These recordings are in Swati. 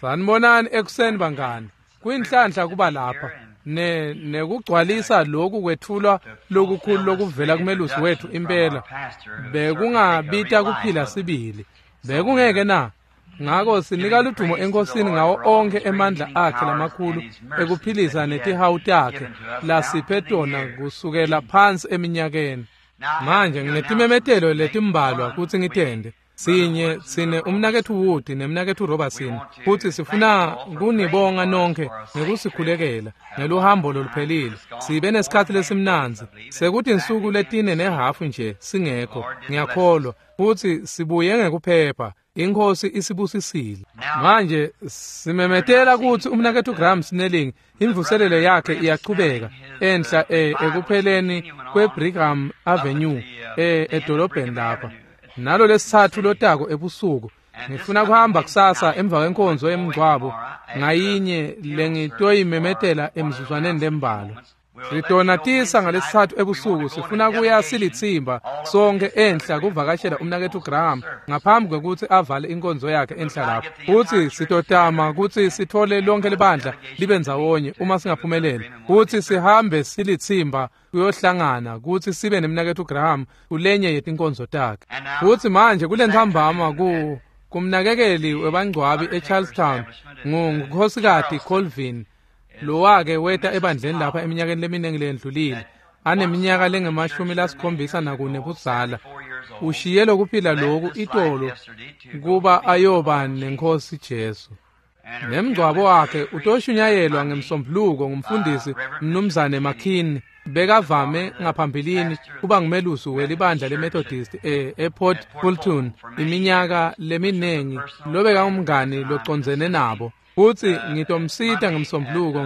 Sanibonani ekuseni bangani. Kuyinhlanhla kuba lapha nekugcwalisa lokhu kwethulwa lokukhulu lokuvela kumelusi wethu impela. Bekungabita kuphila sibili. Bekungeke na? Ngako sinika ludumo enkosini ngawo onke emandla akhe lamakhulu ekuphilisa netihawu takhe lasiphe tona kusukela phansi eminyakeni. Manje nginetimemetelo letimbalwa kutsi ngitende. Sinye sine umnaketfu Wood nemnaketfu Robertson futhi sifuna kunibonga nonke ngekusikhulekela ngeluhambo loluphelile. Sibe nesikhatsi lesimnandzi sekuthi insuku letine nehafu nje singekho, ngiyakholwa futhi sibuye ngekuphepha. Inkosi isibusisile. Manje simemetela kutsi umnaketfu Graham Snelling imvuselelo yakhe iyachubeka enhla ekupheleni kweBrigham Avenue edolobheni lapha. Nalo lesithathu lotako ebusuku. Ngifuna kuhamba kusasa emva kwenkonzo yemngcwabo ngayinye lengitoyimemetela emzuzwaneni lembalwa. Sitonatisa ngalesithathu ebusuku sifuna kuya silitsimba sonke enhla kuvakashela umnaketfu Graham ngaphambi kwekutsi avale inkonzo yakhe enhla lapho. Futsi sitotama kutsi sithole lonke libandla libe ndzawonye uma singaphumelela. Futsi sihambe silitsimba kuyohlangana kutsi sibe nemnaketfu Graham kulenye yetinkonzo takhe. Futsi manje kulentsambama kumnakekeli webangcwabi eCharlestown ngunkhosikati Colvin lowake weta ebandleni lapha eminyakeni leminingi leyendlulile aneminyaka lengu-74 budzala. Ushiye lokuphila loku itolo kuba ayoba nenkosi Jesu. Nemngcwabo wakhe utoshunyayelwa ngemsombuluko ngumfundisi Mnumzane McKinney. Bekavame ngaphambilini kuba ngumelusi welibandla leMethodist ePort Fulton iminyaka leminingi lobekangumngani locondzene nabo. Futsi ngitomsita ngemsombuluko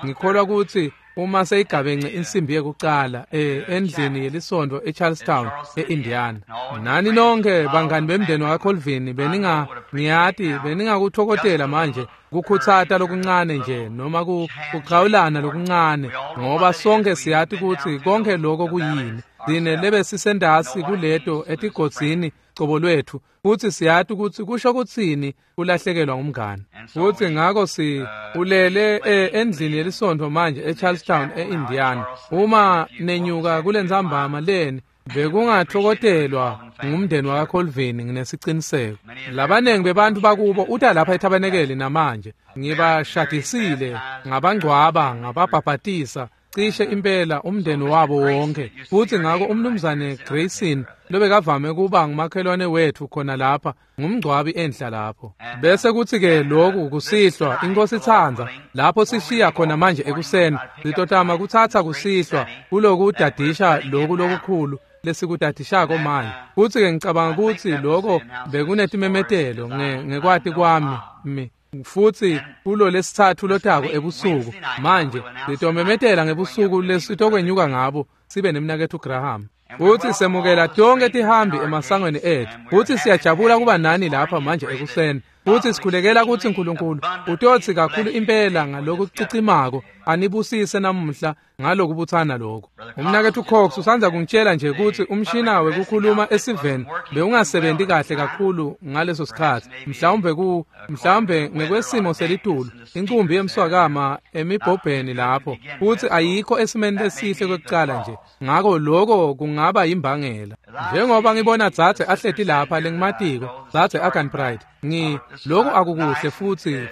ngikholwa kutsi uma seyigabence insimbi yekucala endlini yelisontfo eCharlestown eIndiana. Nani nonke bangani bemndeni wakaColvin beningiyati beningakuthokothela manje kukhutsata lokuncane nje noma kuchawulana lokuncane ngoba sonke siyati kutsi konke lokho kuyini. Sine lebe sisendasi kuleto etigodzini cobo lwethu futsi siyati kutsi kusho kutsini kulahlekelwa ngumngani. Futsi ngako si ulele endlini yelisontfo manje eCharlestown eIndiana. Uma nenyuka kulentsambama leni bekungathokotelwa ngumndeni wakaColvin nginesiciniseko. Labanengi bebantu bakubo uta lapha ethabanekeli namanje. Ngibashadisile, ngabangcwaba, ngababhabhatisa cishe impela umndeni wabo wonke. Futsi ngako umnumzane Grayson lobekavame kuba ngumakhelwane wethu khona lapha ngumngcwabi enhla lapho. Bese kuthi-ke lokhu kusihlwa inkosi itsandza lapho sishiya khona manje ekuseni sitotama kutsatsa kusihlwa kuloku dadisha loku lokukhulu lesikudadishako manje. Futsi-ke ngicabanga kutsi lokho bekunetimemetelo ngekwati kwami futsi kulo lesithathu lotako ebusuku manje sitomemetela ngebusuku lesitokwenyuka ngabo sibe nemnaketfu Graham. Futsi semukela tonke tihambi emasangweni ethu. Futsi siyajabula kuba nani lapha manje ekuseni. Futsi sikhulekela kutsi uNkulunkulu utotsi kakhulu impela ngalokucicimako anibusise namuhla ngalokubutsana lokho. Umnaketfu Cox usandza kungitshela nje kutsi umshina wekukhuluma esiveni bewungasebenti kahle kakhulu ngaleso sikhatsi. Mhlawumbe ngekwesimo selitulu inkumbi yemswakama emibhobheni lapho futsi ayikho esimeni lesihle kwekucala nje. Ngako lokho kungaba yimbangela. Njengoba ngibona dzadze ahleti lapha lengimatiko, dzadze Agan Pride, lokhu akukuhle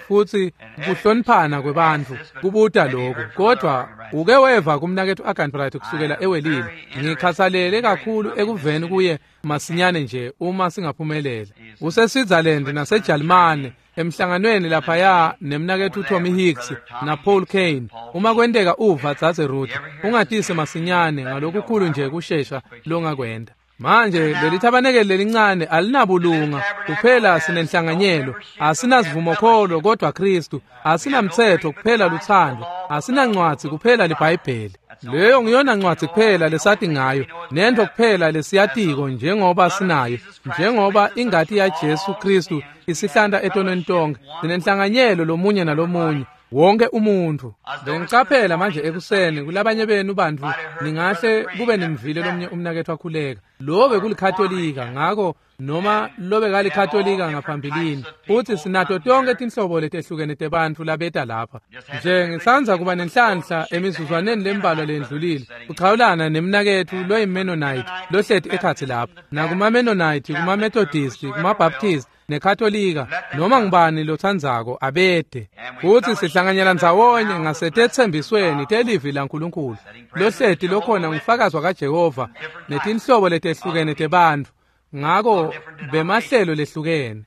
futsi kuhloniphana kwebantfu kubuta lokhu. Kodwa uke weva kumnaketfu Agan Pride kusukela ewelile. Ngikhatsalele kakhulu ekuveni kuye masinyane nje uma singaphumelela. UseSwitzerland naseJalimane emhlanganweni laphaya nemnaketfu Tommy Hicks naPaul Kane. Uma kwenteka uva dzadze Ruth, ungatise masinyane ngalokukhulu nje kushesha longakwenda. Manje leli thabanekeli lelincane alinabulunga kuphela sinenhlanganyelo, asinasivumokholo kodwa Kristu, asinamthetho kuphela luthando, asinancwadzi kuphela liBhayibheli. Leyo ngiyona ncwadzi kuphela lesati ngayo, nento kuphela lesiyatiko njengoba sinayo, njengoba ingati yaJesu Kristu isihlanta etonweni tonke. Sinenhlanganyelo lomunye nalomunye. Wonke umuntu. Bengicaphela manje ekuseni kulabanye benu bantfu ningahle kube nimvile lomnye umnaketfu akhuleka. Lo bekulikhatolika ngako noma lobekalikatolika ngaphambilini. Futhi sinato tonke tinhlobo letehlukene tebantfu labeta lapha. Nje ngisandza kuba nenhlanhla emizuzwaneni lembalwa lendlulile kuchawulana nemnaketfu loyi-Mennonite lohleti ekhatsi lapha, nakuma-Mennonite, kuma-Methodist, kuma-Baptist neKatolika, noma ngubani lotsandzako abede. Futsi sihlanganyela ndzawonye ngasetetsembisweni telivi laNkulunkulu. Lohleti lokhona ngufakazi kaJehova netinhlobo letehlukene tebantfu, ngako bemahlelo lehlukene.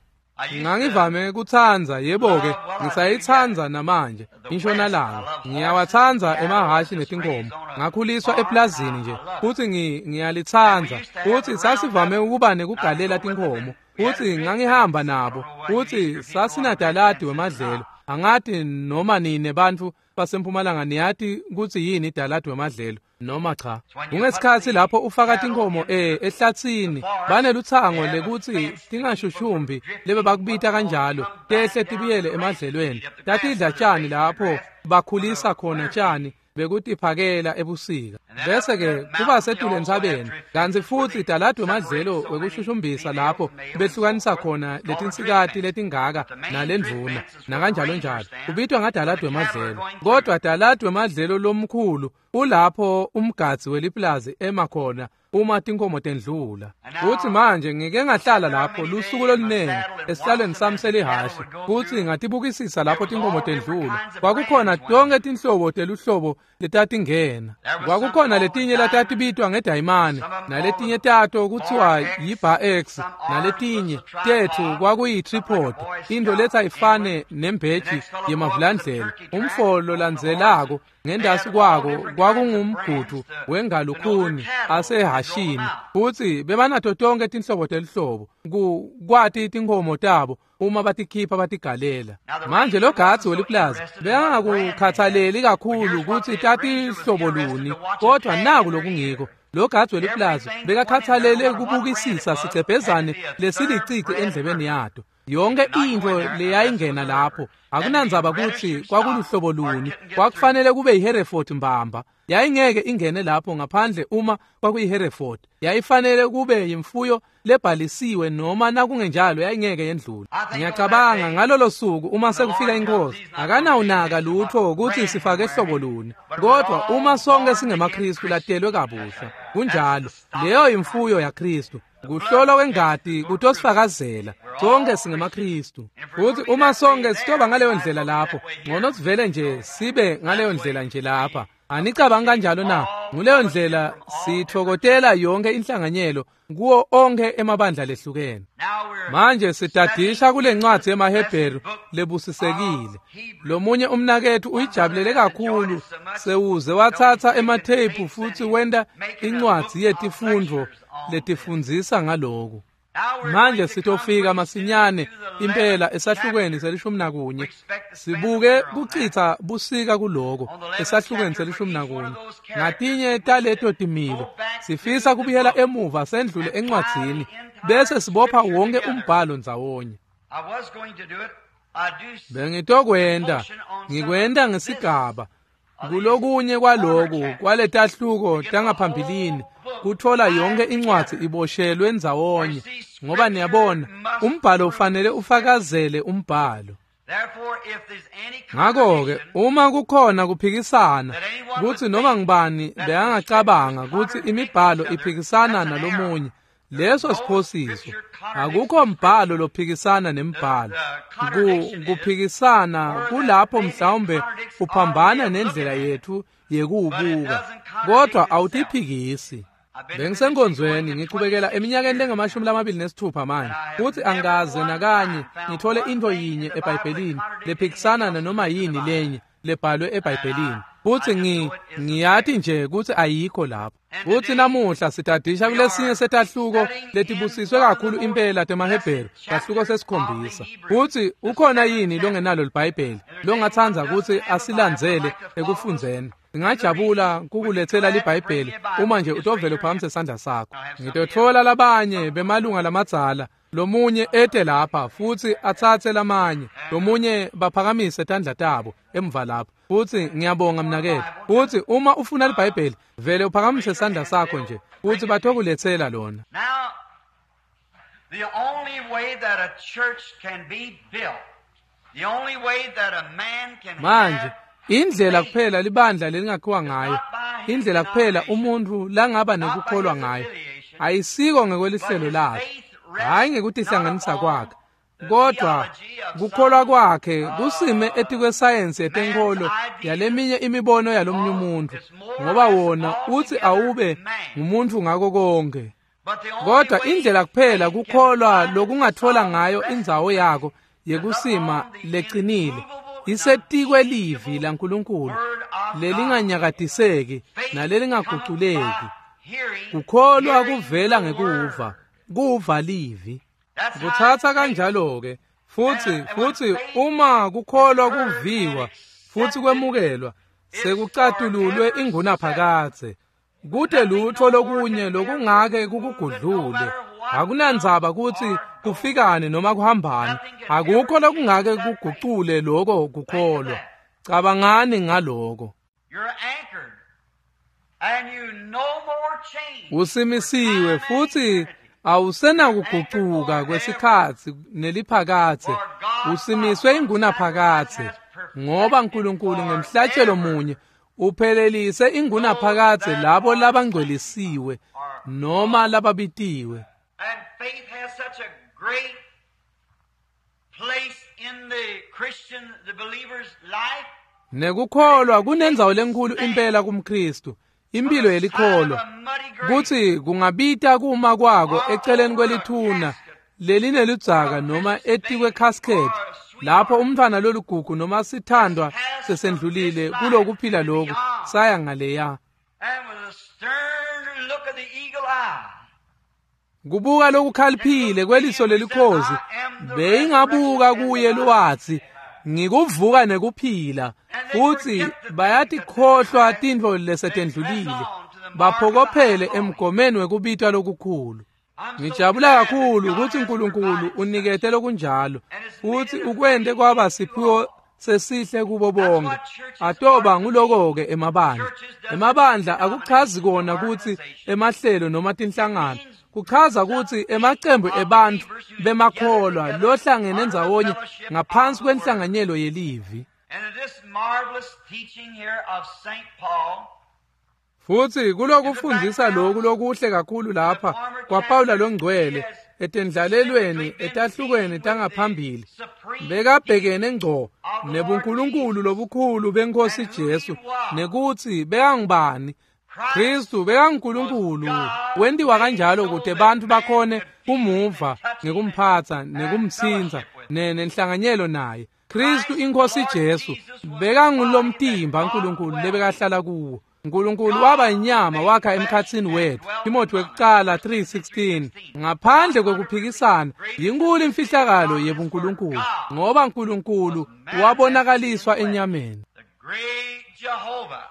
Ngangivame kutsandza, yebo-ke, ngisayitsandza namanje, intshonalanga. Ngiyawatsandza emahhashi netinkomo. Ngakhuliswa eplazini nje, futsi ngiyalitsandza. Futsi sasivame ukuba nekugalela tinkomo. Futsi ngangihamba nabo. Futsi sasinadaladi wemadlelo. Angati noma nine bantfu basempumalanga niyati kutsi yini idaladi wemadlelo noma cha. Kungesikhatsi lapho ufaka tinkomo ehlatsini, banelutsango lekutsi tingashushumbi lebe bakubita kanjalo, tehle tibuyele emadlelweni. Tatidla tjani lapho bakhulisa khona tjani bekutiphakela ebusika. Bese-ke kuba setulu entsabeni, kantsi futsi daladi wemadlelo wekushushumbisa lapho behlukanisa khona letinsikati letingaka nalendvuna nakanjalo njalo. Kubitwa ngadaladi wemadlelo. Kodwa daladi wemadlelo lomkhulu ulapho umgadzi weliplazi ema khona uma tinkomo tendlula. Futsi manje ngike ngahlala lapho lusuku lolunengi esihlalweni sami selihhashi, futsi ngatibukisisa lapho tinkomo tendlula. Kwakukhona tonke tinhlobo teluhlobo letatingena. Kwakukhona letinye latatibitwa ngedayimane, naletinye tato kutsiwa yi-Bar X, naletinye tetfu kwakuyi-tripod, into letsa ifane nembheji yemavulandlela. Umfo lolandzelako ngendasi kwako kwakungumgudu wengalukhuni asehashini. Futsi bebanato tonke tinhlobo teluhlobo kwati tinkomo tabo uma batikhipha batigalela. Manje lo gadzi weliplazi bekangakukhathaleli kakhulu kutsi tatihlobo luni, kodwa naku lokungiko. Lo gadzi weliplazi bekakhathalele kubukisisa sicebhezane lesilicici endlebeni yato. Yonke intfo leyayingena lapho, akunandzaba kutsi kwakuluhlobo luni, kwakufanele kube yiHereford mbamba. Yayingeke ingene lapho ngaphandle uma kwakuyiHereford. Yayifanele kube yimfuyo lebhalisiwe noma nakungenjalo yayingeke yendlule. Ngiyacabanga ngalolo suku uma sekufika inkosi, akanawunaka lutho kutsi sifake hlobo luni, kodwa uma sonke singemaKristu latelwe kabusha, kunjalo, leyo imfuyo yaKristu. Kuhlolwa kwengati kutosifakazela sonke singemaKristu. Futhi uma sonke sitoba ngaleyo ndlela lapho, ngcono sivele nje sibe ngaleyo ndlela nje lapha. Anicabangi kanjalo na? Nguleyo ndlela sitfokotela yonke inhlanganyelo kuwo onke emabandla lehlukene. Manje sitadisha kule ncwadi yemaHebheru lebusisekile. Lomunye umnaketfu uyijabulele kakhulu sewuze watsatsa ematheyiphu futhi wenta incwadzi yetifundvo letifundzisa ngaloku. Manje sitofika masinyane impela esahlukweni se-11. Sibuke kuchitha busika kuloko esahlukweni se-11. Ngatinye taleto timilo sifisa kubuyela emuva sendlule encwadzini bese sibopha wonke umbhalo ndzawonye. Bengitokwenta, ngikwenta ngesigaba kulokunye kwaloku kwaletahluko tangaphambilini kutfola yonke incwadzi iboshelwe ndzawonye, ngoba niyabona umbhalo ufanele ufakazele umbhalo. Ngakho-ke uma kukhona kuphikisana kutsi noma ngubani bekangacabanga kutsi imibhalo iphikisana nalomunye, leso siphosiso. Akukho mbhalo lophikisana nembhalo. Kuphikisana kulapho mhlawumbe uphambana nendlela yethu yekuwubuka, kodwa awutiphikisi. Bengisenkonzweni ngichubekela eminyakeni lengama-26 manje, futhi angikaze nakanye ngithole into yinye eBhayibhelini lephikisana nanoma yini lenye lebhalwe eBhayibhelini. Futhi ngiyati nje kutsi ayikho lapho. Futhi namuhla sitadisha kulesinye setahluko letibusiswe kakhulu impela temaHebheru, sahluko 7. Futhi ukhona yini longenalo liBhayibheli longatsandza kutsi asilandzele ekufundzeni? Ngingajabula kukuletsela liBhayibheli uma nje utovele uphakamise sandla sakho. Ngitotfola labanye bemalunga lamadzala, lomunye ete lapha futhi atsatse lamanye, lomunye baphakamise tandla tabo emva lapho. Futhi ngiyabonga mnaketfu. Futhi uma ufuna liBhayibheli, vele uphakamise sandla sakho nje futhi batokuletsela lona. The only way that a church can be built, the only way that a man can Manje have indlela kuphela libandla lelingakhiwa ngayo, indlela kuphela umuntfu langaba nekukholwa ngayo, ayisiko ngekwelihlelo lakhe, hhayi ngekutihlanganisa kwakhe, kodwa kukholwa kwakhe kusime etikwesayensi yetenkholo yaleminye imibono yalomunye umuntfu, ngoba wona utsi awube ngumuntfu ngako konke. But the only Kodwa way indlela kuphela faith can kukholwa find lokungatfola solid ngayo resting indzawo yako yekusima lecinile isetikwelivi laNkulunkulu lelinganyakatiseki Faith nalelingaguculeki. cometh by hearing, Kukholwa hearing kuvela the ngekuva, word. kuva livi. That's how Kutsatsa it takes. kanjalo-ke futsi uma kukholwa kuviwa futsi kwemukelwa sekucatululwe ingunaphakadze. Kute lutho lokunye lokungake kukugudlule. Akunandzaba kutsi kufikani noma kuhambani, akukho lokungake kugucule loko kukholwa. Cabangani ngaloko. You're anchored, and you no more change. Usimisiwe futhi awusenakugucuka kwesikhatsi neliphakadze. Usimiswe ingunaphakadze ngoba uNkulunkulu ngemhlatshelo munye uphelelise ingunaphakadze labo labangcwelisiwe noma lababitiwe. And faith has such a great place in the Christian, the believer's life. Nekukholwa kunendzawo lenkhulu impela kumKristu, impilo yelikholwa, kutsi kungabita kuma kwako eceleni kwelithuna lelineludzaka noma etikwe casket lapho umntfwana loligugu noma sithandwa sesendlulile kulokuphila loku saya ngaleya. And with a stern look of the eagle eye, Kubuka lokukhaliphile kweliso lelikhozi beyingabuka kuye lowatsi ngikuvuka nekuphila, futsi bayatikhohlwa tintfo lesetendlulile baphokophele emgomeni wekubitwa lokukhulu. I'm so Ngijabula glad that kakhulu God kutsi has uNkulunkulu provided unikete lokunjalo futsi ukwente kwaba siphiwo sesihle kubo bonke. Atoba nguloko-ke emabandla. Emabandla akuchazi kona kutsi emahlelo noma tinhlangano. Kuchaza kutsi emacembu ebantfu bemakholwa lohlangene ndzawonye ngaphansi kwenhlanganyelo yelivi. And in this marvelous teaching here of St. Paul, Futsi kulokufundzisa loku lokuhle kakhulu lapha kwaPawula longcwele etendlalelweni etahlukweni tangaphambili bekabhekene ngco nebunkulunkulu lobukhulu benkosi Jesu nekutsi bekangubani. Kristu bekanguNkulunkulu wentiwa kanjalo kute bantfu bakhone kumuva ngekumphatsa nekumtsintsa nenhlanganyelo naye. Kristu inkosi Jesu bekangulomtimba uNkulunkulu lebekahlala kuwo. uNkulunkulu waba inyama wakha emkhatsini wethu. Timothy wekucala 3:16. Ngaphandle kwekuphikisana yinkulu imfihlakalo yebuNkulunkulu, ngoba uNkulunkulu wabonakaliswa enyameni. the great Jehovah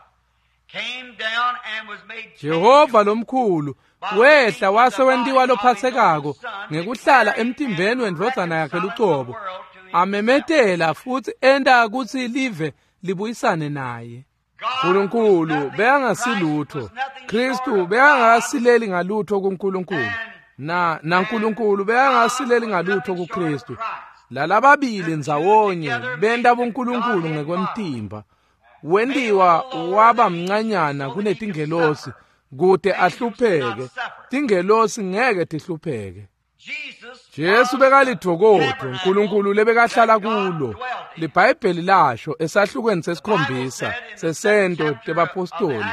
came down and was made Jehova lomkhulu wehla wase wentiwa lophatsekako ngekuhlala emtimbeni wendvodzana yakhe lucobo, amemetela futsi enta kutsi live libuyisane naye. uNkulunkulu bekangasilutho, Kristu bekangasileli ngalutho kuNkulunkulu, na naNkulunkulu bekangasileli ngalutho kuKristu. Lalababili ndzawonye benta buNkulunkulu ngekwemtimba. Wentiwa waba mncanyana kunetingelosi kute ahlupheke. Tingelosi ngeke tihlupheke. Jesus Jesu bekalidvokodvo uNkulunkulu lebekahlala kulo. LiBhayibheli lasho esahlukweni sesikhombisa sesento tebapostoli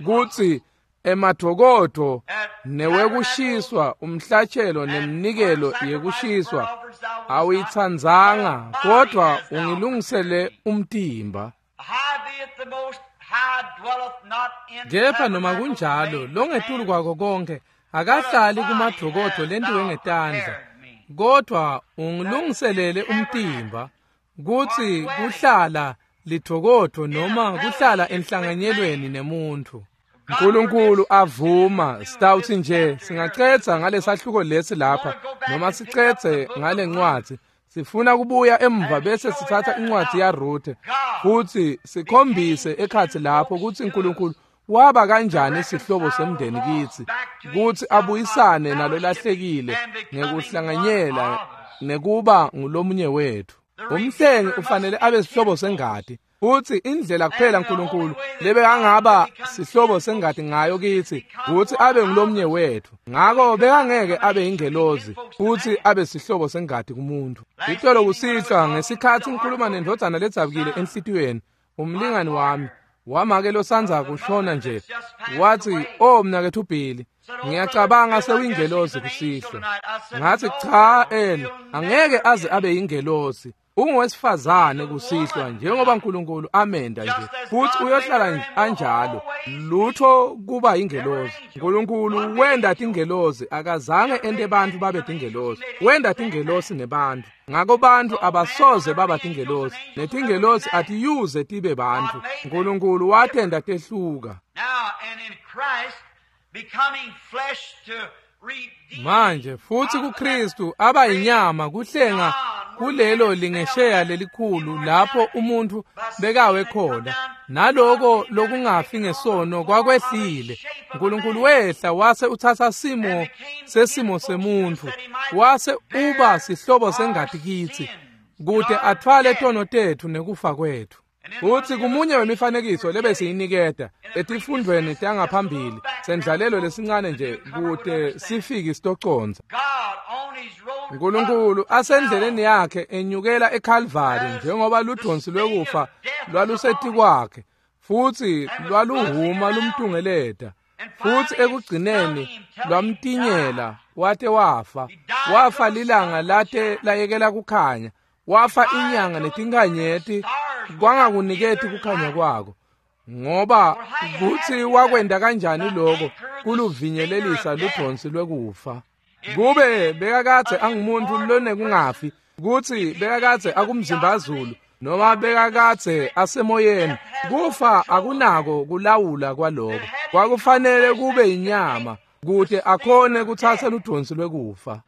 kutsi emadvokodvo newekushiswa umhlatshelo nemnikelo yekushiswa awuyitsandzanga, kodwa ungilungisele umtimba. High be it the most high dwelleth not in Kepha noma tabernacles kunjalo made with longetulu hands, kwako konke akahlali kumadvokodvo lentiwe ngetandla, kodwa ungilungiselele umtimba kutsi kuhlala lidvokodvo noma kuhlala enhlanganyelweni nemuntfu. uNkulunkulu avuma sitawutsi nje singacedza ngalesahluko lesi lapha noma sicedze ngale ncwadzi. Sifuna kubuya emva bese sithatha incwadzi yaRuthe futsi sikhombise ekhatsi lapho kutsi uNkulunkulu waba kanjani sihlobo semndeni kitsi, kutsi abuyisane nalolahlekile ngekuhlanganyela nekuba ngulomunye wethu. Umhlengi ufanele abe sihlobo sengati, futsi indlela kuphela uNkulunkulu lebekangaba sihlobo sengati ngayo kitsi kutsi abe ngulomunye wethu. Ngako bekangeke abe ingelozi futsi abe sihlobo sengati kumuntu. Itolo kusihlwa ngesikhatsi ngikhuluma nendvodzana ledzabukile enhlitiyweni, umlingani wami wamake losandza kushona nje, wathi, "Oh mnaketfu Billy, ngiyacabanga sewuyingelozi kusihlwa." Ngathi, "Cha, Eli, angeke aze abe yingelozi. Ungowesifazane kusihlwa njengoba uNkulunkulu amenda nje, futhi uyohlala anjalo. Lutho kuba ingelozi. uNkulunkulu wenda tingelozi, akazange ente bantfu babe tingelozi. Wenda tingelosi nebantfu. Ngako bantfu abasoze baba tingelosi, netingelosi atiyuze tibe bantfu. uNkulunkulu watenda tehluka." Manje futhi kuKristu aba inyama kuhlenga kulelo lingesheya lelikhulu lapho umuntu bekawe khona, naloko lokungafi ngesono kwakwehlile. uNkulunkulu wehla wase uthatha simo sesimo semuntu, wase uba sihlobo sengati kitsi kute athwale tono tetfu nekufa kwetfu. Uthi kumunye wemifanekiso lebesiyiniketa etifundweni tangaphambili sendlalelo lesincane nje kute sifike sitoconza. uNkulunkulu asendleleni yakhe enyukela eKalvari njengoba ludonsi lwekufa lwalusetikwakhe futhi lwaluhuma lumtungeleta, futhi ekugcineni lwamtinyela wate wafa. Wafa lilanga late layekela kukhanya, wafa inyanga netinkanyeti kwangakuniketi kukhanya kwako. Ngoba kutsi wakwenda kanjani lokho kuluvinyelelisa ludonsi lwekufa. Kube bekakadze angumuntu lonekungafi, kutsi bekakadze akumzimbazulu noma bekakadze asemoyeni, kufa akunako kulawula kwaloko. Kwakufanele kube inyama kute akhone kuthatha ludonsi lwekufa.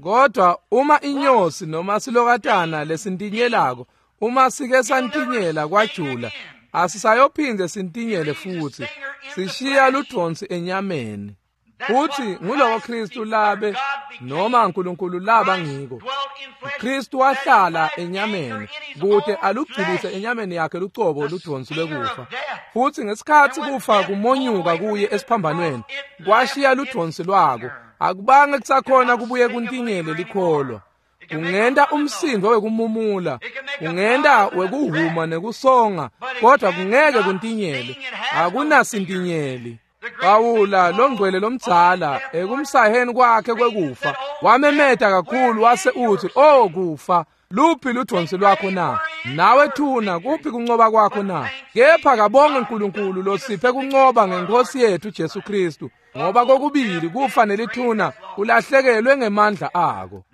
Kodwa uma inyosi noma silokatana lesintinyelako, uma sike santinyela kwajula, asisayophinde sintinyele futhi, sishiya ludonsi enyameni. Futhi nguloko Kristu labe noma uNkulunkulu laba ngiko. Kristu wahlala enyameni kute alugculise enyameni yakhe lucobo ludonsi lwekufa. Futhi ngesikhatsi kufa kumonyuka kuye esiphambanweni, kwashiya ludonsi lwako. Akubange kusakhona kubuye kuntinyele likholwa. Kungenta umsindo wekumumula, kungenta wekuhuma nekusonga, kodwa kungeke kuntinyele. Akunasintinyeli. Pawula longcwele lomdzala ekumsaheni kwakhe kwekufa wamemeta kakhulu wase uthi, "Oh kufa, luphi ludonsi lwakho na? Nawe thuna, kuphi kuncoba kwakho na?" Kepha kabonge uNkulunkulu losiphe kuncoba ngenkosi yethu Jesu Kristu, ngoba kokubili kufa nelithuna kulahlekelwe ngemandla ako.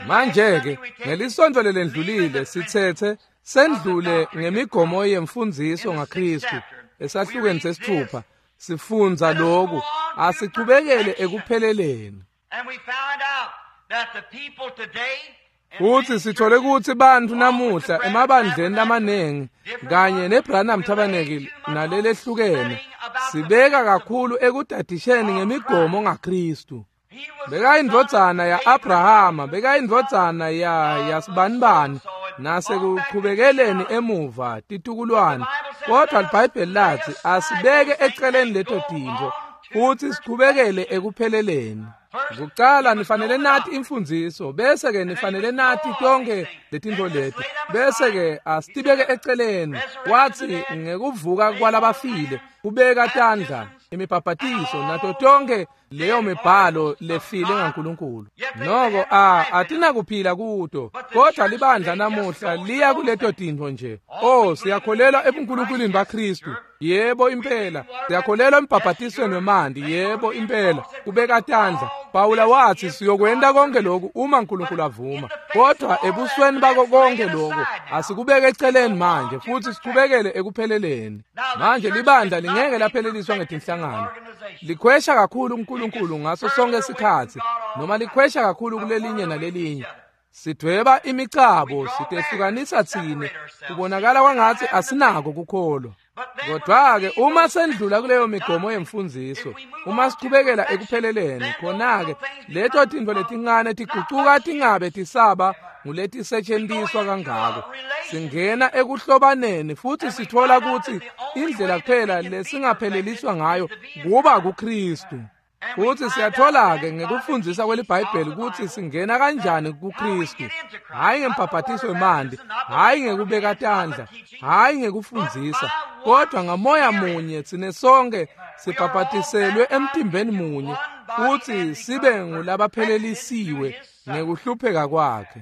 Manje-ke ngelisonto lelendlulile sithethe sendlule ngemigomo yemfundziso ngaKristu esahlukweni sesithupha. Sifundza lokhu, asichubekele ekupheleleni. Futhi sithole ukuthi bantfu namuhla emabandleni lamanengi kanye neBranham Tabernacle nalelehlukene sibeka kakhulu ekudadisheni ngemigomo ngaKristu. Bekayindvodzana ya-Abrahama, bekayindvodzana yasibanibani, nasekuqhubekeleni emuva titukulwane. Kodwa iBhayibheli lathi asibeke eceleni leto tintfo futhi siqhubekele ekupheleleni. Kucala nifanele nati imfundziso, bese ke nifanele nati tonke letintfo leti, bese ke asitibeke eceleni. Wathi ngekuvuka kwalabafile, kubeka tandla, imibhabhatiso nato tonke leyo mibhalo lefile ngaNkulunkulu. Noko atinakuphila kuto, kodwa libandla namuhla liya kuleto tintfo nje. Oh, siyakholelwa ebunkulunkulwini baKristu, yebo impela. Siyakholelwa embhabhatisweni wemanti, yebo impela. Kubeka tandla. Pawula wathi siyokwenta konke lokhu uma uNkulunkulu avuma. Kodwa ebusweni bako konke lokhu asikubeke eceleni manje futhi sichubekele ekupheleleni. Manje libandla lingeke lapheleliswa ngetinhlangano. Likhwesha kakhulu uNkulunkulu ngaso sonke isikhatsi, noma likhwesha kakhulu kulelinye nalelinye. Sidweba imicabo, sitehlukanisa tsine, kubonakala kwangatsi asinako kukholwa. Kodwa-ke uma sendlula kuleyo migomo yemfundziso, uma sichubekela ekupheleleni, khona-ke leto tintfo letincane tigucuka tingabe tisaba nguletisetjentiswa kangako. Singena ekuhlobaneni futsi sitfola kutsi indlela kuphela lesingapheleliswa ngayo kuba kuKristu. Futsi siyatfola-ke ngekufundzisa kweliBhayibheli kutsi singena kanjani kuKristu, hhayi ngembhabhatiso wemanti, hhayi ngekubeka tandla, hhayi ngekufundzisa, kodwa ngamoya munye tsine sonke sibhabhatiselwe emtimbeni munye futsi sibe ngulabaphelelisiwe ngekuhlupheka kwakhe.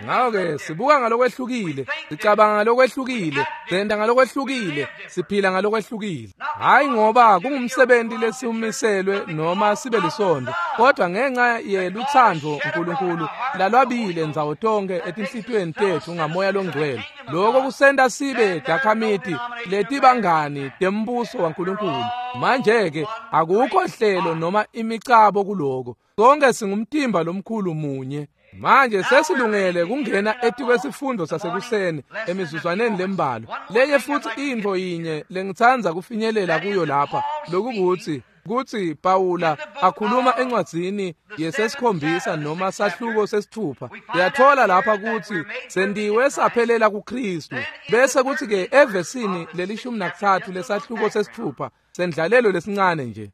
Ngako-ke sibuka ngalokwehlukile, sicabanga ngalokwehlukile, senta ngalokwehlukile, siphila ngalokwehlukile. Hhayi ngoba kungumsebenti lesiwumiselwe noma sibe lisondo, kodwa ngenxa yelutsandvo uNkulunkulu lalwabile ndzawo tonkhe etinhlitiyweni tetfu ngamoya longcwele. Loko kusenta sibe takhamiti letibangani tembuso waNkulunkulu. Manje-ke akukho hlelo noma imicabo kuloko. Sonke singumtimba lomkhulu munye. Manje sesilungele kungena etikwesifundo sasekuseni emizuzwaneni lembalwa. Lenye futsi intfo yinye lengitsandza kufinyelela kuyo lapha, lokukutsi kutsi Pawula akhuluma encwadzini yesesikhombisa noma sahluko sesithupha. Uyatfola lapha kutsi sentiwe saphelela kuKristu. Bese kutsi-ke evesini leli-13 lesahluko sesithupha sendlalelo lesincane nje.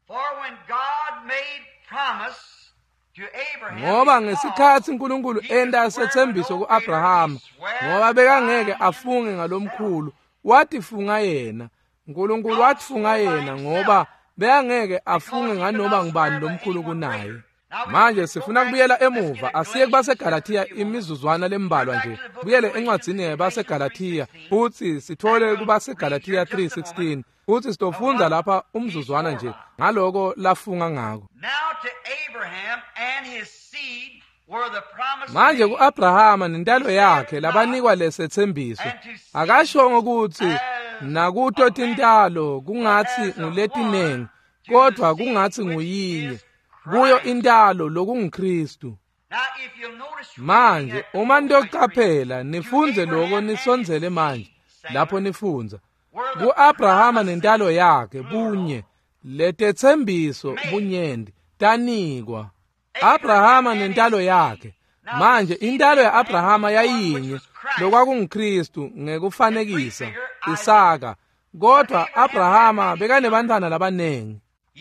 Ngoba ngesikhatsi uNkulunkulu enta setsembiso ku-Abrahama, ngoba bekangeke afunge ngalomkhulu, watifunga yena. uNkulunkulu watifunga yena ngoba bekangeke afunge nganoma ngubani lomkhulu kunaye. Manje sifuna kubuyela emuva, asiye kubaseGalathiya imizuzwana lembalwa nje. Buyele encwadzini yabaseGalathiya futsi sithole kubaseGalathiya 3:16 futsi sitofundza lapha umzuzwana nje ngaloko lafunga ngako. Manje ku-Abrahama nentalo yakhe labanikwa lesetsembiso, akashongo kutsi nakuto tintalo kungatsi nguletinengi, kodvwa kungatsi nguyinye, kuyo intalo lokunguKristu. Manje uma nitocaphela nifundze loko nisondzele manje lapho nifundza ku-Abrahama nentalo yakhe bunye letetsembiso bunyenti tanikwa Abrahama nentalo yakhe. Manje intalo ya-Abrahama yayinye lokwakunguKristu ngekufanekisa Isaka, kodwa Abrahama bekanebantfwana labanengi.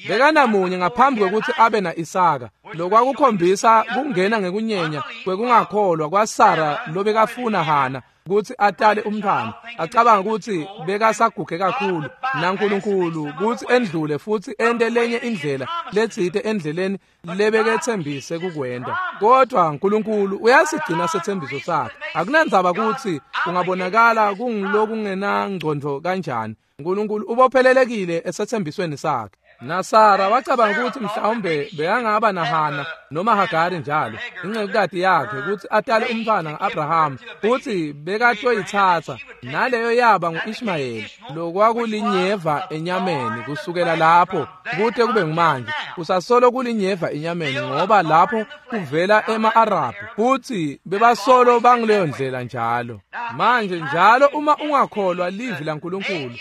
Bekanamunye ngaphambi kwekutsi abe na-Isaka, lokwakukhombisa kungena ngekunyenya kwekungakholwa kwaSara lobekafuna Hana kutsi atale umntfwana, acabanga kutsi bekasaguge kakhulu naNkulunkulu kutsi endlule futsi ente lenye indlela letsite endleleni lebeketsembise kukwenta. Kodwa uNkulunkulu uyasigcina setsembiso sakhe. Akunandzaba kutsi kungabonakala kungulokungenangcondvo kanjani, uNkulunkulu ubophelelekile esetsembisweni sakhe. NaSara wacabanga ukuthi mhlawumbe bekangaba naHana noma Hagari njalo, incekukati yakhe, kutsi atale umntfwana nga-Abrahama, futsi bekatoyitsatsa, naleyo yaba ngu-Ishmayeli, lokwakulinyeva enyameni kusukela lapho kute kube ngumanje. Kusasolo kulinyeva enyameni ngoba lapho kuvela ema-Arabhu, futsi bebasolo banguleyo ndlela njalo. Manje njalo uma ungakholwa livi laNkulunkulu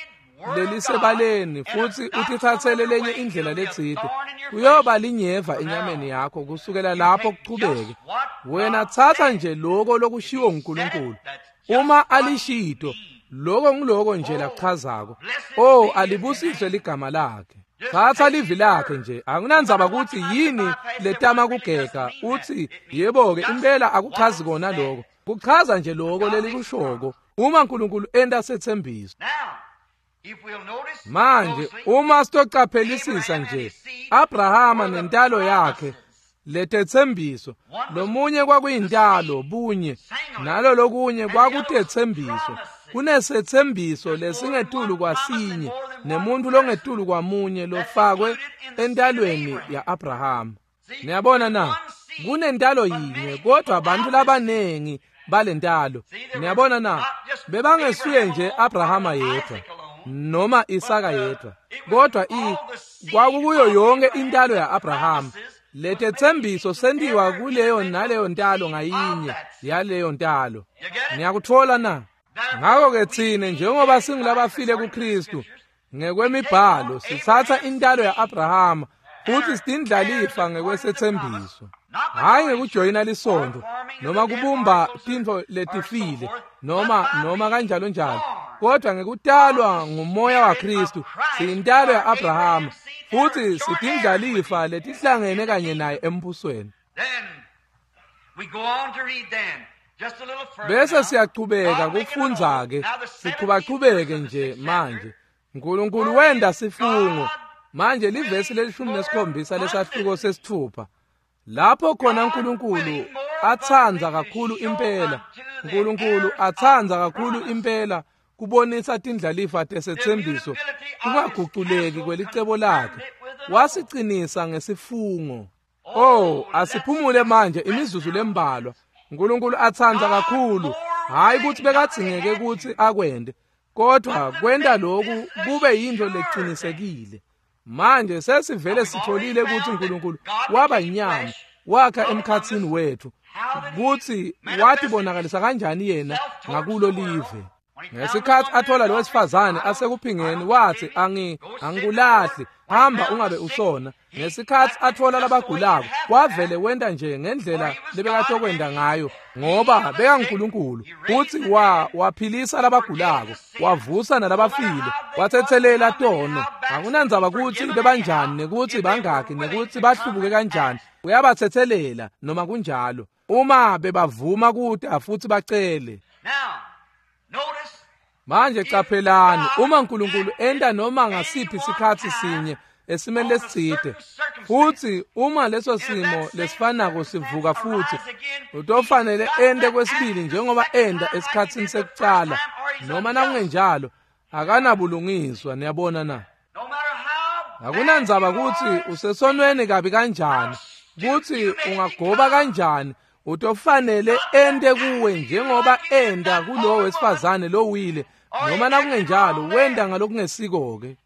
lelisebaleni futsi utitsatsele lenye indlela letsite, kuyoba linyeva enyameni yakho kusukela lapho kuchubeke. Wena tsatsa nje loko lokushiwo nguNkulunkulu. Uma alishito, loko nguloko nje lakuchazako. Oh, alibusiswe ligama lakhe. Tsatsa livi lakhe nje, akunandzaba kutsi yini letama kugega, utsi yebo-ke impela akuchazi kona loko. Kuchaza nje loko lelikushoko uma uNkulunkulu enta setsembiso. Manje uma sitocaphelisisa nje Abrahama nentalo yakhe letetsembiso, lomunye kwakuyintalo bunye, nalo lokunye kwakutetsembiso. Kunesetsembiso lesingetulu kwasinye nemuntu longetulu kwamunye lofakwe entalweni ya-Abrahama. Niyabona na? Kunentalo yinye kodwa abantu labanengi balentalo. Niyabona na? Bebangesuye nje Abrahama yedwa noma Isaka yedwa, kodwa kwakukuyo yonke intalo ya-Abrahama Letetsembiso sentiwa kuleyo naleyo ntalo ngayinye yaleyo ntalo. Niyakutfola na? Ngako-ke tsine njengoba singulabafile kuKristu ngekwemibhalo sitsatsa intalo ya-Abrahama futsi sitindlalifa ngekwesetsembiso. Hhayi ngekujoyina lisontfo noma kubumba tintfo letifile noma kanjalo njalo, kodwa ngekutalwa ngumoya waKristu siyintalo ya-Abrahama futsi sitindlalifa letihlangene kanye naye embusweni. Bese siyachubeka kufundza-ke, sichubachubeke nje manje. Nkulunkulu wenda sifungo. Manje livesi leli-17 lesahluko 6. Lapho khona Nkulunkulu atsandza kakhulu impela, Nkulunkulu atsandza kakhulu impela kubonisa tindlalifa tesetsembiso kungaguculeki kwelicebo lakhe, wasicinisa ngesifungo. Oh, asiphumule manje imizuzu lembalwa. Nkulunkulu atsandza kakhulu, hhayi kutsi bekadzingeke kutsi akwente, kodwa kwenta lokhu kube yintfo lecinisekile. Manje sesivele sitholile kutsi Nkulunkulu waba inyama, wakha emkhatsini wethu, kutsi watibonakalisa kanjani yena ngakulo live. Ngesikhatsi athola lo wesifazane asekuphingeni wathi angikulahli, hamba ungabe usona. Ngesikhatsi athola labagulako wavele wenta nje ngendlela lebekatokwenda ngayo, ngoba bekaNkulunkulu. Futsi waphilisa labagulako, wavusa nalabafile, watsetselela tono. Akunandzaba kutsi bebanjani nekutsi bangaki nekutsi bahlubuke kanjani, uyabatsetselela noma kunjalo, uma bebavuma kuta futsi bacele. Manje caphelani, uma Nkulunkulu enta noma ngasiphi sikhatsi sinye esimeni lesitsite, futsi uma leso simo lesifanako sivuka futsi, utofanele ente kwesibili njengoba enta esikhatsini sekucala, noma nakungenjalo akanabulungiswa. Niyabona na? Akunandzaba kutsi usesonweni kabi kanjani, kutsi ungagoba kanjani, utofanele ente kuwe njengoba enta kulowo wesifazane lowile, noma nakungenjalo wenta ngalokungesiko-ke.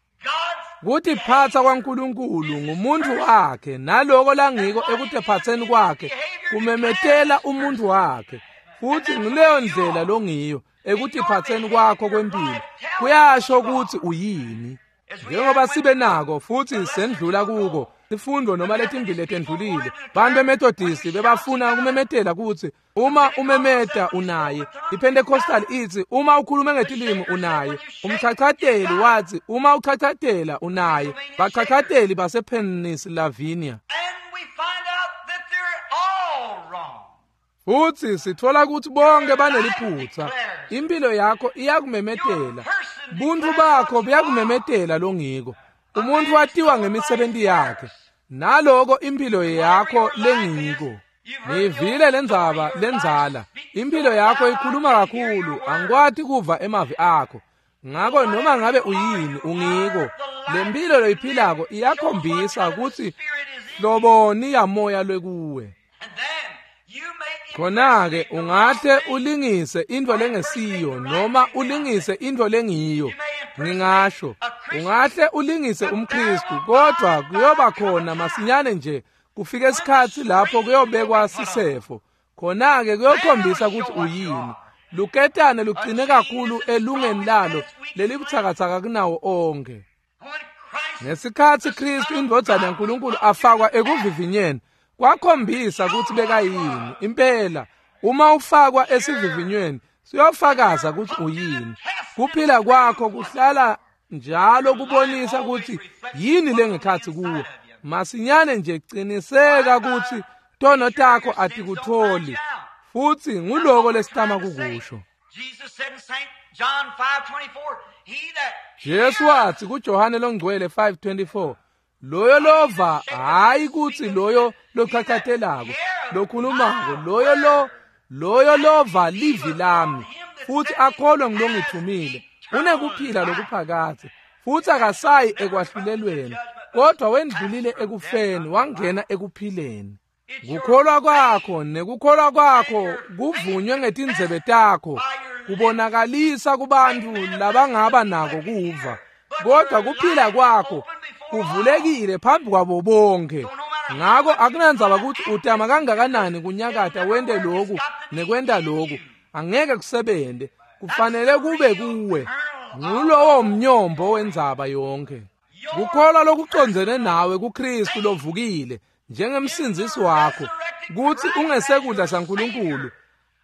Kutiphatsa kwaNkulunkulu ngumuntu wakhe, naloko langiko ekutiphatseni kwakhe kumemetela umuntu wakhe, futsi nguleyo ndlela longiyo ekutiphatseni kwakho kwempilo, kuyasho kutsi uyini. Njengoba sibe nako futsi sendlula kuko sifundo noma letimbili letendlulile, bantu beMethodist bebafuna kumemetela kutsi uma umemeta unaye. IPentecostal ithi uma ukhulume ngetilimi unaye. Umchachateli wathi uma uchachatela unaye. Bachachateli basePennsylvania. Futsi sitfola kutsi bonke baneliphutsa. Impilo yakho iyakumemetela, buntfu bakho buyakumemetela longiko. Umuntu watiwa ngemisebenti yakhe, naloko impilo yakho lengiko. Nivile lendzaba lendzala, impilo yakho ikhuluma kakhulu, angikwati kuva emavi akho. Ngako noma ngabe uyini ungiko, lempilo loyiphilako iyakhombisa kutsi hloboni yamoya lwekuwe. Khona-ke ungahle ulingise intfo lengesiyo noma ulingise intfo lengiyo. Ngingasho, ungahle ulingise umKristu, kodwa kuyoba khona masinyane nje kufike isikhatsi lapho kuyobekwa sisefo. Khona-ke kuyokhombisa kutsi uyini. Luketane lugcine kakhulu elungeni lalo lelibutsakatsaka kunawo onke. Ngesikhatsi Kristu indvodzana yaNkulunkulu afakwa ekuvivinyeni, kwakhombisa kutsi bekayini. Impela, uma ufakwa esivivinyweni, siyofakaza kutsi uyini. Kuphila kwakho kuhlala njalo kubonisa kutsi yini lengekhatsi kuwe. Masinyane nje ciniseka kutsi tono takho atikutholi, futsi nguloko lesitama kukusho. Jesu watsi kuJohane longcwele 5:24, loyo lova, hhayi kutsi loyo lochachatelako, lokhulumako, loyo lova livi lami futsi akholwe ngilongithumile, unekuphila lokuphakadze, futsi akasayi ekwahlulelweni, kodwa wendlulile ekufeni wangena ekuphileni. Kukholwa kwakho nekukholwa kwakho kuvunywe ngetindzebe takho, kubonakalisa kubantfu labangaba nako kuva, kodwa kuphila kwakho kuvulekile phambi kwabo bonke. Ngako akunandzaba ukuthi utama kangakanani kunyakata wente loku nekwenta loku, angeke kusebente. Kufanele kube kuwe. Ngulowo mnyombo wendzaba yonke. Kukholwa lokucondzene nawe kuKristu lovukile njengemsindzisi wakho, kutsi ungesekudla saNkulunkulu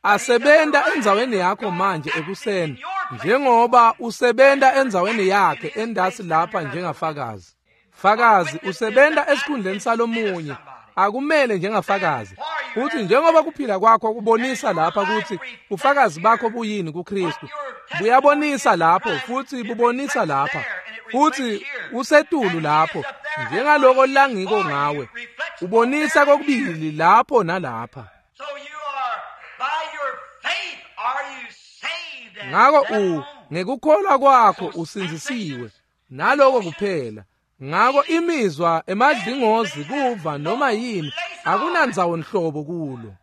asebenta endzaweni yakho manje ekuseni, njengoba usebenta endzaweni yakhe endasi lapha njengafakazi. Fakazi usebenta esikhundleni salomunye, akumele njengafakazi. Futhi njengoba kuphila kwakho kubonisa lapha ukuthi ufakazi bakho buyini kuKristu, buyabonisa lapho futhi bubonisa lapha, futhi usetulu lapho njengaloko langiko ngawe, ubonisa kokubili lapho nalapha. Ngako ngekukholwa kwakho usindzisiwe, naloko kuphela. Ngako imizwa, emadlingozi, kuva noma yini akunandzawo nhlobo kulo.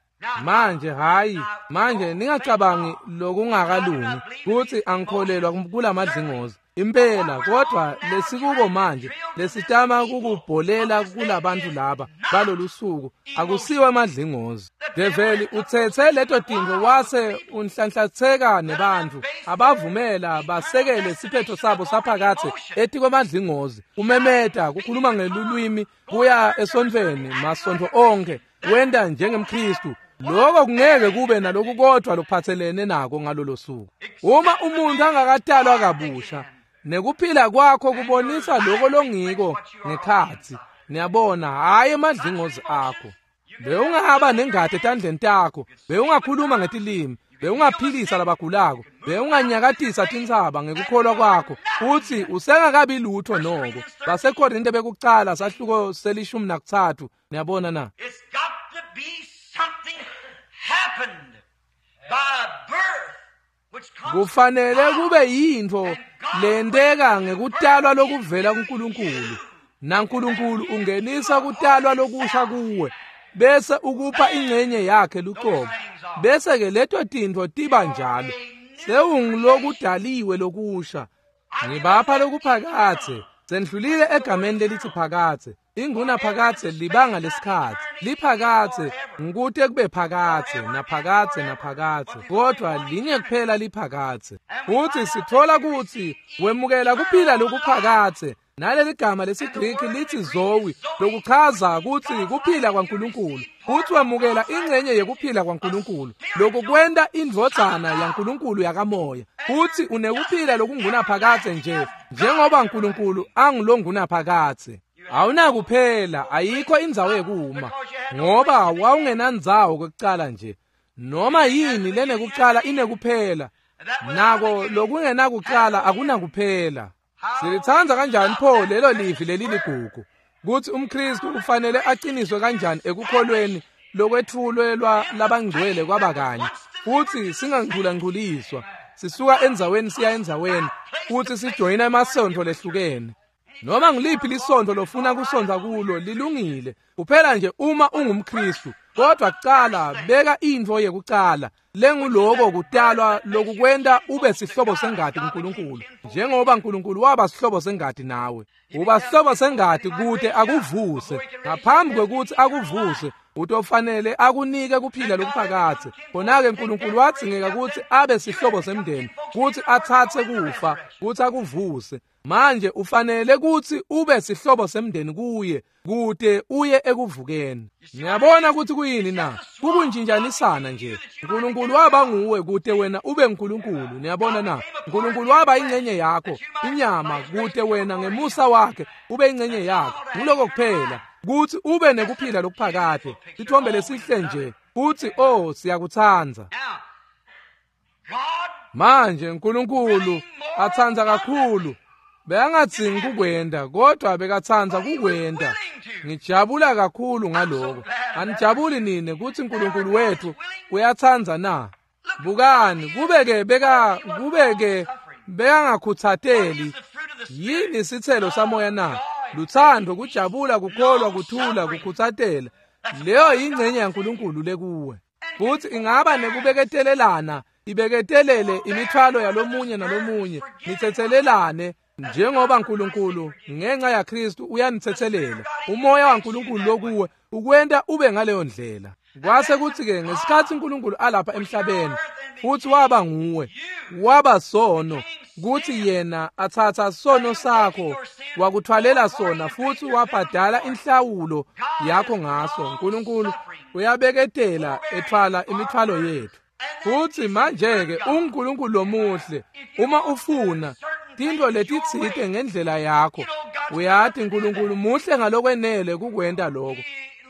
Manje hayi, manje ningacabangi lokungakalungi kutsi angikholelwa kulamadlingozi impela, kodwa lesikuko manje lesitama kukubholela kulabantu laba balolu suku akusiwe amadlingozi. Develi utsetse leto tintfo wase unhlanhlatseka nebantfu abavumela basekele siphetho sabo saphakathe etikwemadlingozi, umemeta kukhuluma ngelulwimi kuya esontfweni masontfo onke, wenta njengemKristu. Lokho kungeke kube naloku kodwa lokuphathelene nako ngalolo suku. Uma umuntu angakatalwa kabusha, nekuphila kwakho kubonisa lokho longiko ngekhatsi. Niyabona, hhayi emadlingozi akho. Bewungahamba nengati etandleni takho, bewungakhuluma ngetilimi, bewungaphilisa labagulako, bewunganyakatisa tintsaba ngekukholwa kwakho, futsi usengakabi lutho noko. BaseKorinte bekucala sahluko se-13. Niyabona na? Kufanele kube yintfo lenteka ngekutalwa lokuvela kuNkulunkulu, naNkulunkulu ungenisa kutalwa lokusha kuwe bese ukupha ingcenye yakhe luqobo, bese ke leto tintfo tiba njalo. Sewungilokudaliwe lokusha. Ngibapha lokuphakathe. Sendlulile egameni lelithi phakathe. Inguna phakathe libanga lesikhatsi. Liphakathe ngikute kube phakathe naphakathe naphakathe, kodwa linye kuphela liphakathe. Futhi sithola ukuthi wemukela kuphila lokuphakathe. Naleli gama lesiGriki lithi zoe, lokuchaza ukuthi kuphila kwaNkulunkulu. Futhi wemukela ingcenye yekuphila kwaNkulunkulu, lokukwenta indvodzana yaNkulunkulu yakamoya. Futhi unekuphila lokungunaphakathe nje njengoba uNkulunkulu angulongunaphakathe. Awunakuphela, ayikho indzawo yekuma, ngoba wawungenandzawo kwekucala nje. Noma yini lenekucala inekuphela, nako lokungenakucala akunakuphela. Silitsandza kanjani pho lelo livi leliligugu, kutsi umKristu ufanele aqiniswe kanjani ekukholweni lokwetfulelwa labangcwele kwabakanye, futsi singangculangculiswa sisuka endzaweni siya endzaweni, futsi sijoyina emasontfo lehlukene. Noma ngiliphi lisontfo lofuna kusonza kulo lilungile, kuphela nje uma ungumKristu. Kodwa kucala beka intfo yekucala lenguloko kutalwa lokukwenta ube sihlobo sengati kuNkulunkulu, njengoba uNkulunkulu waba sihlobo sengati nawe. Uba sihlobo sengati kute akuvuse. Ngaphambi kwekutsi akuvuse, utofanele akunike kuphila lokuphakathe. Khona-ke uNkulunkulu wadzingeka kutsi abe sihlobo semndeni, kutsi atsatse kufa, kutsi akuvuse. Manje ufanele kutsi ube sihlobo semndeni kuye kute uye ekuvukeni. Niyabona ukuthi kuyini na? Kukunjinjanisana nje. uNkulunkulu waba nguwe kute wena ube uNkulunkulu. Niyabona na? uNkulunkulu waba ingcenye yakho, inyama, kute wena ngemusa wakhe ube ingcenye yakho. Nguloko kuphela, kutsi ube nekuphila lokuphakade. Sithombe lesihle nje. Futhi oh, siyakutsandza. Manje uNkulunkulu atsandza kakhulu, bekangadzingi kukwenta, kodwa bekatsandza kukwenta. Ngijabula kakhulu ngaloko. Anijabuli nine kutsi uNkulunkulu wethu uyatsandza na? Bukani, kubeke bekangakhutsateli. Yini sitselo samoya na? Lutsandvo, kujabula, kukholwa, kuthula, kukhutsatela. Leyo yingcenye yaNkulunkulu lekuwe. Futhi ingaba nekubeketelelana, ibeketelele imithwalo yalomunye nalomunye, nitsetselelane. Njengoba uNkulunkulu ngenxa yaKristu uyanithethelela, umoya waNkulunkulu lokuwe ukwenta ube ngaleyo ndlela. Kwase kuthi-ke ngesikhathi uNkulunkulu alapha emhlabeni futhi waba nguwe, waba sono, kuthi yena athatha sono sakho wakuthwalela sona futhi wabhadala inhlawulo yakho ngaso. uNkulunkulu uyabeketela ethwala imithwalo yethu. Futhi manje-ke uNkulunkulu lomuhle, uma ufuna tintfo letitsite ngendlela yakho, uyati uNkulunkulu muhle ngalokwenele kukwenta lokho.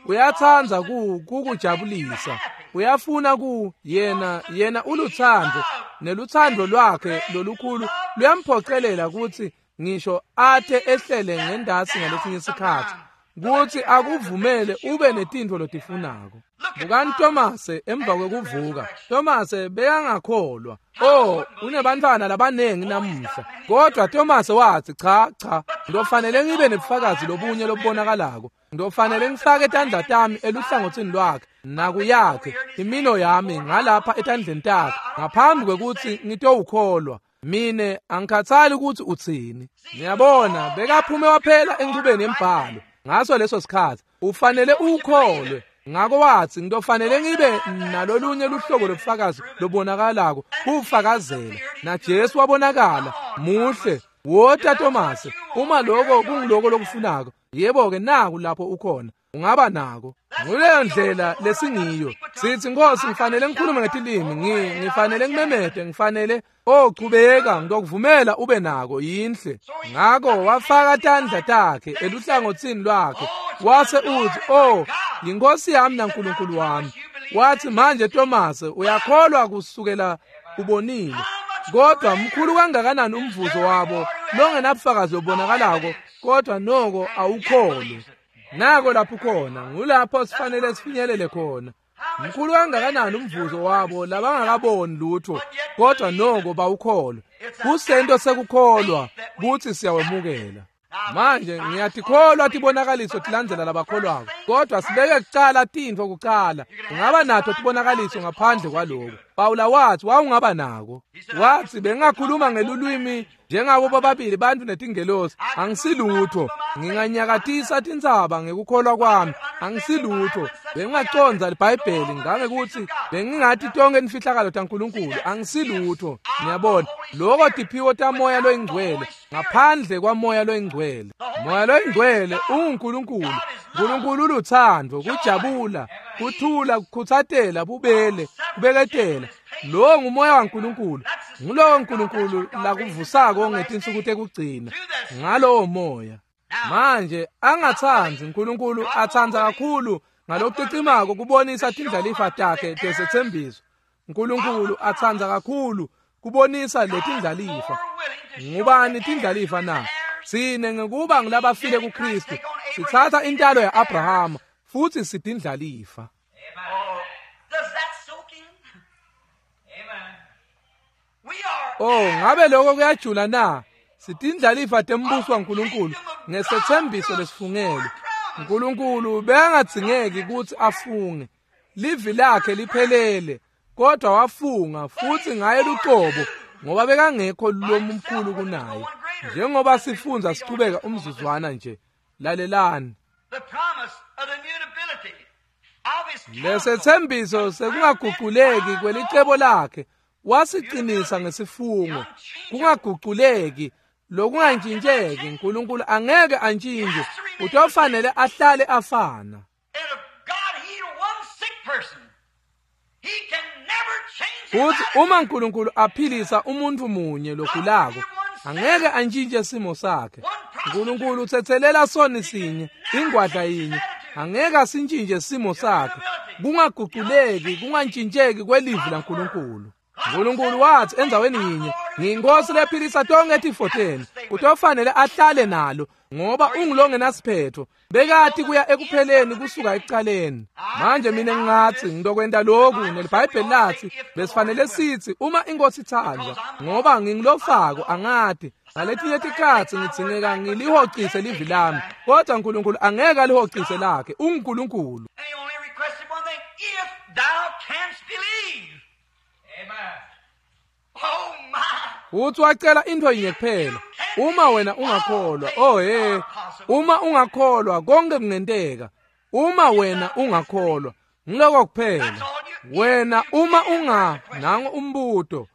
Uyatsandza kukujabulisa, uyafuna yena ulutsandvo, nelutsandvo lwakhe lolukhulu luyamphocelela kutsi ngisho ate ehlele ngendasi ngalesinye isikhathi kutsi akuvumele ube netintfo lotifunako. Bukani Tomase emva kwekuvuka. Tomase bekangakholwa. Oh, unebantfwana labanengi namuhla. Kodwa Tomase watsi cha cha, ngiyofanele ngibe nebufakazi lobunye lobubonakalako. Ngiyofanele ngifake tandla tami eluhlangothini lwakhe nakuyakhe, imino yami ngalapha etandleni takhe ngaphambi kwekutsi ngitowukholwa. Mine angikhathali ukuthi utsini. Niyabona, bekaphume waphela enchubeni yembhalo. Ngaso leso sikhathi ufanele ukholwe. Ngako watsi ngiyofanele ngibe nalolunye luhlobo lobufakazi lobonakalako kufakazela. Na Jesu wabonakala muhle. Wota Tomase, uma lokho kungiloko lokufunako, yebo-ke naku lapho ukhona, ungaba nako. Nguleyo ndlela lesingiyo. Sithi Nkosi, ngifanele ngikhulume ngetilimi, ngifanele ngimemete, ngifanele chubeka, ngitokuvumela ube nako, yinhle. Ngako wafaka tandla takhe eluhlangothini lwakhe, wase uthi, oh, yinkosi yami naNkulunkulu wami. Wathi manje Tomase, uyakholwa kusukela ubonile. Kodwa mkhulu kangakanani umvuzo wabo longenabufakazi lobonakalako, kodwa noko awukholwe. Nako lapho khona, ngulapho sifanele sifinyelele khona. Mkhulu kangakanani umvuzo wabo labangakaboni lutho, kodwa noko bawukholwa. Kusento sekukholwa kutsi siyawemukela. Manje ngiyatikholwa tibonakaliso tilandzela labakholwako, kodwa sibeke kucala tintfo kucala. Ungaba nato tibonakaliso ngaphandle kwaloko. Pawula wathi wawungaba nako. Wathi bengakhuluma ngelulwimi njengabo bobabili bantfu netingelosi, angisilutho. Nginganyakatisa tintsaba ngekukholwa kwami, angisilutho. Bengingacondza liBhayibheli ngangekuthi bengingati tonke imfihlakalo taNkulunkulu, angisilutho. Niyabona, lokho tiphiwo tamoya loyingcwele, ngaphandle kwamoya loyingcwele. Moya loyingcwele unguNkulunkulu. uNkulunkulu ulutsandvo, kujabula, kuthula, kukhutsatela, bubele, kubeketela. Lo ngumoya waNkulunkulu. Ngulowo uNkulunkulu lakuvusako ngetinsuku tekugcina ngalowo moya. Manje angatsandzi uNkulunkulu atsandza kakhulu ngalokucicimako kubonisa tindlalifa takhe tesethembiso. uNkulunkulu atsandza kakhulu kubonisa letindlalifa. Ngubani tindlalifa na? Sine ngekuba ngulabafile kuKristu sitsatsa intalo ya-Abrahama futhi sitindlalifa. Oh, ngabe lokho kuyajula na? Sitindlalifa tembuso waNkulunkulu ngesethembiso lesifungelwe. uNkulunkulu bekangadzingeki kutsi afunge. Livi lakhe liphelele, kodwa wafunga futhi ngaye lucobo ngoba bekangekho lomkhulu kunaye. Njengoba sifundza sichubeka umzuzwana nje, lalelani. Lesethembiso sekungaguquleki kwelicebo lakhe wasiqinisa ngesifungo. Kungaguquleki, lokungantshintsheki. uNkulunkulu angeke antshintshe, utofanele ahlale afana. Futhi uma uNkulunkulu aphilisa umuntu munye logulako, angeke antshintshe simo sakhe. uNkulunkulu uthethelela soni sinye, ingwadla yinye, angeke asintshintshe simo sakhe. Kungaguquleki, kungantshintsheki kwelivi laNkulunkulu. uNkulunkulu wathi endzaweni yinye, ngiyinkosi lephilisa tonke tifo tenu. Utofanele ahlale nalo ngoba ungulongenasiphetho. Bekati kuya ekupheleni kusuka ekucaleni. Manje mina ngingathi ngitokwenta lokhu, neliBhayibheli lathi besifanele sithi uma inkosi itsandza, ngoba ngingilofako angati. Ngaletinye tikhatsi ngidzingeka ngilihocise livi lami, kodwa uNkulunkulu angeke alihocise lakhe. UnguNkulunkulu. Uthi wacela into yinye kuphela, Uma wena ungakholwa, oh hey, uma ungakholwa konke kungenteka. Uma wena ungakholwa, ngiloko kuphela. Wena uma unga nango umbuto,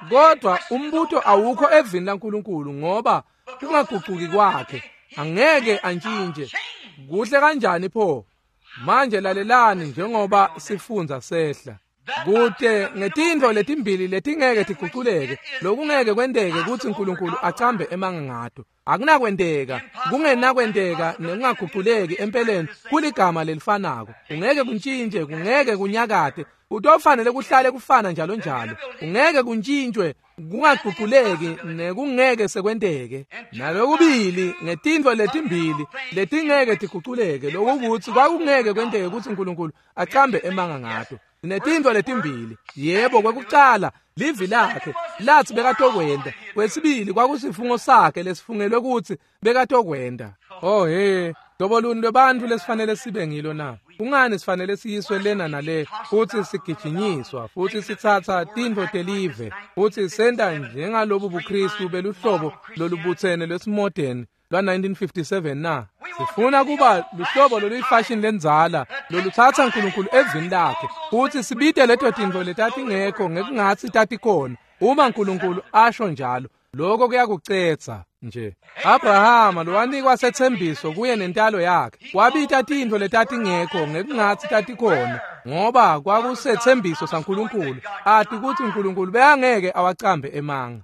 kodwa umbuto awukho evini laNkulunkulu ngoba kungaguquki kwakhe angeke antshintshe. Kuhle kanjani pho? Manje lalelani njengoba sifunza sehla. Kute ngetintfo letimbili letingeke tiguculeke, lokungeke kwenteke kutsi uNkulunkulu acambe emanga ngato. Akunakwenteka, kungenakwenteka nekungaguculeki empeleni kuligama lelifanako. Kungeke kuntshintshe, kungeke kunyakate, kutofanele kuhlale kufana njalo njalo. Kungeke kuntshintshwe, kungaguculeki nekungeke sekwenteke. Nalokubili ngetintfo letimbili letingeke tiguculeke, lokukutsi kwakungeke kwenteke kutsi uNkulunkulu acambe emanga ngato. Netintfo letimbili, yebo, kwekucala livi lakhe lathi bekatokwenta, kwesibili kwakusifungo sakhe lesifungelwe kutsi bekatokwenta. Oh hey, hlobo luni lwebantfu lesifanele sibe ngilo na? Kungani sifanele siyiswe lena nale futsi sigijinyiswa futsi sitsatsa tintfo telive futsi senta njengalobu buKristu beluhlobo lolubutsene lwesimodern lwa-1957 na? Sifuna kuba luhlobo loluyifashini lendzala lolutsatsa uNkulunkulu evini lakhe futsi sibite leto tintfo letatingekho ngekungatsi tatikhona. Uma uNkulunkulu asho njalo, lokho kuyakucetsa nje. Abrahama lowanikwa setsembiso kuye nentalo yakhe wabita tintfo letatingekho ngekungatsi tatikhona, ngoba kwakusetsembiso saNkulunkulu, ati kutsi uNkulunkulu bekangeke awacambe emanga.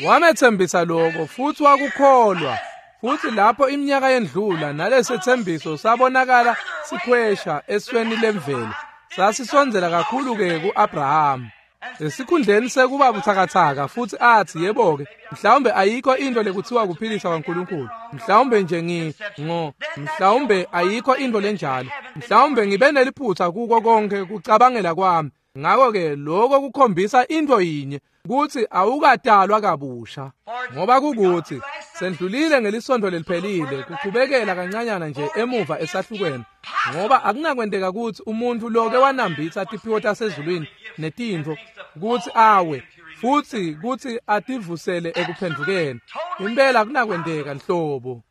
Wametsembisa lokho futsi wakukholwa. Futsi lapho iminyaka yendlula nalesetsembiso sabonakala sikhwesha esweni lemvelo, sasisondzela kakhulu-ke ku-Abrahama. Esikhundleni sekuba butsakatsaka futsi atsi, yebo-ke, mhlawumbe ayikho into lekuthiwa kuphilisa kwaNkulunkulu, mhlawumbe nje mhlawumbe ayikho into lenjalo, mhlawumbe ngibe neliphutsa kuko konke kucabangela kwami. Ngakho-ke lokho kukhombisa into yinye, kutsi awukatalwa kabusha, ngoba kukuthi sendlulile ngelisonto leliphelile kuchubekela kancanyana nje emuva esahlukweni, ngoba akunakwenteka kutsi umuntfu loke wanambitsa tiphiwo tasezulwini netintfo kutsi awe futsi kutsi ativusele ekuphendvukeni. Impela akunakwenteka nhlobo,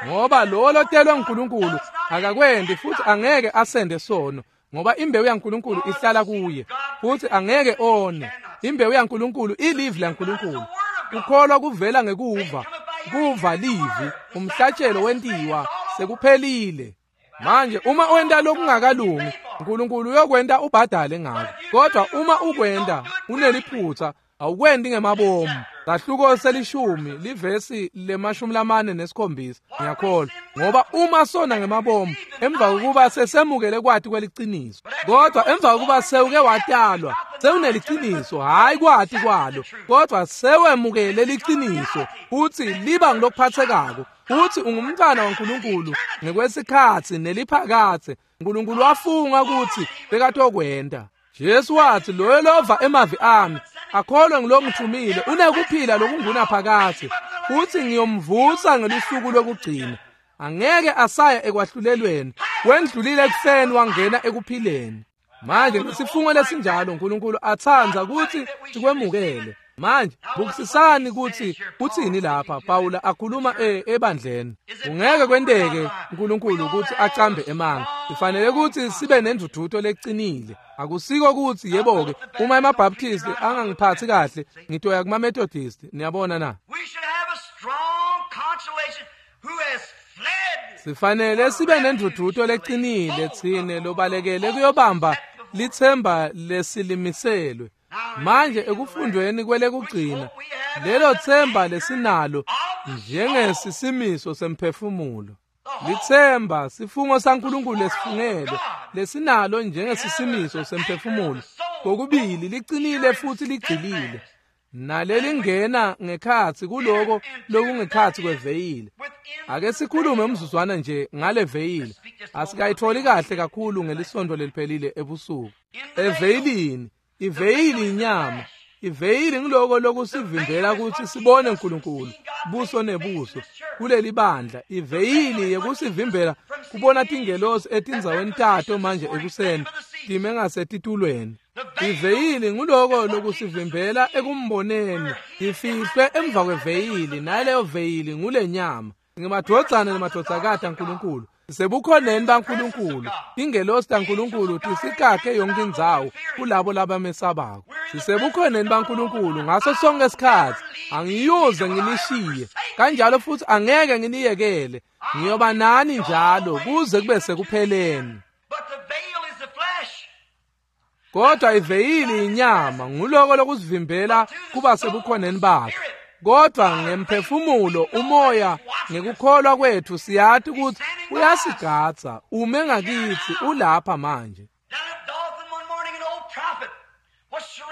ngoba lowo lotelwe nguNkulunkulu akakwenti futsi angeke asende sono, ngoba imbewu yaNkulunkulu ihlala kuye futsi angeke one. Imbewu yaNkulunkulu ilivi laNkulunkulu. Kukholwa kuvela ngekuva, kuva livi, umhlatshelo wentiwa, sekuphelile. Manje uma wenta lokungakalungi, uNkulunkulu uyokwenta ubhadale ngako. Kodwa uma ukwenta uneliphutsa, awukwendi ngemabomu. Sahluko selishumi livesi le-47, ngiyakholwa, ngoba uma sona ngemabomu emva kokuba sesemukele kwati kweliciniso, kodwa emva kokuba sewuke watalwa sewuneliciniso, hhayi kwati kwalo, kodwa sewemukele liciniso futsi liba ngilokuphatsekako, futsi ungumntwana waNkulunkulu ngekwesikhatsi neliphakatse. uNkulunkulu wafunga kutsi bekatokwenta. Jesu wathi, loyo lova emavi ami akholwe ngilongithumile unekuphila lokungunaphakadze, futsi ngiyomvusa ngelusuku lokugcina. Angeke asaya ekwahlulelweni, wendlulile ekufeni wangena ekuphileni. Manje ngesifungo lesinjalo uNkulunkulu atsandza kutsi sikwemukele. Manje bukisisani kutsi utsini lapha Pawula akhuluma ebandleni. Kungeke kwenteke uNkulunkulu kutsi acambe emanga. Sifanele kutsi sibe nendvudvuto lecinile. Akusiko kutsi yebo-ke uma emaBaptist angangiphatsi kahle ngitoya kuma-Methodist. Niyabona na? Sifanele sibe nendvudvuto lecinile tsine lobalekele kuyobamba litsemba lesilimiselwe. Manje ekufundweni kwelekugcina, lelo tsemba lesinalo njengesisimiso semphefumulo. Litsemba sifungo saNkulunkulu lesifungele lesinalo njengesisimiso semphefumulo. Kokubili licinile futhi ligxilile. Nalelingena ngekhatsi kuloko lokungekhatsi kweveyili. Ake sikhulume umzuzwana nje ngale veyili. Asikayitholi kahle kakhulu ngelisonto leliphelile ebusuku. Eveyilini, iveyili inyama. Iveyili ngiloko lokusivimbela kutsi sibone uNkulunkulu buso nebuso kuleli bandla. Iveyili yekusivimbela kubona tingelosi etindzaweni tato manje ekuseni time ngasetitulweni. Iveyili nguloko lokusivimbela ekumboneni. Ifihlwe emva kweveyili, naleyo veyili ngulenyama. Ngemadvodzana nemadvodzakati aNkulunkulu. Sebukhoneni baNkulunkulu, tingelosi taNkulunkulu tisikakhe yonke indzawo kulabo labamesabako. Sisebukhoneni baNkulunkulu ngaso sonke isikhatsi. Angiyuze nginishiye, kanjalo futhi angeke nginiyekele. Ngiyoba nani njalo kuze kube sekupheleni. Kodwa iveyili inyama nguloko lokusivimbela kuba sebukhoneni bakhe. Kodwa ngemphefumulo umoya ngekukholwa kwethu siyati ukuthi uyasigadza, ume ngakithi, ulapha manje.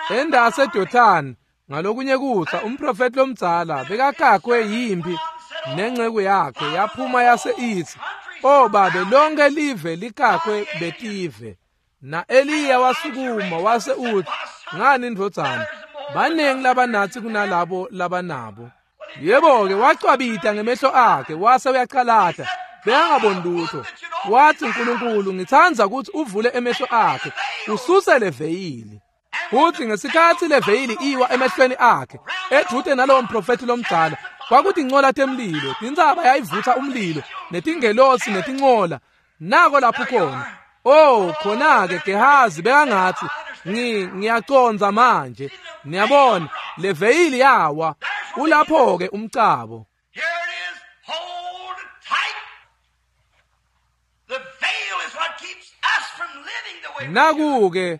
Endase Dothani ngalokunye kusa umprofeti lomdzala bekakakwe yimpi nenceku yakhe yaphuma yase ithi, "O babe, lonke live likakwe betive." Na Eliya wasukuma wase uthi, "Ngani ndvodzana, banengi labanatsi kunalabo labanabo." Yebo-ke wacwabita ngemehlo akhe wase uyacalata, bekangaboni lutho. Wathi, "Nkulunkulu, ngitsandza ukuthi uvule emehlo akhe, ususe leveyili." Futhi ngesikhatsi leveyili iwa emehlweni akhe, edvute nalowo mprofethi lomdzala, kwakutincola temlilo, tintsaba yayivutsa umlilo, netingelosi netincola. Nako lapho khona. Oh, khona-ke Gehazi bekangathi, ngiyacondza manje. Niyabona, leveyili yawa. Ulapho-ke umcabo. Here it is. Hold tight. The veil is what keeps us from living the way we Naku-ke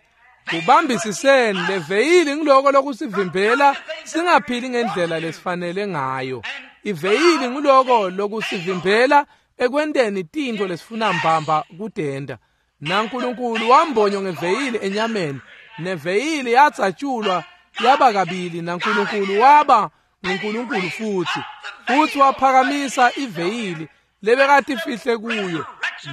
kubambisiseni leveyili ngiloko lokusivimbela singaphili ngendlela lesifanele ngayo. Iveyili ngiloko lokusivimbela ekwenteni tintfo lesifuna mbamba kudenda. NaNkulunkulu wambonywa ngeveyili enyameni, neveyili yatsatshulwa yaba kabili, naNkulunkulu waba nguNkulunkulu futhi. Futhi waphakamisa iveyili lebekatifihle kuyo.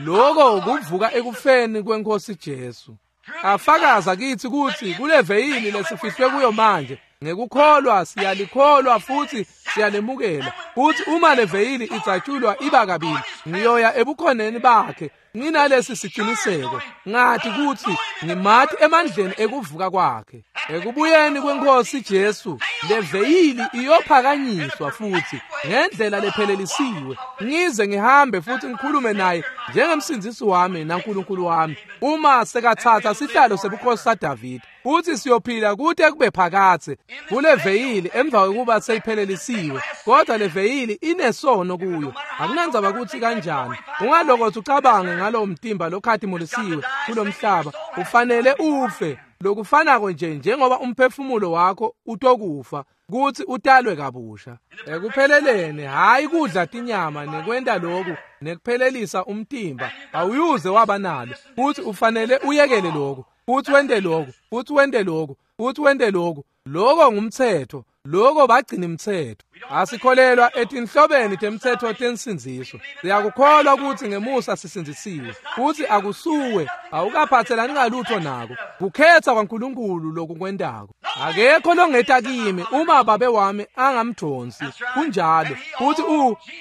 Loko kuvuka ekufeni kwenkosi Jesu. Afakaza kithi ukuthi kuleveyili lesifihlwe kuyo manje, ngekukholwa siyalikholwa futhi siyalemukela. Futhi uma leveyili idzatshulwa iba kabili, ngiyoya ebukhoneni bakhe nginalesi siqiniseko, ngathi kuthi ngimathi emandleni ekuvuka kwakhe. Ekubuyeni kwenkosi Jesu, leveyili iyophakanyiswa futhi ngendlela lephelelisiwe, ngize ngihambe futhi ngikhulume naye njengemsindzisi wami naNkulunkulu wami, uma sekathatha sihlalo sebukhosi saDavide. Futhi siyophila kude kube phakathe kuleveyili emva kokuba seyiphelelisiwe. Kodwa leveyili inesono kuyo, akunandzaba ukuthi kanjani. Ungalokothi ucabange ngalowo mtimba lokhatimulisiwe kulomhlaba, ufanele ufe lokufanako nje njengoba umphefumulo wakho utokufa kuthi utalwe kabusha. Ekupheleleni, hayi kudla tinyama nekwenta lokhu nekuphelelisa umtimba, awuyuze waba nalo. Futhi ufanele uyekele lokhu, futhi wente lokhu, futhi wente lokhu, futhi wente lokhu. Loko ngumthetho, loko bagcina imithetho. Asikholelwa etinhlobeni temthetho tensindziso. Siyakukholwa ukuthi ngemusa sisindzisiwe, futhi akusuwe, awukaphathelani ngalutho nako. Kukhetha kwaNkulunkulu lokukwentako. Akekho longeta kimi uma babe wami angamdonsi. Kunjalo. Futhi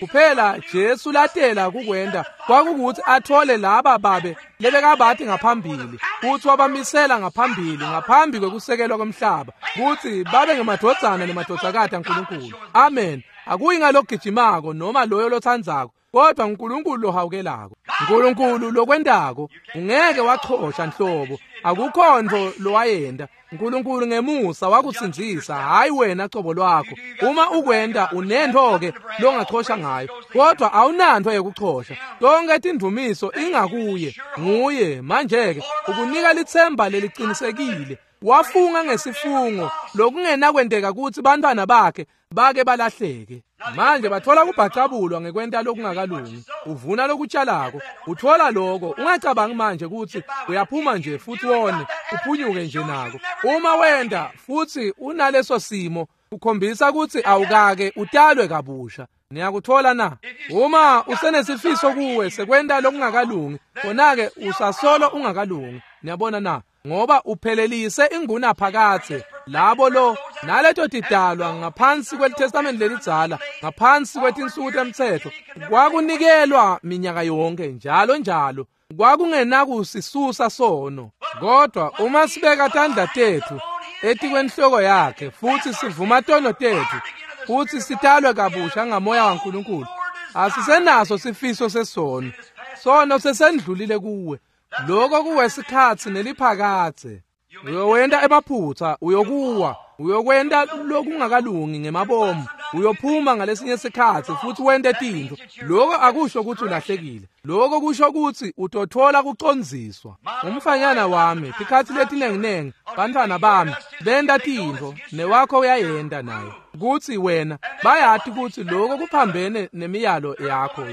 kuphela Jesu latela kukwenta kwakukuthi athole laba babe lebekabathi ngaphambili, futhi wabamisela ngaphambili ngaphambi kwekusekelwa komhlaba, kuthi babe ngemadvodzana nemadvodzakati aNkulunkulu. Amen. Akuyi ngalogijimako noma loyo lothandzako, kodwa uNkulunkulu lohawukelako, uNkulunkulu lokwentako. Ungeke wachosha nhlobo, akukho nto lowayenda. uNkulunkulu ngemusa wakusindzisa, hayi wena cobo lwakho. Uma ukwenta unento-ke longachosha ngayo, kodwa awunanto yekuchosha. Tonke tindumiso ingakuye, nguye. Manje-ke ukunika litsemba lelicinisekile. Wafunga ngesifungo lokungenakwenteka kutsi bantwana bakhe bake balahleke. Manje bathola kubhacabulwa ngekwenta lokungakalungi. Uvuna lokutshalako, uthola loko. Ungacabangi manje kutsi uyaphuma nje futhi wone, uphunyuke nje nako. Uma wenta futhi unaleso simo, ukhombisa kutsi awukake utalwe kabusha. Niyakuthola na? Uma usenesifiso kuwe sekwenta lokungakalungi, khona-ke usasolo ungakalungi. Niyabona na? Ngoba uphelelise inguna phakathe labo lo naleto tidalwa ngaphansi kwelitestamenti lelidzala, ngaphansi kwetinsuku temtsetfo, kwakunikelwa minyaka yonke njalo njalo. Kwakungenakusisusa sono. Kodwa uma sibeka tandla tethu etikwenhloko yakhe futhi sivuma tono tethu futhi sitalwe kabusha ngamoya waNkulunkulu, asisenaso sifiso sesono. Sono sesendlulile kuwe. Lokho kuwesikhatsi neliphakathe. Uyowenta emaphutsa, uyokuwa, uyokwenta lokungakalungi ngemabomu, uyophuma ngalesinye sikhatsi futhi wente tintfo. Lokho akusho ukuthi ulahlekile. Lokho kusho ukuthi utothola kucondziswa. Umfanyana wami, tikhatsi letinenginengi, bantfwana bami benta tintfo, newakho uyayenta naye. Kutsi wena bayati kutsi lokho kuphambene nemiyalo yakho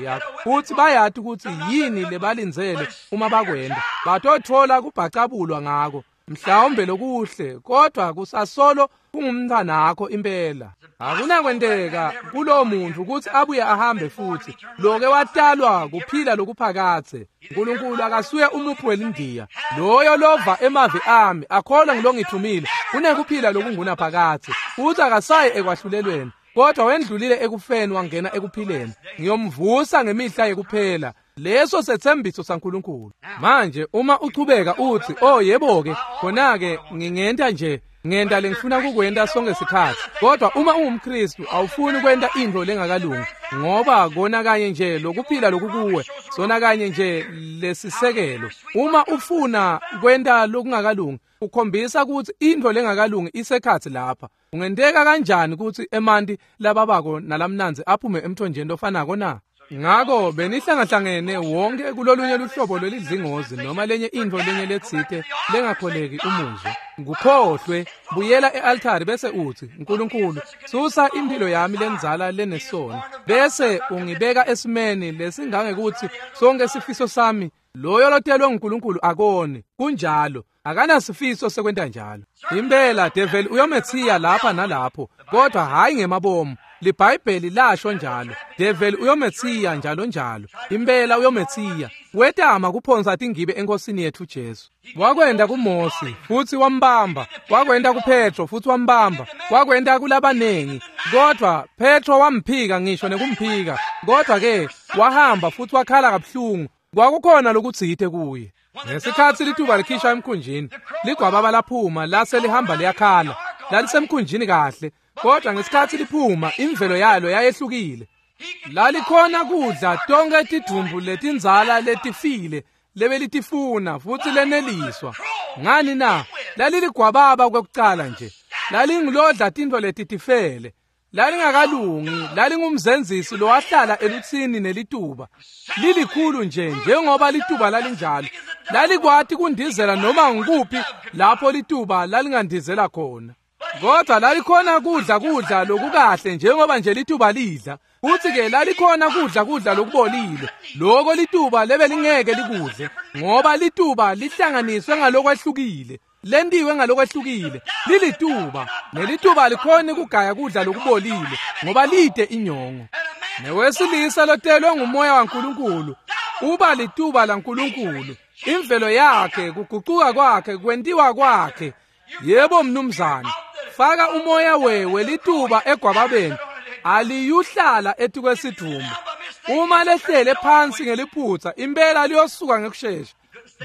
futhi bayati kutsi yini lebalindzele uma bakwenta. Batothola kubhacabulwa ngako. Mhlawumbe lokuhle, kodwa kusasolo kungumntwanakho impela. Akunakwenteka kulowo muntu ukuthi abuye ahambe futhi. Loke watalwa kuphila lokuphakathe. uNkulunkulu akasuye umuphi welindiya. Loyo lova emavi ami akholwa ngilongithumile unekuphila lokungunaphakathe. Futhi akasayi ekwahlulelweni, kodwa wendlulile ekufeni wangena ekuphileni. Ngiyomvusa ngemihla yekuphela. Leso sethembiso saNkulunkulu. Manje uma uchubeka uthi, "Oh yebo-ke, khona-ke ngingenta nje, ngenta lengifuna kukwenta sonke sikhatsi." Kodwa uma ungumKristu awufuni kwenta intfo lengakalungi, ngoba kona kanye nje lokuphila lokukuwe, sona kanye nje lesisekelo. Uma ufuna kwenta lokungakalungi, ukhombisa ukuthi intfo lengakalungi isekhatsi lapha. Ungenteka kanjani ukuthi emanti lababako nalamnandzi aphume emthonjeni lofanako na? Ngako benihlangahlangene wonke kulolunye luhlobo lwelidlingozi noma lenye intfo lenye letsite lengakholeki umuzwa. Ngukhohlwe, buyela e-altari bese uthi, "Nkulunkulu, susa impilo yami lendzala lenesono, bese ungibeka esimeni lesingangekuthi sonke sifiso sami loyo lotelwe nguNkulunkulu akoni." Kunjalo, akanasifiso sekwenta njalo. Impela develi uyomethiya lapha nalapho, kodwa hhayi ngemabomu. LiBhayibheli lasho njalo. Develi uyomethiya njalo njalo. Impela uyomethiya. Wetama kuphonsa tingibe enkosini yethu Jesu. Wakwenta kuMose futhi wambamba, wakwenta kuPetro futhi wambamba, wakwenta kulabanengi. Kodwa Petro wamphika ngisho nekumphika. Kodwa ke wahamba futhi wakhala kabuhlungu. Kwakukhona lokutsite kuye. Ngesikhatsi lituba likhishwa emkhunjini, ligwababa laphuma lase lihamba liyakhala. Lalisemkhunjini kahle, kodwa ngesikhatsi liphuma imvelo yalo yayehlukile. Lalikhona kudla tonke tidvumbu letindzala letifile lebelitifuna futhi leneliswa. Ngani na? Laliligwababa kwekucala nje. Lalingilodla tintfo letitifele. Lalingakalungi, lalingumzenzisi lowahlala elutsini nelituba. Lilikhulu nje njengoba lituba lalinjalo. Lalikwati kundizela noma ngikuphi lapho lituba lalingandizela khona. Kodwa lalikhona kudla lokukahle njengoba nje lituba lidla. Futhi ke lalikhona kudla lokubolile. Lokho lituba lebelingeke likudle, ngoba lituba lihlanganiswe ngalokwehlukile. Lentiwe ngalokwehlukile. Lilituba, nelituba likhona kugaya kudla lokubolile ngoba lide inyongo. Newesilisa lotelwe ngumoya waNkulunkulu uba lituba laNkulunkulu. Imvelo yakhe, kugucuka kwakhe, kwentiwa kwakhe. Yebo mnumzane, faka umoya wewe lituba egwababeni, aliyuhlala etikwesidvumbu. Uma lehlele phansi ngeliphutsa, impela liyosuka ngekushesha.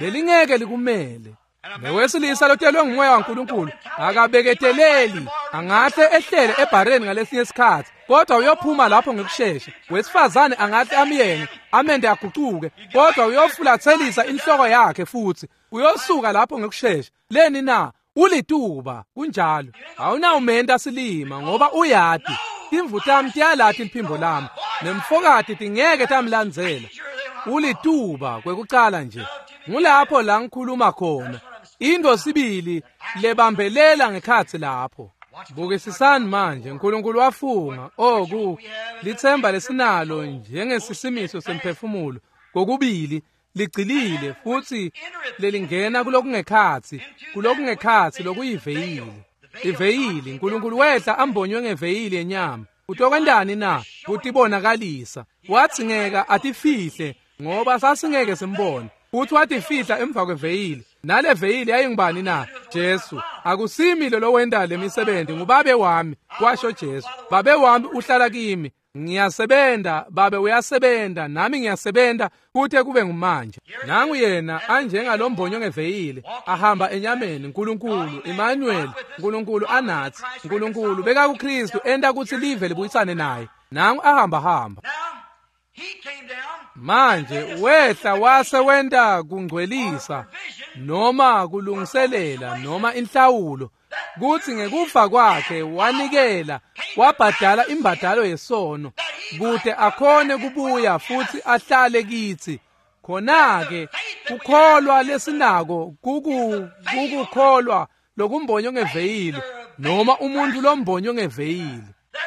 Belingeke likumele. Newesilisa lotelwe ngumoya waNkulunkulu akabeketeleli, angahle ehlele ebhareni ngalesinye isikhatsi, kodwa uyophuma lapho ngekushesha. Wesifazane angahle amyenge, amende agucuke, kodwa uyofulathelisa inhloko yakhe futhi uyosuka lapho ngekushesha. Leni na? Ulituba, kunjalo. Awunawumenta silima ngoba uyati. Timvu tami tiyalati liphimbo lami, nemfokati tingeke tamlandzela. Ulituba kwekucala nje. Ngulapho la ngikhuluma khona. Into sibili lebambelela ngekhatsi lapho. Bukisisani manje, uNkulunkulu wafunga, oh lithemba lesinalo njengesisimiso semphefumulo kokubili ligcilile futhi lelingena kulokungekhatsi, kulokungekhatsi lokuyiveyili. Iveyili, uNkulunkulu wehla ambonywe ngeveyili yenyama. Utokwentani na? Kutibonakalisa. Watsingeka atifihle ngoba sasingeke simbone. Futhi watifihla emva kweveyili. Nale veyili yayingubani na? Jesu. Akusimi lo lowenta lemisebenzi, ngubabe wami, kwasho Jesu. Babe wami uhlala kimi. Ngiyasebenta, Babe uyasebenta, nami ngiyasebenta kute kube ngumanje. Nangu yena anjengalombonyo ngeveyili, ahamba enyameni. Nkulunkulu, Emmanuel, Nkulunkulu anathi. Nkulunkulu beka kuKristu enta kutsi live libuyisane naye. Nangu ahamba hamba. Manje wehla wase wenta kungcwelisa noma kulungiselela noma inhlawulo, kutsi ngekufa kwakhe wanikela wabhadala imbadalo yesono kute akhone kubuya futsi ahlale kitsi. Khona-ke kukholwa lesinako kukukholwa lokumbonywe ngeveyili noma umuntu lombonywe ngeveyili.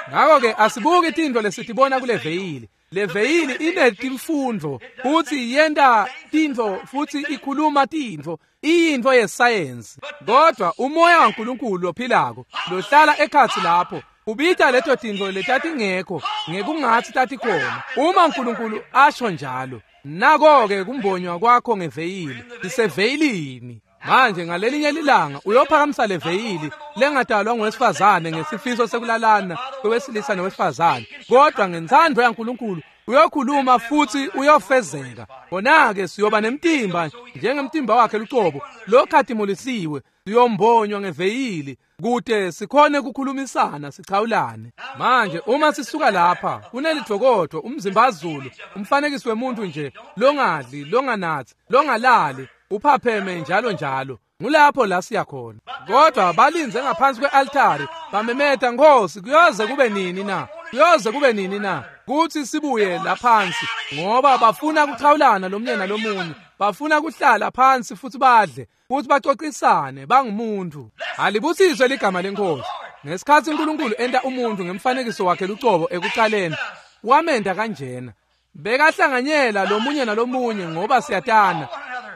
Ngakho-ke asibuki tintfo lesitibona kule veyili. Le veyili inetimfundvo futsi yenta tintfo futsi ikhuluma tintfo, iyintfo yesayensi. Kodwa umoya waNkulunkulu lophilako lohlala ekhatsi lapho ubita leto tintfo letatingekho ngekungatsi tatikhona, uma uNkulunkulu asho njalo. Nako-ke kumbonywa kwakho ngeveyili, iseveyilini. Manje ngalelinye lilanga uyophakamisa leveyili lengadalwa ngowesifazane ngesifiso sekulalana kwewesilisa nowesifazane, kodwa ngentsandvo yaNkulunkulu uyokhuluma futsi uyofezeka. Khona-ke siyoba nemtimba njengemtimba wakhe lucobo lokhatimulisiwe, siyombonywa ngeveyili kute sikhone kukhulumisana sichawulane. Manje uma sisuka lapha kunelidvokodvo, umzimbazulu, umfanekiso wemuntu nje longadli, longanatsi, longalali, uphapheme njalo njalo. Ngulapho la siya khona. Kodwa balinze ngaphansi kwe-altari bamemeta, Nkosi, kuyoze kube nini na? Kuyoze kube nini na kutsi sibuye laphansi? Ngoba bafuna kuchawulana lomunye nalomunye, bafuna kuhlala phansi futsi badle futsi bacocisane, bangumuntu. Alibusiswe ligama leNkosi. Ngesikhatsi uNkulunkulu enta umuntu ngemfanekiso wakhe lucobo ekucaleni, wamenta kanjena. Bekahlanganyela lomunye nalomunye ngoba siyatana.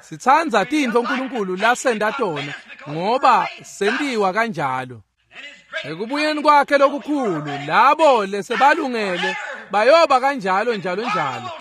Sitsandza tintfo uNkulunkulu lasenta tona ngoba sentiwa kanjalo. Ekubuyeni kwakhe lokukhulu, labo lesebalungele bayoba kanjalo njalo njalo.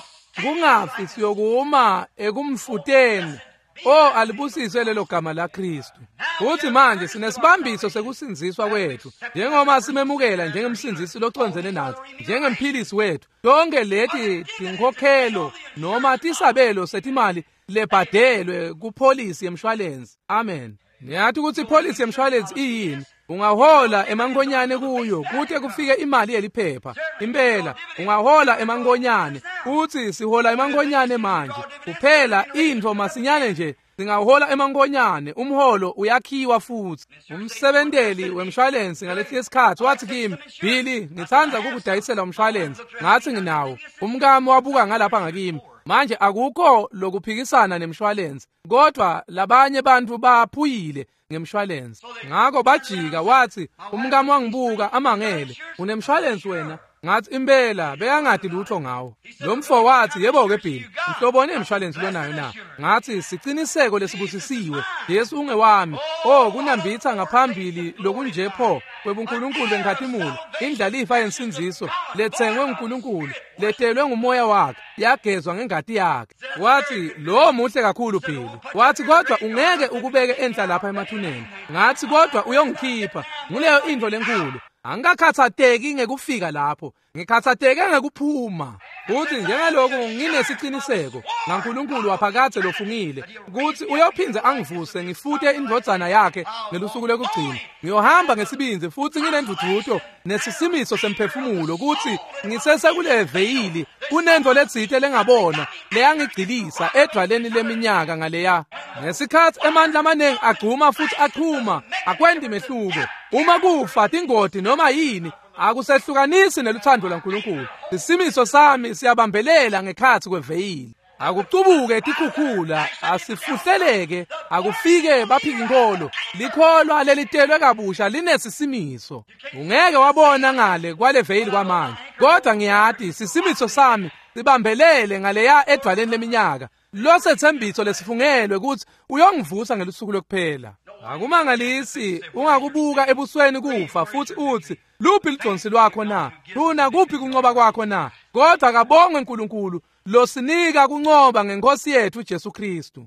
Kungafi siyokuma ekumfuteni. Oh, alibusiswe lelo gama la Kristu. Futhi manje sinesibambiso sekusindziswa kwethu, njengoba simemukela njengemsindzisi locondzene natsi, njengemphilisi wethu. Tonke leti tinkhokhelo noma tisabelo setimali lebhadelwe kupholisi yemshwalensi. Amen. Niyathi ukuthi ipholisi yemshwalensi iyini? Ungahola emankonyane kuyo kute kufike imali yeliphepha. Impela ungahola emankonyane, futhi sihola emankonyane manje. Kuphela intfo masinyane nje singahola emankonyane, umholo uyakhiwa futhi. Umsebenteli wemshwalensi ngalesinye isikhathi wathi kimi, Billy, ngitsandza kukudayisela umshwalensi. Ngathi nginawo. Umkami wabuka ngalapha ngakimi. Manje akukho lokuphikisana nemshwalensi, kodwa labanye bantu baphuyile ngemshwalensi. Ngakho bajika, wathi umkami wangibuka amangele, unemshwalensi wena? Ngathi impela bekangadi lutho ngawo. Lo mfo wathi, yebo-ke Billy, nhloboni yemshwalensi lonayo na? Ngathi siciniseko lesibusisiwe, Jesu ungewami. Oh, kunambitha ngaphambili lokunje pho kwebuNkulunkulu benkhatimulo, indlalifa yensindziso letsengwe nguNkulunkulu, letelwe ngumoya wakhe, yagezwa ngengati yakhe. Wathi lo muhle kakhulu Billy. Wathi kodwa ungeke ukubeke enhla lapha emathuneni. Ngathi kodwa uyongikhipha. Nguleyo intfo lenkulu. Angikakhathateki ngekufika lapho, ngikhathateke ngekuphuma. Futhi njengaloku nginesiciniseko ngaNkulunkulu waphakadze lofungile kutsi uyophindze angivuse ngifute indvodzana yakhe ngelusuku lokugcina, ngiyohamba ngesibindzi futhi nginendvudvuto nesisimiso semphefumulo kutsi ngisesekule veyili kunentfo letsite lengabona leyangigcilisa edvwaleni leminyaka ngaleya. Ngesikhatsi emandla amaningi agcuma futhi achuma, akwendi mehluko. Uma kufa tingoti noma yini, akusehlukanisi neluthando lwaNkulunkulu. Isimiso sami siyabambelela ngekhatsi kweveyili. Akucubuke tikhukhula, asifuhleleke, akufike baphika inkolo. Likholwa lelitelwe kabusha linesisimiso. Ungeke wabona ngale kwale veyili kwamanje, kodwa ngiyati sisimiso sami sibambelele ngaleya edvwaleni leminyaka. Losethembiso lesifungelwe kutsi uyongivusa ngelusuku lokuphela. Akumangalisi ungakubuka ebusweni kufa futhi uthi, luphi lidonsi lwakho na? Luna kuphi kuncoba kwakho na? Kodwa kabongwe uNkulunkulu losinika kuncoba ngenkosi yethu Jesu Kristu.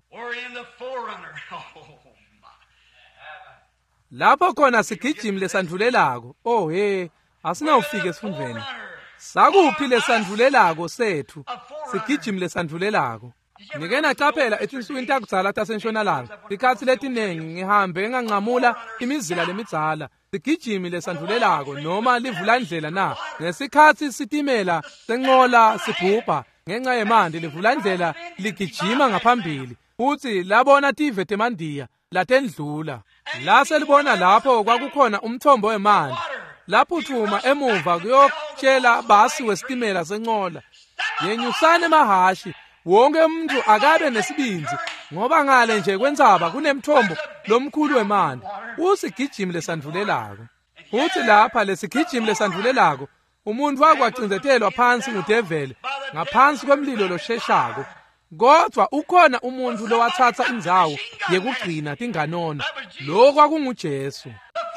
Lapho khona sigijimi lesandvulelako. Oh he, asinawufika esifundveni. Sakuphi lesandvulelako setfu? Sigijimi lesandvulelako. Nike nacaphela etinsukwini takudzala taseNtshonalanga, tikhatsi letinengi ngihambe nganqamula imizila lemidzala, sigijimi lesandvulelako noma livulandlela na. Ngesikhatsi sitimela senqola sibhubha ngenxa yemanti, livulandlela ligijima ngaphambili futsi labona tive temandiya latendlula. Lase libona lapho kwakukhona umthombo wemanti, laphuthuma emuva kuyotshela basi wesitimela senqola, yenyusani emahashi, wonke umuntu akabe nesibindzi, ngoba ngale nje kwentsaba kunemthombo lomkhulu wemanti. Usigijimi lesandvulelako. Futsi lapha lesigijimi lesandvulelako, umuntu wakwacindzetelwa phansi ngudeveli ngaphansi kwemlilo losheshako. Kodvwa ukhona umuntu lowatsatsa indzawo yekugcina tinganono, lo kwakunguJesu.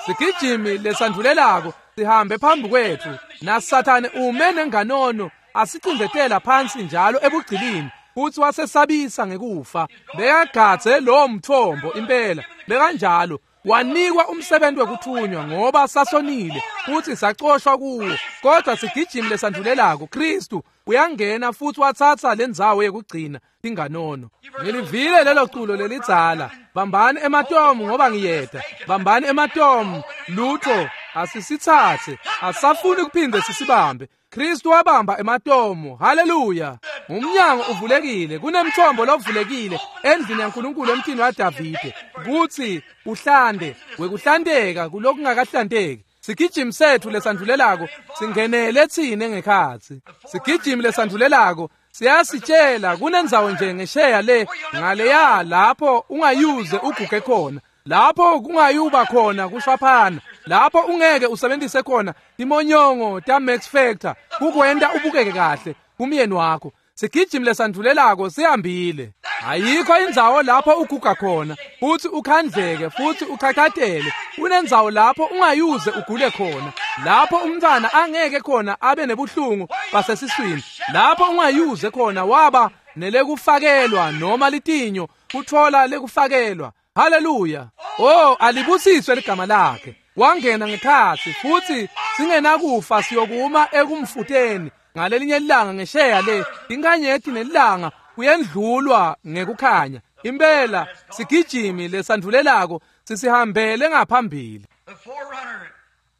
Sigijimi lesandvulelako sihambe phambi kwetfu, naSathane ume nenganono asicindzetela phansi njalo ebugcilini, futsi wasesabisa ngekufa. Bekagadze lowo mthombo impela, bekanjalo. Wanikwa umsebenzi wekuthunywa ngoba sasonile futsi sacoshwa kuwo. Kodwa sigijimi lesandvulelako, Kristu uyangena futsi watsatsa lendzawo yekugcina tinganono. Ngilivile lelo culo lelidzala, bambani ematomu ngoba ngiyeda, bambani ematomu, lutho asisitsatse, asafuni kuphinde sisibambe. Kristu wabamba ematomu. Haleluya! Umnyango uvulekile, kunemthombo lovulekile endlini yaNkulunkulu emtini waDavide, kutsi uhlande wekuhlanteka kulokungakahlanteki. Sigijimi setfu lesandvulelako singenele tsine ngekhatsi. Sigijimi lesandvulelako siyasitshela kunendzawo nje ngesheya le ngaleya lapho ungayuze uguge khona, lapho kungayuba khona kushwaphana, lapho ungeke usebenzise khona timonyongo ta Max Factor kukwenta ubukeke kahle kumyeni wakho. Sigijimi lesandvulelako sihambile. Ayikho indzawo lapho uguga khona futsi ukhandleke futsi uchachatele. Kunendzawo lapho ungayuze ugule khona, lapho umntfwana angeke khona abe nebuhlungu basesiswini, lapho ungayuze khona waba nelekufakelwa noma litinyo kutfola lekufakelwa. Haleluya! Oh, alibusiswe ligama lakhe. Wangena ngekhatsi futsi singenakufa siyokuma ekumfuteni ngalelinye ilanga ngesheya le inkanyeti nelanga kuyendlulwa ngekukhanya. Impela sigijimi lesandvulelako sisihambele ngaphambili.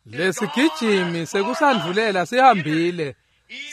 Lesigijimi sekusandvulela sihambile,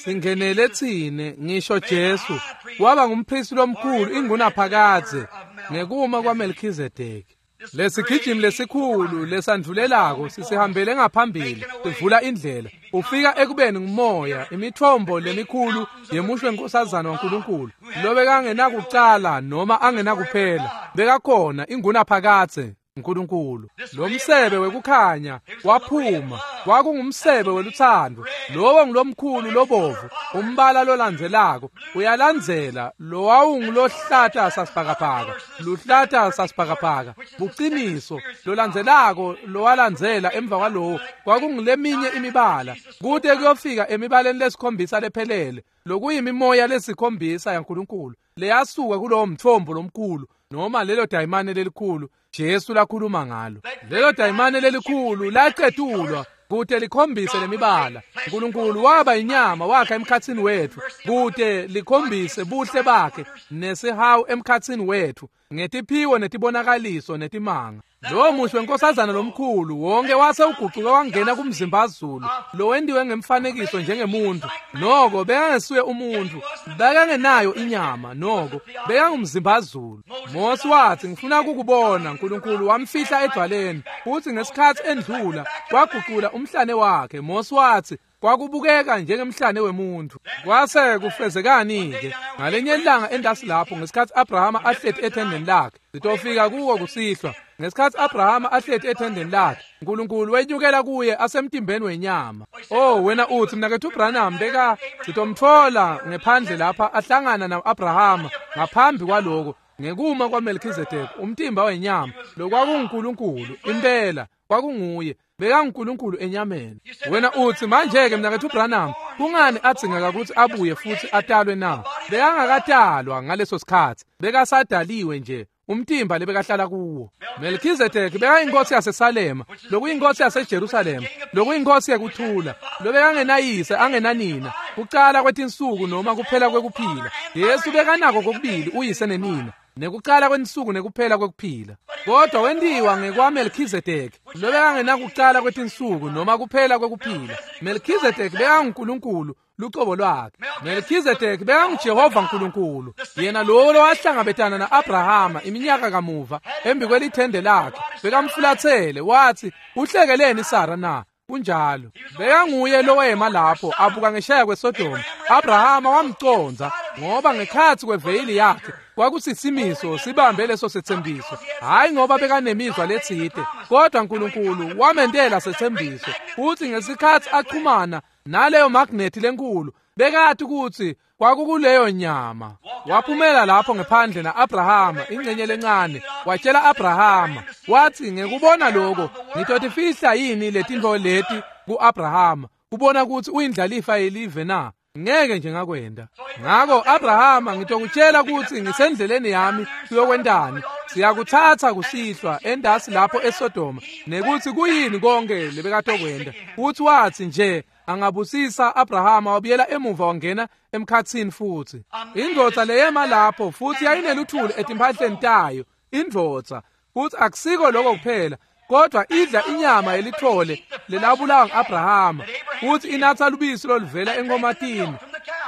singenele tsine. Ngisho Jesu waba ngumphristi lomkhulu ingunaphakadze ngekuma kwaMelkhizedeki. Lesigijimi lesikhulu lesandvulelako sisihambele ngaphambili, sivula indlela. Ufika ekubeni ngumoya, imithombo lemikhulu yemushwe nkosazana waNkulunkulu, lobekangenakucala noma angenakuphela, bekakhona ingunaphakadze uNkulunkulu. Lo msebe wekukhanya waphuma, kwakungumsebe weluthando, lowo ngulomkhulu lobovu, umbala lolandzelako uyalandzela lowawungulohlata sasibhakabhaka, luhlata sasibhakabhaka, buciniso lolandzelako lowalandzela emva kwalowo kwakunguleminye imibala, kute kuyofika emibaleni lesikhombisa lephelele, lokuyimimoya lesikhombisa yaNkulunkulu leyasuka kulowo mthombo lomkhulu noma lelo dayimane lelikhulu Jesu lakhuluma ngalo. Lelo dayimane lelikhulu lacetulwa kute likhombise lemibala. uNkulunkulu waba inyama wakha emkhatsini wetfu kute likhombise buhle bakhe nesihawu emkhatsini wetfu ngetiphiwo netibonakaliso netimanga. Lowo mushi wenkosazana lomkhulu wonke wase ugucuka wangena kumzimbazulu lowentiwe ngemfanekiso njengemuntu. Noko bekangesiye umuntu, bekangenayo inyama, noko bekangumzimbazulu. Mose wathi, ngifuna kukubona. uNkulunkulu wamfihla edwaleni, futhi ngesikhathi endlula wagucula umhlane wakhe. Mose wathi kwakubukeka njengemhlane wemuntu. Kwase kufezekani-ke ngalenye ilanga endasi lapho ngesikhathi Abrahama ahleti ethendeni lakhe. Sitofika kuwo kusihlwa. Ngesikhathi Abrahama ahleti ethendeni lakhe, uNkulunkulu wenyukela kuye asemtimbeni wenyama. Oh, wena uthi mnaketfu Branham beka sitomtfola ngephandle lapha ahlangana na-Abrahama ngaphambi kwaloko ngekuma kwaMelkhizedeki, umtimba wenyama, lokwakunguNkulunkulu impela kwakunguye, bekanguNkulunkulu enyameni. Wena uthi manje-ke mnaketfu Branham, kungani adzingeka ukuthi abuye futhi atalwe na? Bekangakatalwa ngaleso sikhathi, bekasadaliwe nje. umtimba lebekahlala kuwo. Melchizedek bekayinkosi yaseSalema, lokuyinkosi yaseJerusalema, lokuyinkosi yekuthula, lobekangenayise angenanina, kucala kwetinsuku noma kuphela kwekuphila. Yesu bekanako kokubili uyise nenina, nekucala kwensuku nekuphela kwekuphila. Kodwa wentiwa ngekwaMelchizedek, lobekangenakucala kwetinsuku noma kuphela kwekuphila. Melchizedek bekanguNkulunkulu lucobo lwakhe. Melchizedek bekanguJehova uNkulunkulu, yena lowo lowahlangabetana na-Abrahama iminyaka kamuva embi kwelithende lakhe, bekamfulathele wathi, "Uhlekeleni Sara na?" Kunjalo. Bekanguye lowema lapho abuka ngeshaya kweSodoma. Abrahama wamcondza ngoba ngekhatsi kweveyili yakhe kwakusisimiso sibambe leso setsembiso. Hayi ngoba bekanemizwa letsite, kodwa uNkulunkulu wamentela setsembiso. Futhi ngesikhatsi achumana naleyo magnethi lenkulu, bekati kutsi kwakukuleyo nyama. Waphumela lapho ngephandle na-Abrahama, ingcenye lencane. Watshela Abrahama, wathi, "Ngekubona lokho, ngitotifihla yini letintfo leti ku-Abrahama, kubona kutsi uyindlalifa yelive na? Ngeke nje ngakwenda. Ngako Abrahama, ngitokutshela kutsi ngisendleleni yami kuyokwentani. Siyakutsatsa kusihlwa endasi lapho eSodoma, nekutsi kuyini konke lebekatokwenda." Futhi wathi nje angabusisa Abrahama, wabuyela emuva wangena emkhatsini futhi. Indvodza leyema lapho futhi yayineluthuli etimphahleni tayo, indvodza. Futhi akusiko lokho kuphela, kodwa idla inyama yelithole lelabulawa ngu-Abrahama, futhi inatha lubisi loluvela enkomatini,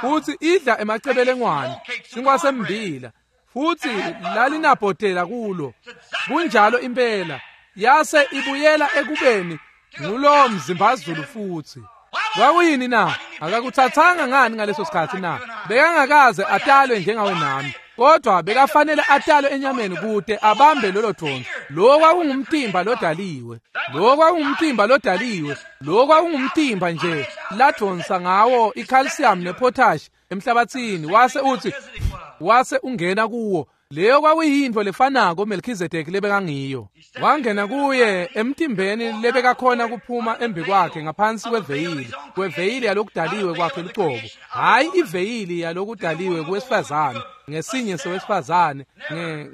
futhi idla emacebelengwane, sinkwa sembila, futhi lalinabhotela kulo. Kunjalo impela. Yase ibuyela ekubeni ngulowo mzimbazulu futhi. Kwakuyini na? Akakuthathanga ngani ngaleso sikhathi na? Bekangakaze atalwe njengawe nami, kodwa bekafanele atalwe enyameni kute abambe lolo dvonso. Lo kwakungumtimba lodaliwe, lo kwakungumtimba lodaliwe, lo kwakungumtimba nje ladvonsa ngawo i-calcium ne-potash emhlabathini, wase uthi wase ungena kuwo. Leyo kwakuyintfo lefanako Melchizedek lebekangiyo. Wangena kuye emtimbeni lebekakhona kuphuma embi kwakhe ngaphansi kweveyili, kweveyili yalokudaliwe kwakhe lucobo. Hhayi iveyili yalokudaliwe kuwesifazane, ngesinye sewesifazane,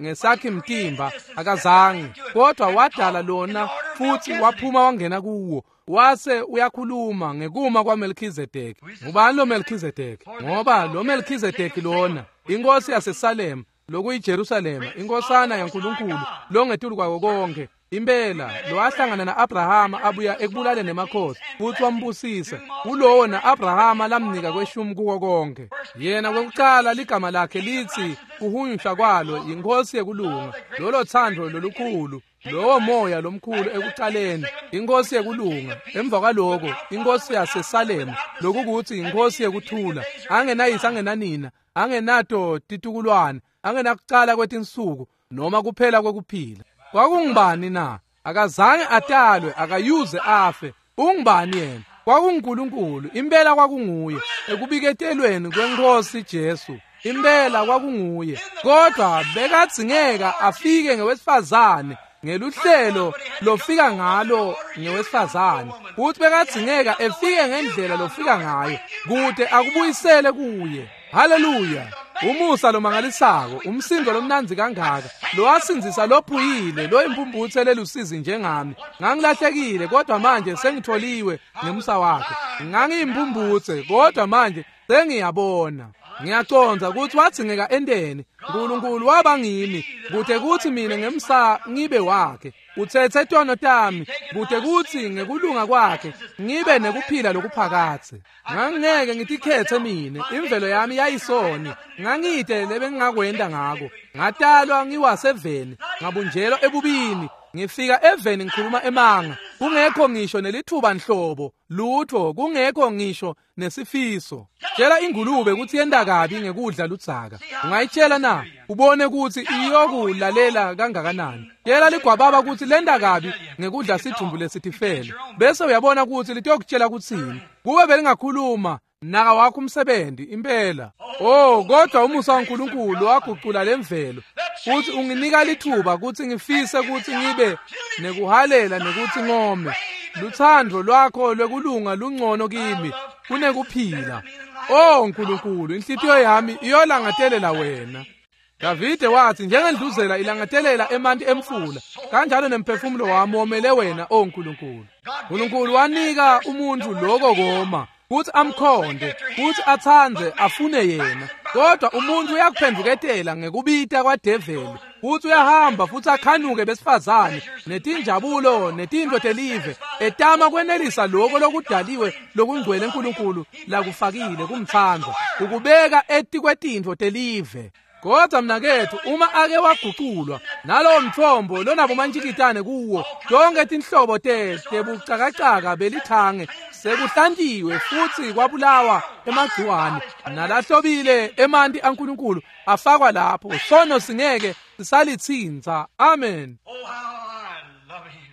ngesakhi mtimba akazange, kodwa wadala lona futhi waphuma wangena kuwo. Wase uyakhuluma ngekuma kwaMelchizedek. Ngubani lo Melchizedek? Ngoba lo Melchizedek lona, inkosi yaseSalem, lokuyiJerusalema, inkosana yaNkulunkulu longetulu kwako konke, impela lowahlangana na-Abrahama abuya ekubulaleni nemakhosi futhi wambusisa, kulowo na-Abrahama lamnika kweshumi kuko konke. Yena kwekucala ligama lakhe lithi kuhunyushwa kwalo yinkosi yekulunga, lolo thando lolukhulu, lowo moya lomkhulu ekucaleni, inkosi yekulunga. Emva kwaloko inkosi yaseSalema, lokukuthi inkosi yekuthula, angenayise angenanina, angenato titukulwane, angenakucala kwetinsuku noma kuphela kwekuphila. Kwakungubani na? Akazange atalwe, akayuze afe. Ungubani yena? KwakunguNkulunkulu, impela kwakunguye. Ekubiketelweni kwenkosi Jesu, impela kwakunguye. Kodwa bekadzingeka afike ngewesifazane, ngeluhlelo lofika ngalo ngewesifazane. Futhi bekadzingeka efike ngendlela lofika ngayo, kute akubuyisele kuye. Haleluya! Umusa lomangalisako, umsindo lomnandzi kangaka, lowasindzisa lophuyile, loyimpumputhe lelusizi njengami. Ngangilahlekile, kodwa manje sengitholiwe ngemusa wakhe. Ngangiyimpumputhe, kodwa manje sengiyabona. Ngiyacondza ukuthi wadzingeka enteni. Nkulunkulu waba ngimi, kute kutsi mina ngemsa ngibe wakhe. Uthethe tono tami, kute kutsi ngekulunga kwakhe ngibe nekuphila lokuphakadze. Ngangingeke ngitikhethe mine, imvelo yami yayisoni. Ngangide lebengingakwenta ngako. Ngatalwa ngiwaseveni, ngabunjelwa ebubini. Ngifika eveni ngikhuluma emanga, kungekho ngisho nelithuba nhlobo, lutho, kungekho ngisho nesifiso. Tshela ingulube kutsi yenta kabi ngekudla ludzaka. Ungayitshela na? Ubone kutsi iyokulalela kangakanani. Tshela ligwababa kutsi lenta kabi ngekudla sidvumbu lesitifele, bese uyabona kutsi litokutshela kutsini. Kube belingakhuluma, naka wakho umsebenzi impela. Oh, kodwa umusa waNkulunkulu wagucula lemvelo futhi unginika lithuba kutsi ngifise kutsi ngibe nekuhalela nekutsi ngome. Luthando lwakho lwekulunga lungcono kimi kunekuphila. Oh Nkulunkulu, inhlitiyo yami iyolangatelela wena. Davide wathi njengendluzela ilangatelela emanti emfula, kanjalo nemphefumulo wami womele wena, o Nkulunkulu. Nkulunkulu wanika umuntu lokho koma kuthi amkhonde, kuthi atsandze afune yena. Kodwa umuntu uyakuphenduketela ngekubita kwadeveli, futhi uyahamba futhi akhanuke besifazane netinjabulo netinto telive, etama kwenelisa lokho lokudaliwe lokungcwele eNkulunkulu lakufakile kumtsandza, ukubeka etikwetintfo telive. Kodwa mnakethu, uma ake waguculwa nalowo mthombo lonabomantshikitane kuwo, tonke tinhlobo tebucakacaka belithange sekuhlantiwe futhi kwabulawa emagciwane nalahlobile emanti aNkulunkulu afakwa lapho, sono singeke sisalithinta. Amen.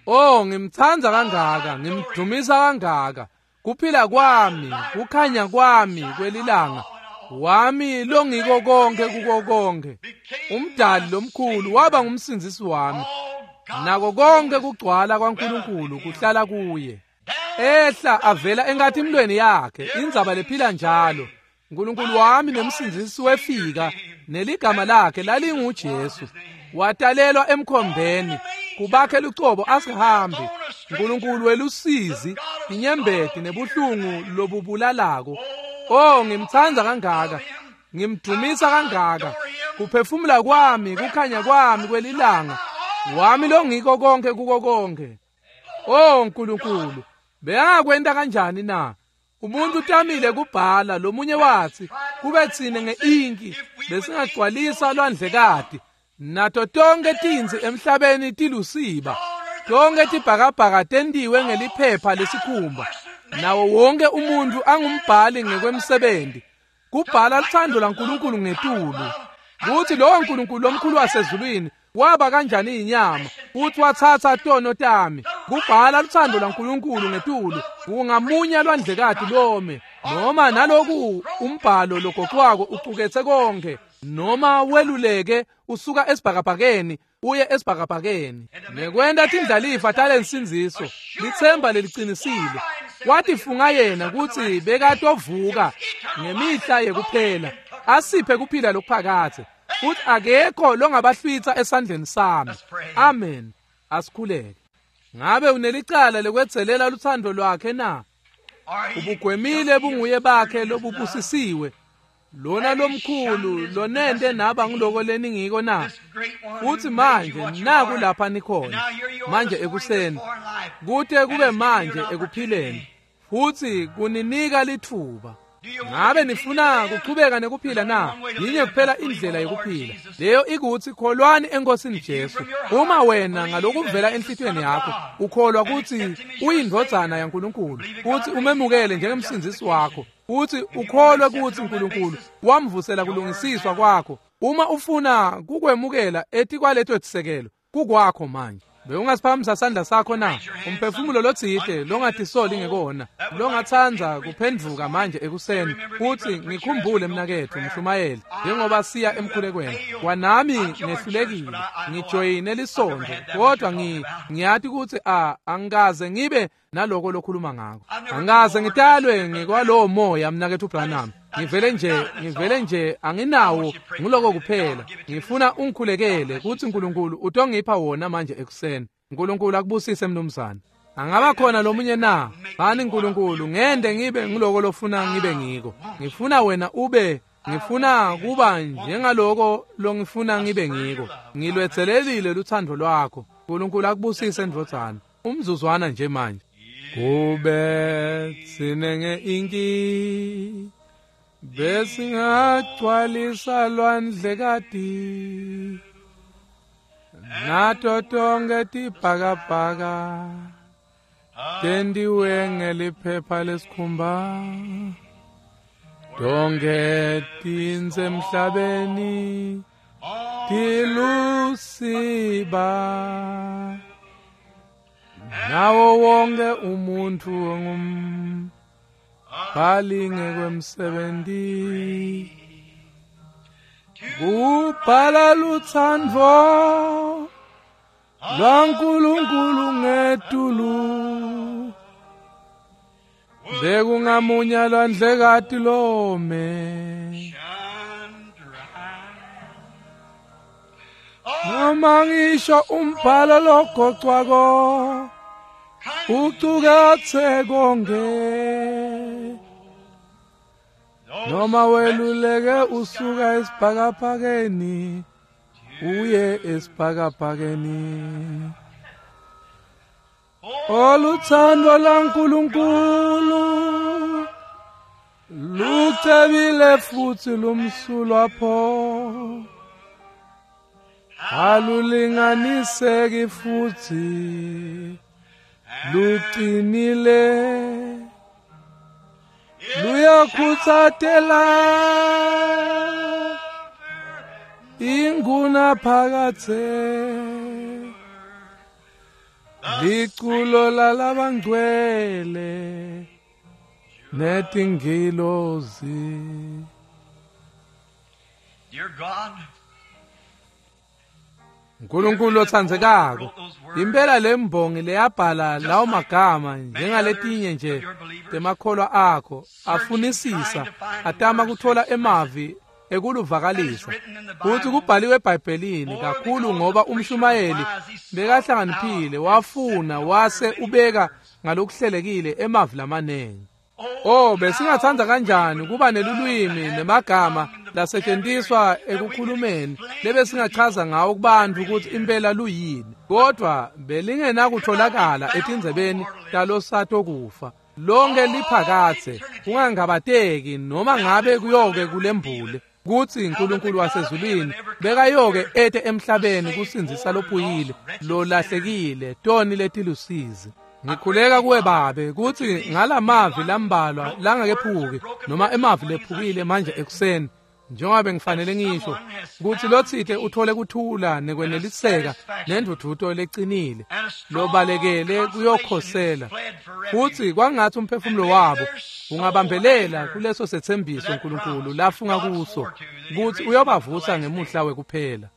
Oh, ngimtsandza kangaka, ngimdumisa kangaka. Kuphila kwami, kukhanya kwami kwelilanga wami longiko konke kuko konke. Umdali lomkhulu waba ngumsindzisi wami, nako konke kugcwala kwaNkulunkulu kuhlala kuye. Ehla avela enkatimlweni yakhe, indzaba lephila njalo. Nkulunkulu wami nemsindzisi wefika, neligama lakhe lalinguJesu. Watalelwa emkhombeni, kubakhe lucobo asihambi. Nkulunkulu welusizi, inyembeti nebuhlungu lobubulalako. Oh, ngimtsandza kangaka, ngimdumisa kangaka. Kuphefumula kwami, kukhanya kwami kwelilanga wami longiko konke kuko konke. Oh Nkulunkulu, beyangakwenta kanjani na? Umuntu utamile kubhala, lomunye wathi kube tsine ngeinki besingagcwalisa lwandlekati, nato tonke tintsi emhlabeni tilusiba, tonke tibhakabhaka tentiwe ngeliphepha lesikhumba, nawo wonke umuntu angumbhali ngekwemsebenzi, kubhala luthando lwaNkulunkulu ngetulu. Kuthi lowo Nkulunkulu lomkhulu wasezulwini waba kanjani inyama, futhi wathatha tono tami, kubhala luthando lwaNkulunkulu ngetulu, kungamunya lwandlekati lome, noma naloku umbhalo logoqwako ucuketse konke, noma weluleke usuka esibhakabhakeni uye esibhakabhakeni, nekwenta tindlalifa talensindziso, litsemba leliqinisile. Watifunga yena kutsi bekatovuka ngemihla yekuphela, asiphe kuphila lokuphakadze, futhi akekho longabahlwitsa esandleni sami. Amen. Asikhuleke. Ngabe unelicala lekwedzelela luthando lwakhe na? Ubugwemile bunguye bakhe lobubusisiwe, lona lomkhulu lonente naba ngiloko leningiko na? Futhi manje naku lapha nikhona manje ekuseni, kute kube manje ekuphileni, futhi kuninika lithuba. Ngabe nifuna kuchubeka nekuphila na? Yinye kuphela indlela yokuphila, leyo ikuthi kholwani eNkosini Jesu. Uma wena ngalokuvela enhlitiyweni yakho ukholwa kutsi uyindvodzana yaNkulunkulu, futhi umemukele njengemsindzisi wakho, futhi ukholwe kutsi uNkulunkulu wamvusela kulungisiswa kwakho, uma ufuna kukwemukela etikwaleto tisekelo, kukwakho manje. Bewungasiphakamisa sandla sakho na? Umphefumulo lotsite longatisoli ngekona, longatsandza kuphendvuka manje ekuseni, futhi ngikhumbule mnaketfu mshumayeli, njengoba siya emkhulekweni. Kwanami ngehlulekile, ngijoyine lisontfo, kodwa ngiyati kutsi angikaze ngibe naloko lokhuluma ngako. Angikaze ngitalwe ngekwalowo moya mnaketfu Branham. Ngivele nje anginawo, nguloko kuphela. Ngifuna ungikhulekele kutsi uNkulunkulu utongipha wona manje ekuseni. Nkulunkulu akubusise mnumzane. Angaba khona lomunye na? Bani Nkulunkulu, ngende ngibe ngiloko lofuna ngibe ngiko. Ngifuna wena ube, ngifuna kuba njengaloko longifuna ngibe ngiko. Ngilwetselelile luthando lwakho. Nkulunkulu akubusise ndvodzana. Umzuzwana nje manje. Kube tsine ngeinki besingagcwalisa lwandlekati, nato tonke tibhakabhaka tentiwe ngeliphepha lesikhumba, tonke tintsi emhlabeni tilusiba, nawo wonke umuntu ongumbhali ngekwemsebenti, kubhala lutsandvo lwaNkulunkulu ngetulu, bekungamunya lwandlekati lome. Noma ngisho umbhalo logocwako ucukatse konke, noma weluleke usuka esibhakabhakeni uye esibhakabhakeni. Oluthando laNkulunkulu lucebile futhi lumsulwa pho, alulinganiseki futhi luqinile, luyakhutsatela inguna phakathe. Liculo lalabangcwele netingilozi. Dear God, Nkulunkulu otsandzekako, impela lembongi leyabhala lawo magama njengaletinye nje temakholwa akho afunisisa atama kuthola emavi ekuluvakalisa kutsi kubhaliwe eBhayibhelini kakhulu, ngoba umshumayeli bekahlakaniphile wafuna wase ubeka ngalokuhlelekile emavi lamanengi. Oh, besingatsandza kanjani kuba nelulwimi nemagama lasetjentiswa ekukhulumeni lebesingachaza ngawo kubantfu kutsi impela luyini, kodvwa belingenakutholakala etindzebeni talosatokufa. Lonke liphakatse kungangabateki noma ngabe kuyoke kulembule kutsi uNkulunkulu wasezulwini bekayoke ete emhlabeni kusindzisa lophuyile lolahlekile toni letilusizi. Ngikhuleka kuwe Babe kutsi ngalamavi lambalwa langakephuki noma emavi lephukile manje ekuseni, njengoba bengifanele ngisho kutsi lotsite uthole kuthula nekweneliseka nendvudvuto lecinile lobalekele kuyokhosela, futsi kwangatsi umphefumulo wabo ungabambelela kuleso setsembiso uNkulunkulu lafunga kuso kutsi uyobavusa ngemuhla wekuphela.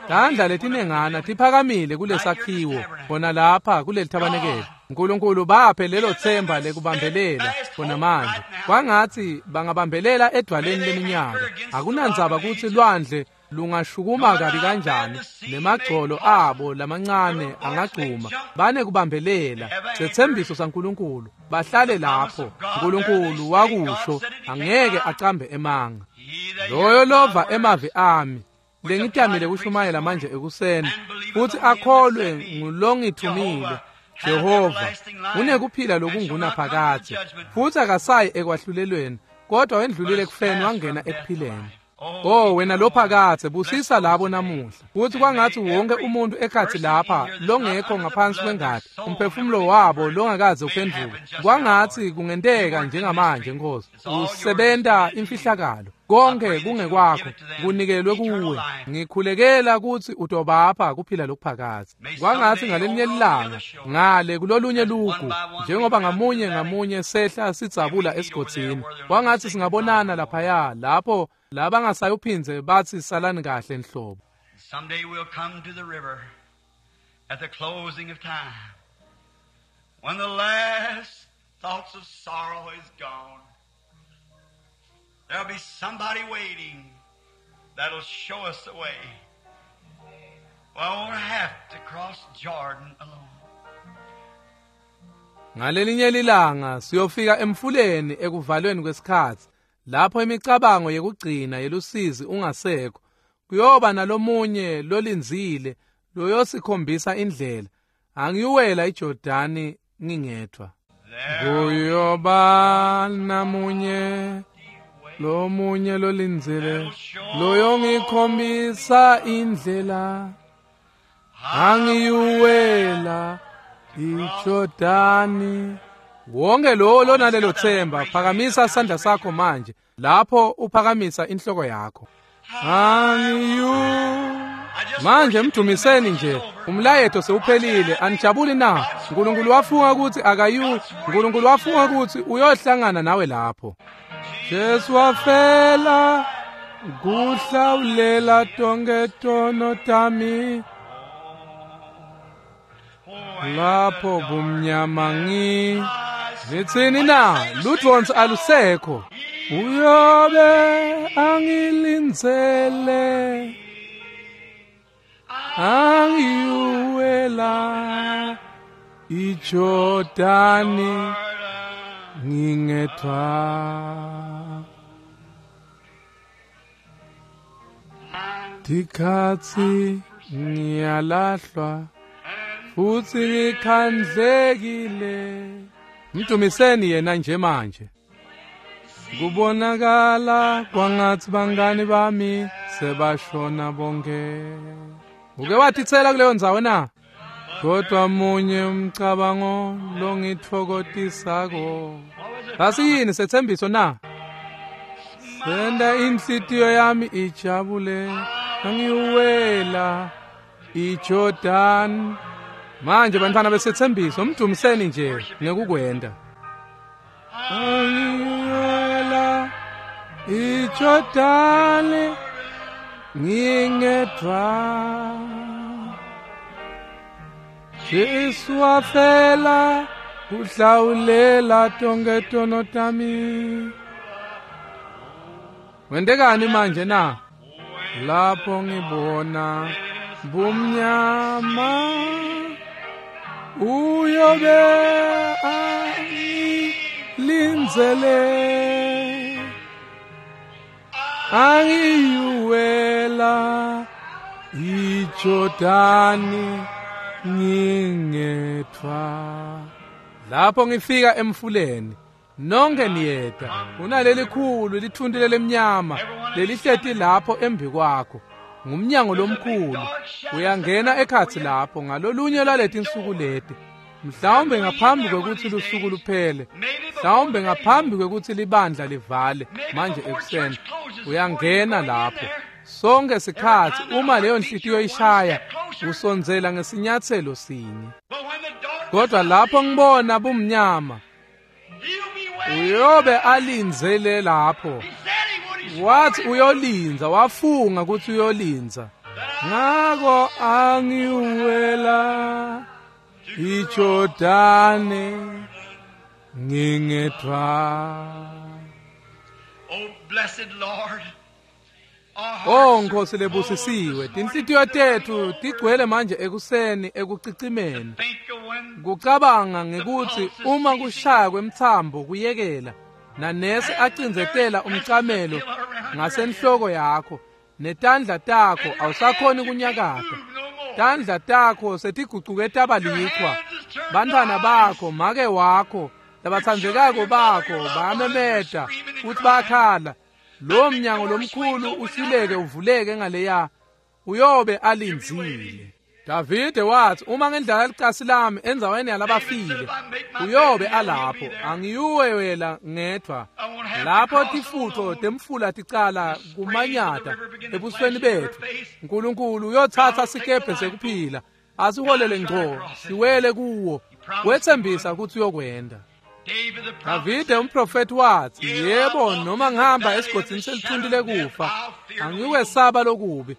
Tandla letinengana tiphakamile kulesakhiwo khona lapha kuleli thabanekele. uNkulunkulu baphe lelo themba lekubambelela khona manje. Kwangatsi bangabambelela edwaleni leminyaka. Akunandzaba kutsi lwandle lungashukuma kabi kanjani nemagcolo abo lamancane angagcuma, banekubambelela setsembiso saNkulunkulu, bahlale lapho. uNkulunkulu wakusho, angeke acambe emanga. Loyo lova emavi ami lengitamile kushumayela manje ekuseni futhi akholwe ngulongithumile Jehova unekuphila lokungunaphakadze, futhi akasayi ekwahlulelweni, kodwa wendlulile ekufeni wangena ekuphileni. Oh wena lophakadze, busisa labo namuhla, futhi kwangatsi wonke umuntu ekhatsi lapha longekho ngaphansi kwengati, umphefumulo wabo longakaze uphendvuke, kwangatsi kungenteka njengamanje Nkosi, usebenta imfihlakalo, konke kungekwakho, kunikelwe kuwe. Ngikhulekela kutsi utobapha kuphila lokuphakadze. Kwangatsi ngalelinye ilanga ngale kulolunye lugu, njengoba ngamunye ngamunye sehla sidzabula esigodzini, kwangatsi singabonana laphaya lapho labangasayuphindze bathi salani kahle nhlobo. Someday we'll come to the river at the closing of time, when the last thoughts of sorrow is gone. There'll be somebody waiting that'll show us the way. We won't have to cross Jordan alone. Ngalelinye lilanga siyofika emfuleni ekuvalweni kwesikhatsi, lapho imicabango yekugcina yelusizi ungasekho, kuyoba nalomunye lolindzile loyosikhombisa indlela. Angiyuwela iJordani ngingedvwa. Kuyoba namunye lomunye lolindzile loyongikhombisa indlela, angiyuwela iJordani. Wonke lowo lonalelo themba, phakamisa sandla sakho manje lapho uphakamisa inhloko yakho. Angiyu manje mdumiseni nje, umlayeto sewuphelile. Anijabuli na? uNkulunkulu wafunga kutsi akayu, uNkulunkulu wafunga kutsi uyohlangana nawe lapho. Jesu wafela kuhlawulela tonke tono tami, lapho bumnyama ngitsini na, ludvonsi alusekho. Uyobe angilindzele, Angiwela iJordani ngingedwa. Tikhatsi ngiyalahlwa futhi ngikhandlekile. Mdumiseni yena nje manje. Kubonakala kwangathi bangani bami sebashona bonke. Uke watitsela kuleyo ndzawo na? Kodwa munye umcabango longitfokotisako. Sasiyini sethembiso na? Senda inhlitiyo yami ijabule angiwela iJordan. Manje bantwana besethembiso mdumiseni nje ngekukwenda. Angiwela iJordan ngingedwa. Jesu wafela kuhlawulela tonke tono tami. Wendekani manje na? Lapho ngibona bumnyama uyobe angilindzele angiwela iJordani ngingedwa. Lapho ngifika emfuleni nonke niyeda kunalelikhulu lithunti lemnyama lelihleti lapho embi kwakho. Ngumnyango lomkhulu uyangena ekhatsi lapho ngalolunye lwaletinsuku leti, mhlawumbe ngaphambi kwekutsi lusuku luphele, mhlawumbe ngaphambi kwekutsi libandla livale manje ekuseni. Uyangena lapho sonke sikhatsi uma leyo nhliziyo ishaya usondzela ngesinyatselo sinye. Kodwa lapho ngibona bumnyama uyobe alindzele lapho. Wathi uyolinza, wafunga ukuthi uyolinza. Ngako angiwela iJordani ngingedwa. Oh blessed Lord. Oh Nkosi lebusisiwe, tinhlitiyo tetfu tigcwele manje ekuseni ekucicimeni. Kucabanga ngekutsi uma kushaya kwemtsambo kuyekela nanesi acindzetela umcamelo ngasenhloko yakho netandla takho awusakhoni kunyakata. Tandla takho setigucuke taba lichwa. Bantwana bakho, make wakho, labatsandzekako bakho bayamemeta futhi bayakhala. Lo mnyango lomkhulu usileke uvuleke ngaleya uyobe alindzile. Davide wathi uma ngendlala licasi lami endzaweni yalabafile uyobe alapho, angiyuwela ngedwa. Lapho tifutfo temfula ticala kumanyata ebusweni bethu, uNkulunkulu uyotsatsa sikebhe sekuphila asiholele ngco siwele kuwo. Wethembisa ukuthi uyokwenda. Davide umprofeti wathi yebo, noma ngihamba esigodzini selithunti lekufa angikwesaba lokubi,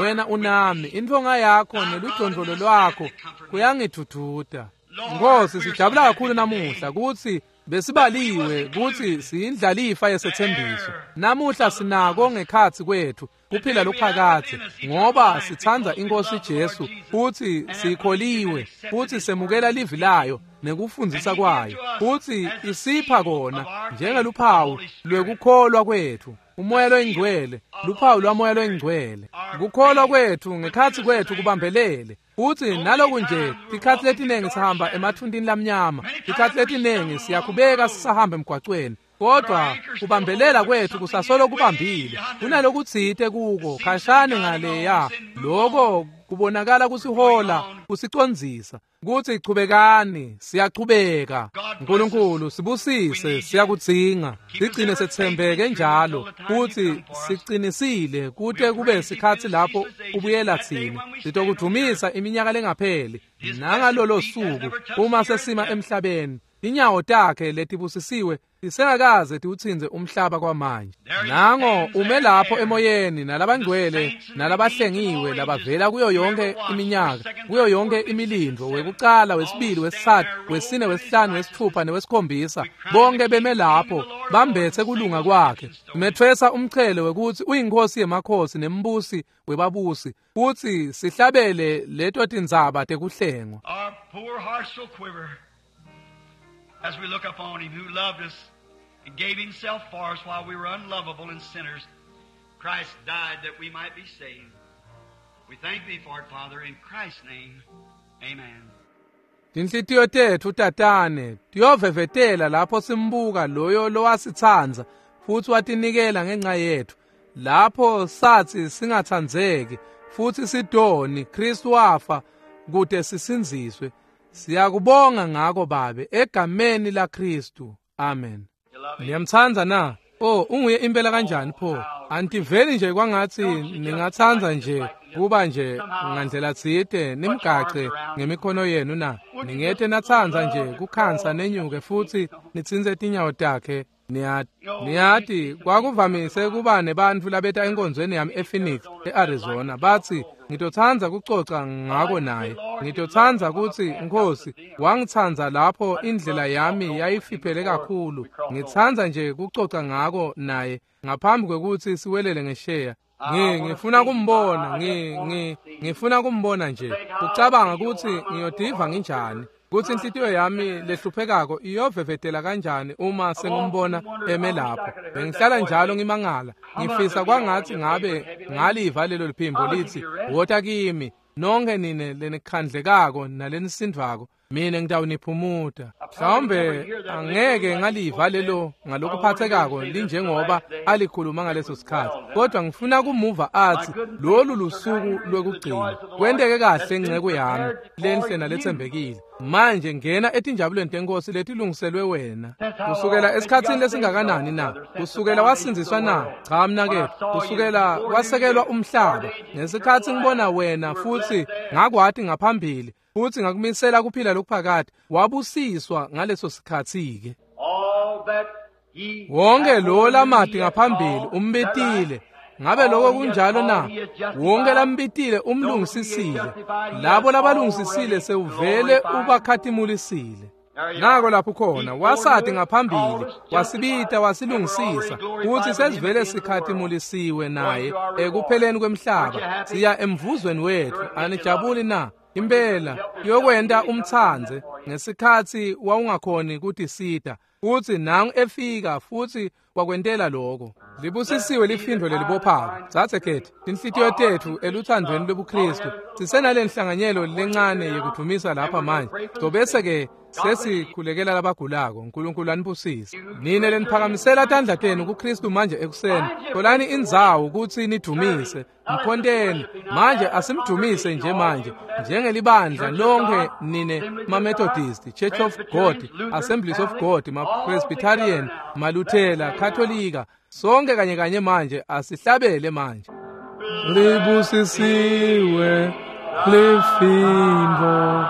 wena unami, intfonga yakho neludondvolo lwakho kuyangidvudvuta. Nkosi, sijabula kakhulu namuhla kutsi besibaliwe kutsi siyindlalifa yesethembiso. Namuhla sinako ngekhatsi kwethu kuphila lokuphakadze ngoba sitsandza iNkosi Jesu futsi sikholiwe futsi semukela livi layo nekufundzisa kwayo, futsi isipha kona njengeluphawu lwekukholwa kwethu. Umoya loyingcwele, luphawu lwamoya loyingcwele. Kukholwa kwethu ngekhatsi kwethu kubambelele. Futsi naloku nje tikhatsi letinengi sihamba emathuntini lamnyama, tikhatsi letinengi siyakhubeka sisahamba emgwacweni, kodwa kubambelela kwethu kusasolo kubambile. Kunalokutsite kuko khashane ngaleya, loko kubonakala kusihola kusicondzisa kutsi chubekani, siyachubeka. Nkulunkulu sibusise, siyakudzinga. Sigcine setsembeke njalo futsi siqinisile kute kube sikhatsi lapho ubuyela tsine. Sitokudvumisa iminyaka lengapheli nangalolo suku uma sesima emhlabeni. Tinyawo takhe letibusisiwe tisengakaze tiwutsintse umhlaba kwamanje. Nango ume lapho emoyeni nalabangcwele nalabahlengiwe labavela kuyo yonke iminyaka, kuyo yonke imilindvo, wekucala, wesibili, wesitsatfu, wesine, wesihlanu, wesitfupha newesikhombisa, bonke beme lapho bambetse kulunga kwakhe. Methwesa umchele wekutsi uyinkosi yemakhosi nembusi webabusi, futsi sihlabele leto tindzaba tekuhlengwa. Our poor hearts will quiver as we look upon him who loved us and gave himself for us while we were unlovable and sinners. Christ died that we might be saved. We thank thee for it, Father, in Christ's name. Amen. Tinhlitiyo tetfu tatane tiyovevetela lapho simbuka loyo lowasitsandza futsi watinikela ngenxa yetfu. Lapho satsi singatsandzeki futsi sidoni, Kristu wafa kute sisindziswe. Siyakubonga ngako Babe, egameni laKristu. Amen. Niyamtsandza na? Oh, unguye impela kanjani pho? Antiveli nje kwangatsi ningatsandza nje kuba nje ngandlela tsite nimgace ngemikhono yenu na? Ningete natsandza nje kukhansa nenyuke futsi nitsintse tinyawo takhe. Niyati kwakuvamise kuba nebantfu labeta enkonzweni yami ePhoenix, eArizona, batsi ngitotsandza kucoca ngako naye. Ngitotsandza kutsi Nkhosi wangitsandza lapho indlela yami yayifiphele kakhulu. Ngitsandza nje kucoca ngako naye ngaphambi kwekutsi siwelele ngesheya. Ngifuna kumbona, ngifuna kumbona nje. Kucabanga kutsi ngiyotiva nginjani, kutsi inhlitiyo yami lehluphekako iyovevetela kanjani uma sengimbona eme lapho. Bengihlala njalo ngimangala, ngifisa kwangatsi ngabe ngaliva lelo liphimbo litsi, wota kimi nonke nine lenikhandlekako nalenisindvako, mina ngitawuniphumuta. Mhlawumbe angeke ngaliva lelo ngalokuphathekako linjengoba alikhuluma ngaleso sikhathi, kodwa ngifuna kumuva atsi lolu lusuku lwekugcina. Kwenteke kahle nceku yami lenhle naletsembekile. Manje ngena etinjabulweni tenkosi letilungiselwe wena. Kusukela esikhatsini lesingakanani na? Kusukela wasindziswa na? Cha mnaketfu, kusukela kwasekelwa umhlaba. Ngesikhatsi ngibona wena futsi ngakwati ngaphambili, futsi ngakumisela kuphila lokuphakade, wabusiswa ngaleso sikhatsi-ke. Wonke lo lamati ngaphambili umbitile. Ngabe lokho kunjalo na? Wonke lambitile umlungisisile. Labo labalungisisile sewuvele ubakhatimulisile. Nako lapho khona wasati ngaphambili, wasibita, wasilungisisa, futsi sesivele sikhatimulisiwe naye ekupheleni kwemhlaba. Siya emvuzweni wetfu. Anijabuli na? Impela yokwenta umtsandze ngesikhatsi wawungakhoni kutisita, futsi nangu efika futsi wakwentela lokho. Libusisiwe lifindo lelibophako. Tsatse khethi tinhlitiyo tetfu eluthandweni lwebuKristu. Sisenale nhlanganyelo lencane yekudvumisa lapha manje. Tobese ke sesikhulekela labagulako. Nkulunkulu anibusise. Nine leniphakamisela tandla tenu kuKristu manje ekuseni, tholani indzawo kutsi nidvumise. Mkhonteni manje, asimdumise nje manje njengelibandla lonke nine ma-Methodist, Church of God, Assemblies of God, ma-Presbyterian, maLuthela, Katolika, sonke kanye kanye manje asihlabele manje. Libusisiwe lifindo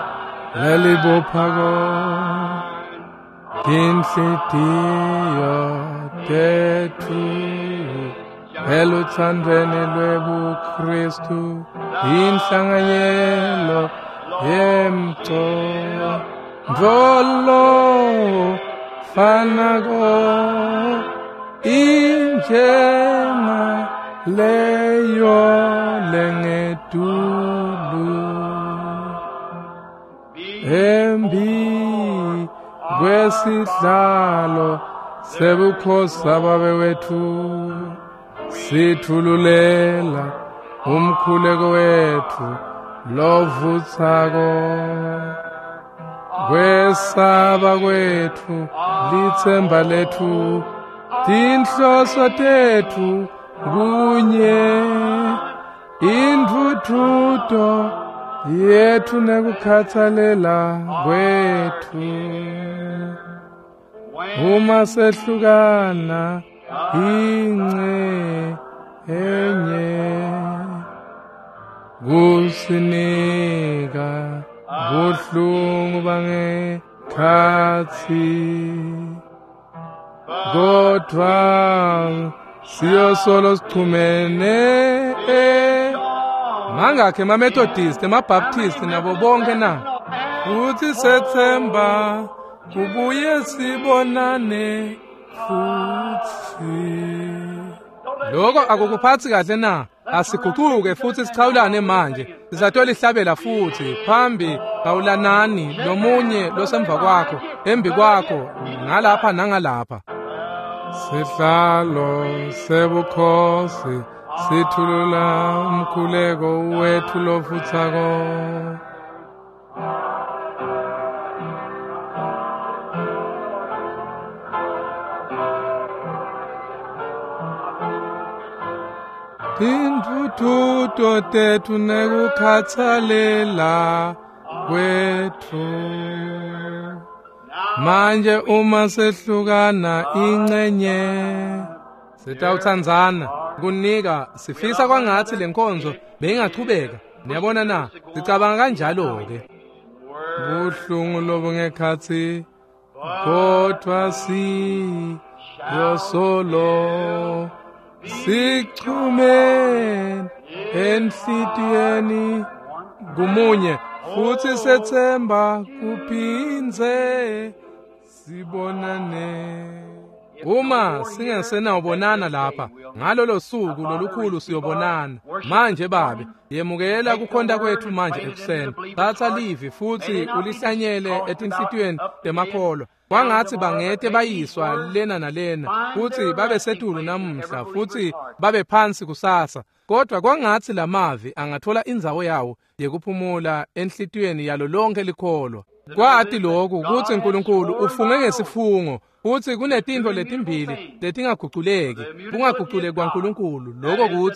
lelibophako tinhlitiyo tetfu eluthandweni lwebuKristu, inhlanganyelo yemcondvo fanako injenga leyo lengetulu embi kwesihlalo sebukhosi Babe wetfu, sithululela umkhuleko wetfu lovutsako. Kwesaba kwetfu litsemba letfu, tinhloso tetfu kunye, intfutfuto yetfu nekukhatsalela kwetfu. Uma sehlukana ince enye, kusinika buhlungu bangekhatsi. Khatsi kodvwa siyosolo sichumene. Mangakhe emaMethodist, emaBaptist nabo bonke na? Futhi sethemba kubuye sibonane futhi. Lokho akukuphathi kahle na? Asiguquke futhi sichawulane manje. Sizatolihlabela futhi phambi kawulanani lomunye losemva kwakho, embi kwakho, ngalapha nangalapha. Sihlalo sebukhosi sithulula umkhuleko wethu lofuthako. Tintfutfuto tetfu nekukhatsalela kwetfu. Manje uma sehlukana incenye sitawutsandzana kunika sifisa kwangathi lenkonzo beyingachubeka. Niyabona na? Sicabanga kanjalo ke. Buhlungu lobungekhatsi kodwa siyosolo sichume enhlitiyweni kumunye futhi sethemba kuphindze sibonane. Uma singesenawubonana lapha ngalolo suku lolukhulu siyobonana. Manje Babe, yemukela kukhonta kwethu manje ekuseni. Thatha livi futhi ulihlanyele etinhlitiyweni temakholwa. Kwangathi bangete bayiswa lena nalena futhi babe setulu namuhla futhi babe phansi kusasa, kodwa kwangathi lamavi angathola indzawo yawo yekuphumula enhlitiyweni yalo lonke likholwa. Kwati lokhu kutsi uNkulunkulu ufunge ngesifungo futhi kunetintfo letimbili letingaguculeki, kungaguculeki kwaNkulunkulu, lokho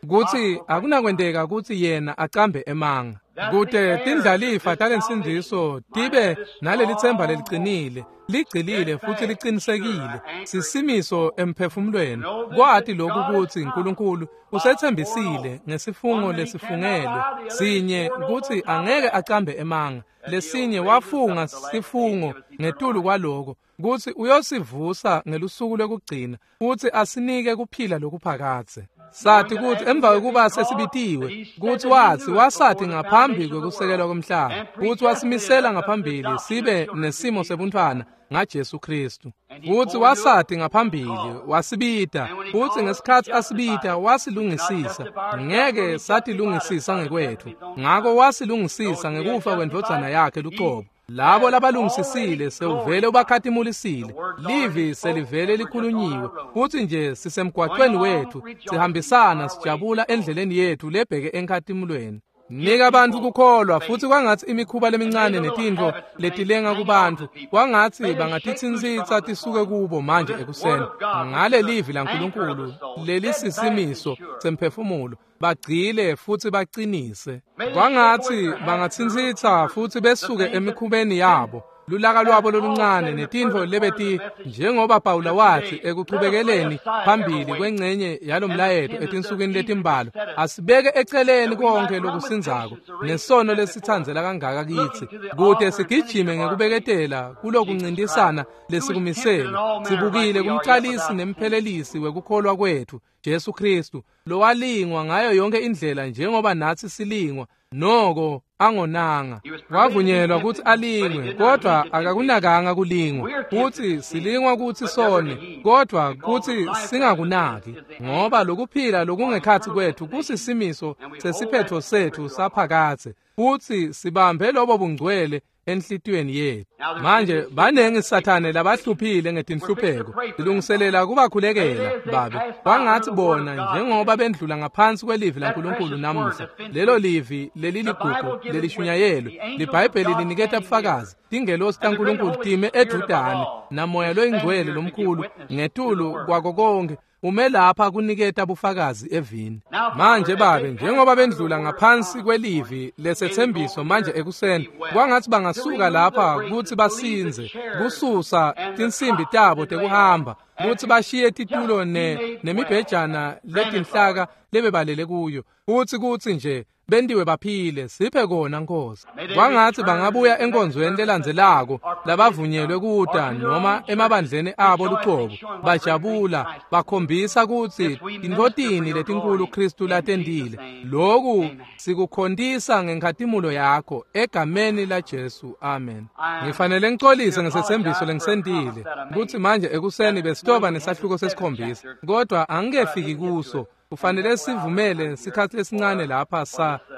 kutsi akunakwenteka kutsi yena acambe emanga. Kute tindlalifa talensindziso tibe nalelitsemba leliqinile, ligcilile futhi liqinisekile, sisimiso emphefumulweni. Kwati lokhu kutsi uNkulunkulu usethembisile ngesifungo lesifungelwe sinye kutsi angeke acambe emanga, lesinye wafunga sifungo ngetulu kwaloko kutsi uyosivusa ngelusuku lwekugcina futhi asinike kuphila lokuphakadze. Sathi kutsi emva kwekuba sesibitiwe kutsi wathi wasathi ngaphambi kwekusekelwa komhlaba kutsi wasimisela ngaphambili sibe nesimo sebuntfwana ngaJesu Kristu. Kutsi wasathi ngaphambili wasibita, kutsi ngesikhatsi asibita wasilungisisa. Ngeke satilungisisa ngekwethu, ngako wasilungisisa ngekufa kwendvodzana yakhe luqobo. Labo labalungisisile sewuvele ubakhatimulisile. Livi selivele likhulunyiwe futhi nje sisemgwaqweni wethu, sihambisana sijabula endleleni yethu lebheke enkhatimulweni. Nika abantu kukholwa futhi kwangathi imikhuba lemincane netintfo letilenga kubantu kwangathi bangatitsintsitsa tisuke kubo manje ekuseni ngale livi laNkulunkulu lelisisimiso semphefumulo, bagcile futhi bacinise. Kwangathi bangatsintsitsa futhi besuke emikhubeni yabo, lulaka lwabo loluncane netintfo lebeti, njengoba Pawula wathi ekuchubekeleni phambili kwengcenye yalomlayeto etinsukwini letimbalwa, asibeke eceleni konke lokusindzako nesono lesitsandzela kangaka kitsi, kute sigijime ngekubeketela kulokuncintisana lesikumisele, sibukile kumcalisi nemphelelisi wekukholwa kwethu Jesu Kristu, lowalingwa ngayo yonke indlela njengoba nathi silingwa, noko angonanga. Wavunyelwa kutsi alingwe, kodwa akakunakanga kulingwa. Kutsi silingwa kutsi sone, kodwa kutsi singakunaki, ngoba lokuphila lokungekhatsi kwethu kusisimiso sesiphetho sethu saphakadze, futsi sibambe lobo bungcwele enhlitiyweni yethu. Manje banengi Sathane labahluphile ngetinhlupheko, silungiselela kubakhulekela Babe. Kwangathi bona njengoba bendlula ngaphansi kwelivi laNkulunkulu namuhla, lelo livi leliligugu lelishunyayelwe, liBhayibheli liniketa bufakazi, tingelosi taNkulunkulu time edvutane namoya loyingcwele lomkhulu ngetulu kwako konke ume lapha kuniketa bufakazi evini. Manje Babe, njengoba bendlula ngaphansi kwelivi lesethembiso manje ekuseni, kwangathi bangasuka lapha kutsi basinze, kususa tinsimbi tabo tekuhamba, kutsi bashiye titulo nemibhejana letinhlaka lebebalele kuyo, futsi kutsi nje bentiwe baphile. Siphe kona Nkosi. Kwangatsi bangabuya enkonzweni lelandzelako labavunyelwe kuta noma emabandleni abo lucobo, bajabula bakhombisa kutsi tintfotini letinkulu Kristu latentile. Loku sikukhontisa ngenkhatimulo yakho egameni la Jesu, amen. Ngifanele ngicolise ngesetsembiso lengisentile kutsi manje ekuseni besitoba nesahluko sesikhombisa, kodwa angikefiki kuso. Kufanele sivumele sikhatsi lesincane lapha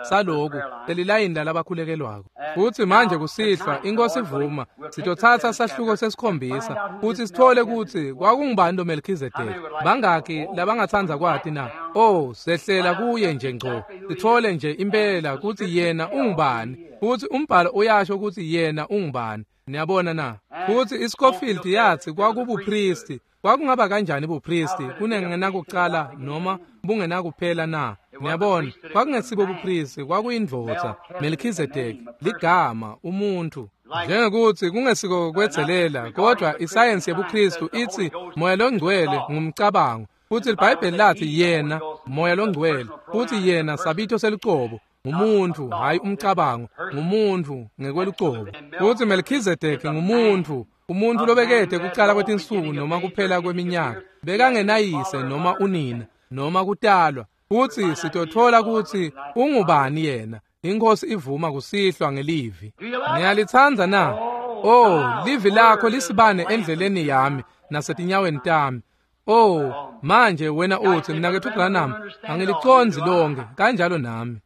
saloku lelilayini lalabakhulekelwako. Futsi manje kusihlwa iNkosi ivuma sitotsatsa sahluko sesikhombisa futsi sithole kutsi kwakungubani lo Melchizedek. Bangaki labangatsandza kwati na? Oh, sehlela kuye nje ngco, sithole nje impela kutsi yena ungubani, futsi umbhalo uyasho kutsi yena ungubani. Niyabona na? Futsi iScofield yathi kwakubupristi. Kwakungaba kanjani bupristi kunengenakucala noma bungenakuphela na? Niyabona, kwakungesibo bupristi, kwakuyindvodza Melchizedek, ligama, umuntu. Njengekuthi kungesiko kwedzelela, kodwa isayensi yebuKristu itsi Moya loNgcwele ngumcabango, futsi iBhayibheli lathi yena Moya loNgcwele, futsi yena sabito selucobo, ngumuntu, hayi umcabango, ngumuntu ngekwelucobo. Futsi Melchizedek ngumuntu, umuntu lobekede kucala kwetinsuku noma kuphela kweminyaka, bekangenayise noma unina noma kutalwa. Futsi sitothola kutsi ungubani yena. INkosi ivuma kusihlwa ngelivi. Niyalitsandza na? Oh, livi lakho lisibane endleleni yami nasetinyaweni tami. Oh, manje wena uthi mnaketfu Branham, angilicondzi lonke, kanjalo nami.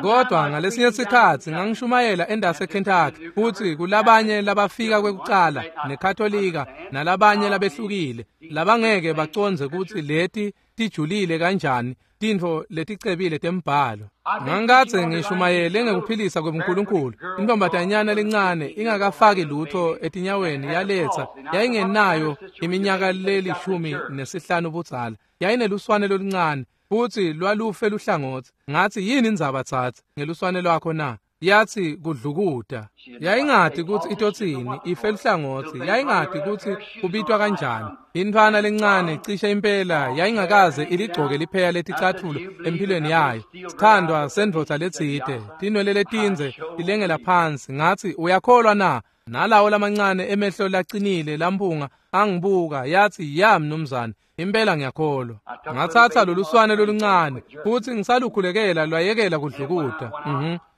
Kodwa ngalesinye sikhatsi ngangishumayela endase eKentucky, futsi kulabanye labafika kwekucala neKatolika nalabanye labehlukile labangeke bacondze kutsi leti tijulile kanjani tintfo leticebile tembhalo. Ngangikadze ngishumayele ngekuphilisa kwebuNkulunkulu. Intombatanyana lencane ingakafaki lutho etinyaweni yaletsa, yayingenayo iminyaka le-15 budzala, yayineluswane loluncane futsi lwalufe luhlangotsi. Ngathi, yini indzaba tsatsi ngeluswane lwakho na? Yathi kudlukuta. Yayingati kutsi itotsini, ife luhlangotsi, yayingati kutsi kubitwa kanjani. Intfwana lencane cishe impela yayingakaze iligcoke lipheya leticatfulo empilweni yayo. Sithandwa sendvodza letsite, tinwele letindze tilengela phansi. Ngathi, uyakholwa na? Nalawo lamancane emehlo lacinile lamphunga angibuka, yathi, ya mnumzane, impela ngiyakholwa. Ngatsatsa loluswane loluncane futsi ngisalukhulekela lwayekela kudlukuta.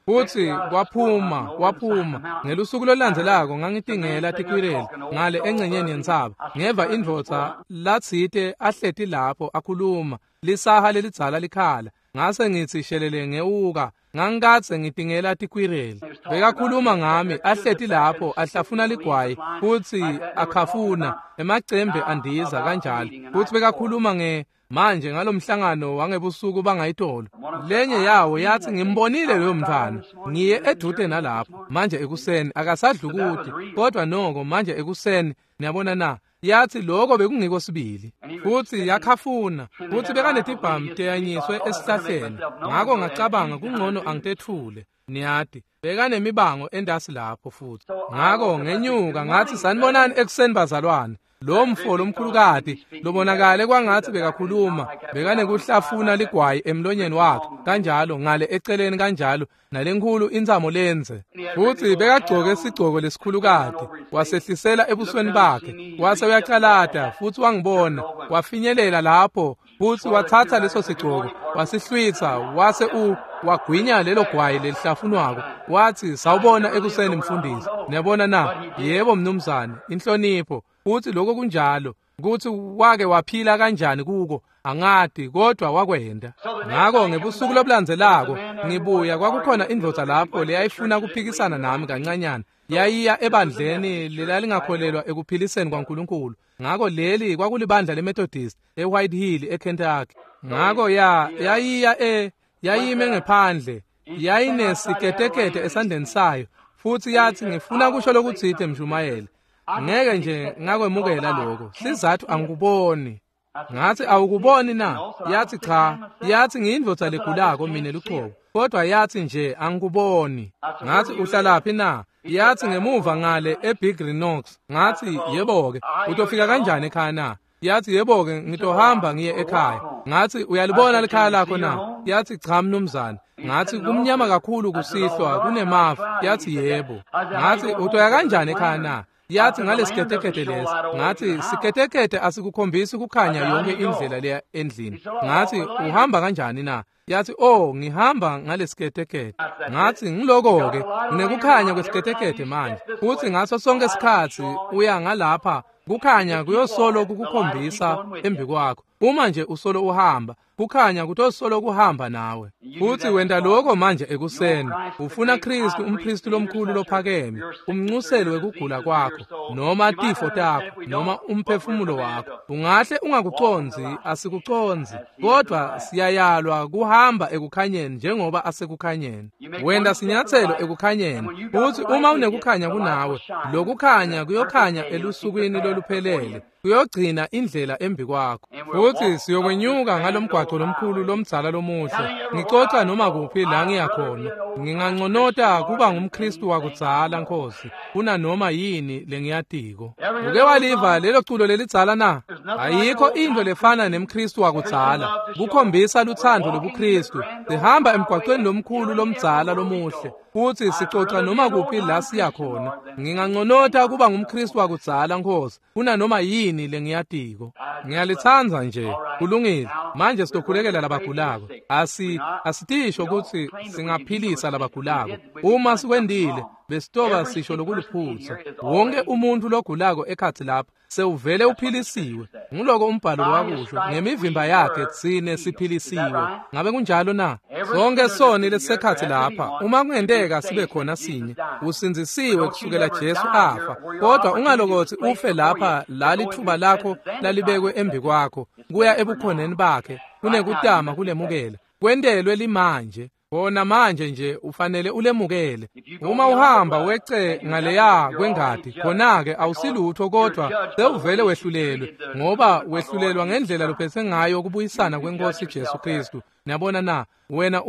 Futsi kwaphuma. Ngelusuku lolulandzelako ngangitingela tikwireli ngale engcenyeni yentsaba. Ngeva indvodza latsite ahleti lapho akhuluma, lisaha lelidzala likhala. Ngase ngitsi shelele ngewuka. Ngangikadze ngitingela tikwireli. Bekakhuluma ngami ahleti lapho ahlafuna ligwayi futsi akhafuna emacembe andiza kanjalo. Futsi bekakhuluma nge manje ngalomhlangano wangebusuku bangayitolo. Lenye yawo yathi, ngimbonile loyo mntwana, ngiye edute nalapho manje ekuseni, akasadlukuti kodwa noko manje ekuseni. Niyabona na? Yathi lokho bekungiko sibili. Futsi yakhafuna, futsi bekanetibhamu teyanyiswe esihlahleni. Ngako ngacabanga kungcono angitetfule. Niyati, bekanemibango endasi lapho futhi. Ngako ngenyuka ngathi, sanibonani ekuseni bazalwane. Lo mfo lomkhulukati lobonakale kwangathi bekakhuluma, bekanekuhlafuna ligwayi emlonyeni wakhe kanjalo, ngale eceleni kanjalo, nalenkhulu intsamo lenze. Futsi bekagcoke sigcoko lesikhulukati, wasehlisela ebusweni bakhe, wase uyacalata, futsi wangibona, wafinyelela lapho, futsi watsatsa leso sigcoko, wasihlwitsa, wase wagwinya lelo gwayi lelihlafunwako. Wathi, sawubona ekuseni mfundisi. Niyabona na? Yebo mnumzane, inhlonipho. Futsi lokho kunjalo, kutsi wake waphila kanjani kuko angati, kodwa wakwenda. Ngako ngebusuku lobulandzelako ngibuya, kwakukhona indvodza lapho leyayifuna kuphikisana nami kancanyana. Yayiya ebandleni lelalingakholelwa ekuphiliseni kwaNkulunkulu. Ngako leli kwakulibandla leMethodist eWhite Hill eKentucky. Ngako yayiya yayime ngephandle, yayinesiketekete esandleni sayo, futsi yathi, ngifuna kusho lokutsite mshumayeli. Ngeke nje ngakwemukela lokho, sizathu angikuboni. Ngathi, awukuboni na? Yathi cha. Yathi, ngiyindvodza legulako mina lucobo, kodwa yathi nje angikuboni. Ngathi, uhlalaphi na? Yathi, ngemuva ngale eBig Renox. Ngathi, yebo-ke, utofika kanjani ekhaya na? Yathi, yebo-ke, ngitohamba ngiye ekhaya. Ngathi, uyalibona likhaya lakho na? Yathi, cha mnumzane. Ngathi kumnyama kakhulu kusihlwa kunemafu. Yathi yebo. Ngathi utoya kanjani ekhaya na? Yathi ngalesiketekete lesi. Ngathi siketekete asikukhombisi kukhanya yonke indlela leya endlini. Ngathi uhamba kanjani na? Yathi oh ngihamba ngalesiketekete. Ngathi ngiloko ke nginekukhanya kwesiketekete manje. Futhi ngaso sonke isikhathi uya ngalapha kukhanya kuyosolo kukukhombisa embi kwakho. Uma nje usolo uhamba kukhanya kutosolo kuhamba nawe. Futhi wenda lokho manje ekuseni ufuna Kristu umpristi lomkhulu lophakeme umncuselo wekugula kwakho noma tifo takho noma umphefumulo wakho. Ungahle ungakuconzi, asikuconzi, kodwa siyayalwa kuhamba ekukhanyeni njengoba asekukhanyeni. Wenda sinyathelo ekukhanyeni, futhi uma unekukhanya kunawe, lokukhanya kuyokhanya elusukwini loluphelele, kuyogcina indlela embi kwakho. Futhi siyokwenyuka ngalomgwaqo lomkhulu lomdzala lomuhle. Ngicoca noma kuphi la ngiyakhona. Nginganconota kuba ngumKristu wakudzala Nkosi kuna noma yini lengiyatiko. Uke waliva lelo culo lelidzala na? Ayikho into lefana nemKristu wakudzala. Kukhombisa luthando lobuKristu. Sihamba emgwaqweni lomkhulu lomdzala lomuhle. Futhi sicoca noma kuphi la siyakhona. Nginganconota kuba ngumKristu wakudzala Nkosi kuna noma yini lengiyatiko. Ngiyalithanda nje. Kulungile. Manje sizokhulekela labagulako. Asitisho ukuthi singaphilisa labagulako. Uma sikwendile besitoba sisho lokuluphutsa. Wonke umuntu logulako ekhathi lapha sewuvele uphilisiwe. Nguloko umbhalo wakusho, ngemivimba yakhe tsine siphilisiwe. Ngabe kunjalo na? Sonke soni lesisekhathi lapha, uma kungenteka sibe khona sinye, usindzisiwe kusukela Jesu afa. Kodwa ungalokothi ufe lapha la lithuba lakho lalibekwe embi kwakho kuya ebukhoneni bakhe kunekutama kulemukela. Kwentelwe limanje. Bona manje nje ufanele ulemukele. Uma uhamba wece ngaleya kwengadi, khona-ke awusilutho kodwa sewuvele wehlulelwe, ngoba wehlulelwa ngendlela lophethe ngayo kubuyisana kwenkosi Jesu Kristu. Niyabona na? Wena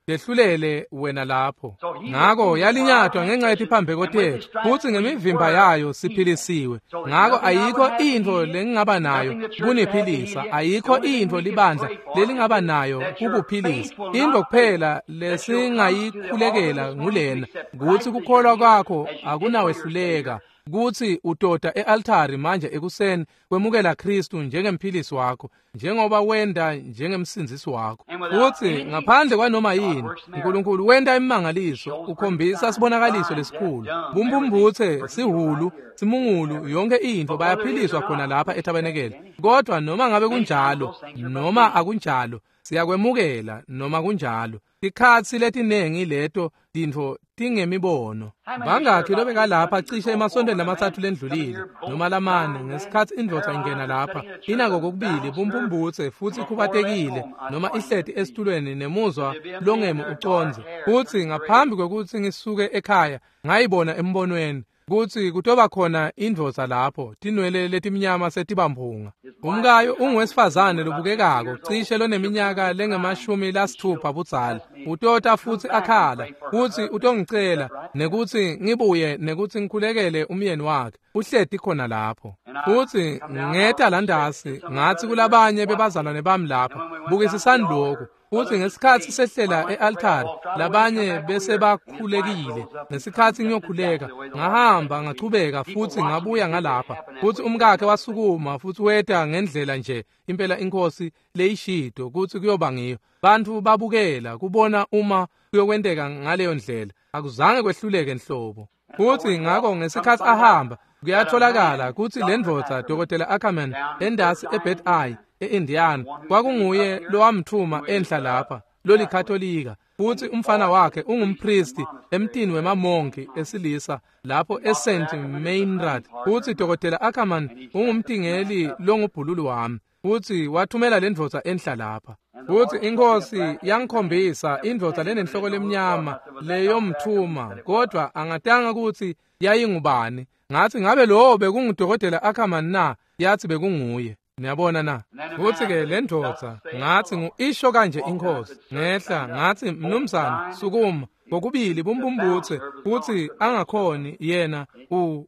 dehlulele wena lapho. Ngako yalinyatwa ngenxa yetiphambeko tethu, futhi ngemivimba yayo siphilisiwe. Ngako ayikho into lengingaba nayo kuniphilisa, ayikho into libandla lelingaba nayo kukuphilisa. Into kuphela lesingayikhulekela ngulena, kuthi kukholwa kwakho akunawehluleka, kuthi udoda e-altari manje ekuseni kwemukela Kristu njengemphilisi wakho, njengoba wenda njengemsindzisi wakho. Futhi ngaphandle kwanoma yini, uNkulunkulu wenda imimangaliso, ukhombisa sibonakaliso lesikhulu. Bumbumbuthe, sihulu, simungulu, yonke into bayaphiliswa khona lapha etabenekele. Kodwa noma ngabe kunjalo, noma akunjalo, siyakwemukela noma kunjalo. Tikhatsi letinengi leto tintfo tingemibono. Bangakhi lobekalapha cishe emasontweni lamathathu lendlulile noma lamane ngesikhatsi indvodza ingena lapha inako kokubili bumbumbutse futhi ikhubatekile noma ihleti esitulweni nemuzwa longemi ucondze. Futhi ngaphambi kwekutsi ngisuke ekhaya ngayibona embonweni kutsi kutoba khona indvodza lapho tinwele letimnyama setibamphunga. Umkayo unguwesifazane lobukekako cishe loneminyaka lengama-60 budzala. Utota futhi akhala kutsi utongicela nekutsi ngibuye nekutsi ngikhulekele umyeni wakhe. Uhleti khona lapho. Futhi ngeta landasi ngathi kulabanye bebazalwane bami lapha, bukisisani lokhu. Futhi ngesikhatsi sehlela e-altari labanye bese bakhulekile. Ngesikhatsi ngiyokhuleka ngahamba ngachubeka futhi ngabuya ngalapha. Futhi umkakhe wasukuma futhi weta ngendlela nje impela inkosi leyishido kutsi kuyoba ngiyo. Bantfu babukela kubona uma kuyokwenteka ngaleyo ndlela. Akuzange kwehluleke nhlobo. Futhi ngako ngesikhatsi ahamba kuyatholakala kutsi le ndvodza Dr. Ackerman endasi eBed Eye e-Indiana kwakunguye lowamthuma enhla lapha lolikatolika. Futhi umfana wakhe ungumpristi emtini wemamonki esilisa lapho eSt. Meinrad. Futhi Dr. Ackerman ungumtingeli longubhululu wami. Futhi wathumela le ndvodza enhla lapha. Futhi inkosi yangikhombisa indvodza lenenhloko lemnyama leyomthuma, kodwa angatanga kutsi yayingubani. Ngathi ngabe lowo bekungudokotela Ackerman na? Yathi bekunguye. Niyabona na? Futhi ke le ndvodza ngathi ngu isho kanje inkosi. Ngehla ngathi mnumzane sukuma. Kokubili bumbumbutse kutsi angakhoni yena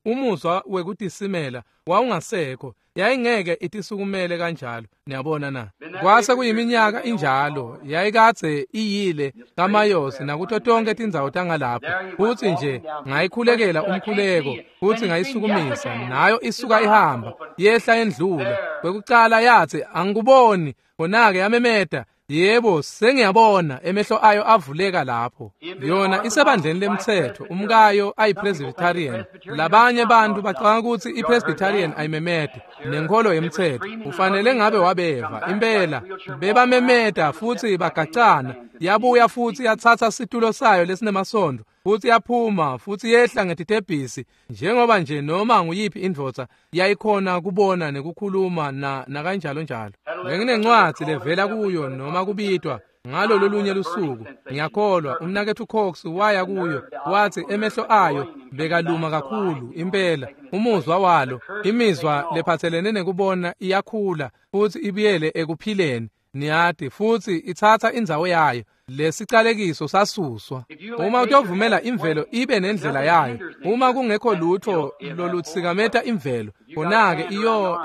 umuzwa wekutisimela wawungasekho, yayingeke itisukumele kanjalo. Niyabona na? Kwase kuyiminyaka injalo, yayikadze iyile kaMayosi nakuto tonke tindzawo tangalapho. Futsi nje ngayikhulekela umkhuleko futsi ngayisukumisa, nayo isuka ihamba yehla endlula. Kwekucala yatsi angikuboni, khona-ke yamemeta, yebo sengiyabona. Emehlo ayo avuleka lapho. Yona isebandleni lemtsetfo, umkayo ayiPresbyterian. Labanye bantu bacabanga kutsi iPresbyterian ayimemete nenkholo yemtsetfo. Ufanele ngabe wabeva impela, bebamemeta futsi bagacana. Yabuya futsi yatsatsa situlo sayo lesinemasondvo futsi yaphuma futsi yehla ngetitebhisi, njengoba nje noma nguyiphi indvodza yayikhona kubona nekukhuluma na kanjalo njalo. Benginencwadzi levela kuyo noma kubitwa ngalo lolunye lusuku, ngiyakholwa umnaketfu Cox waya kuyo, watsi emehlo ayo bekaluma kakhulu impela. Umuzwa walo, imizwa lephatselene nekubona iyakhula futsi ibuyele ekuphileni, niyati, futsi itsatsa indzawo yayo. Lesicalekiso sasuswa. Uma utovumela imvelo ibe nendlela yayo, uma kungekho lutho lolutsikameta imvelo, khona-ke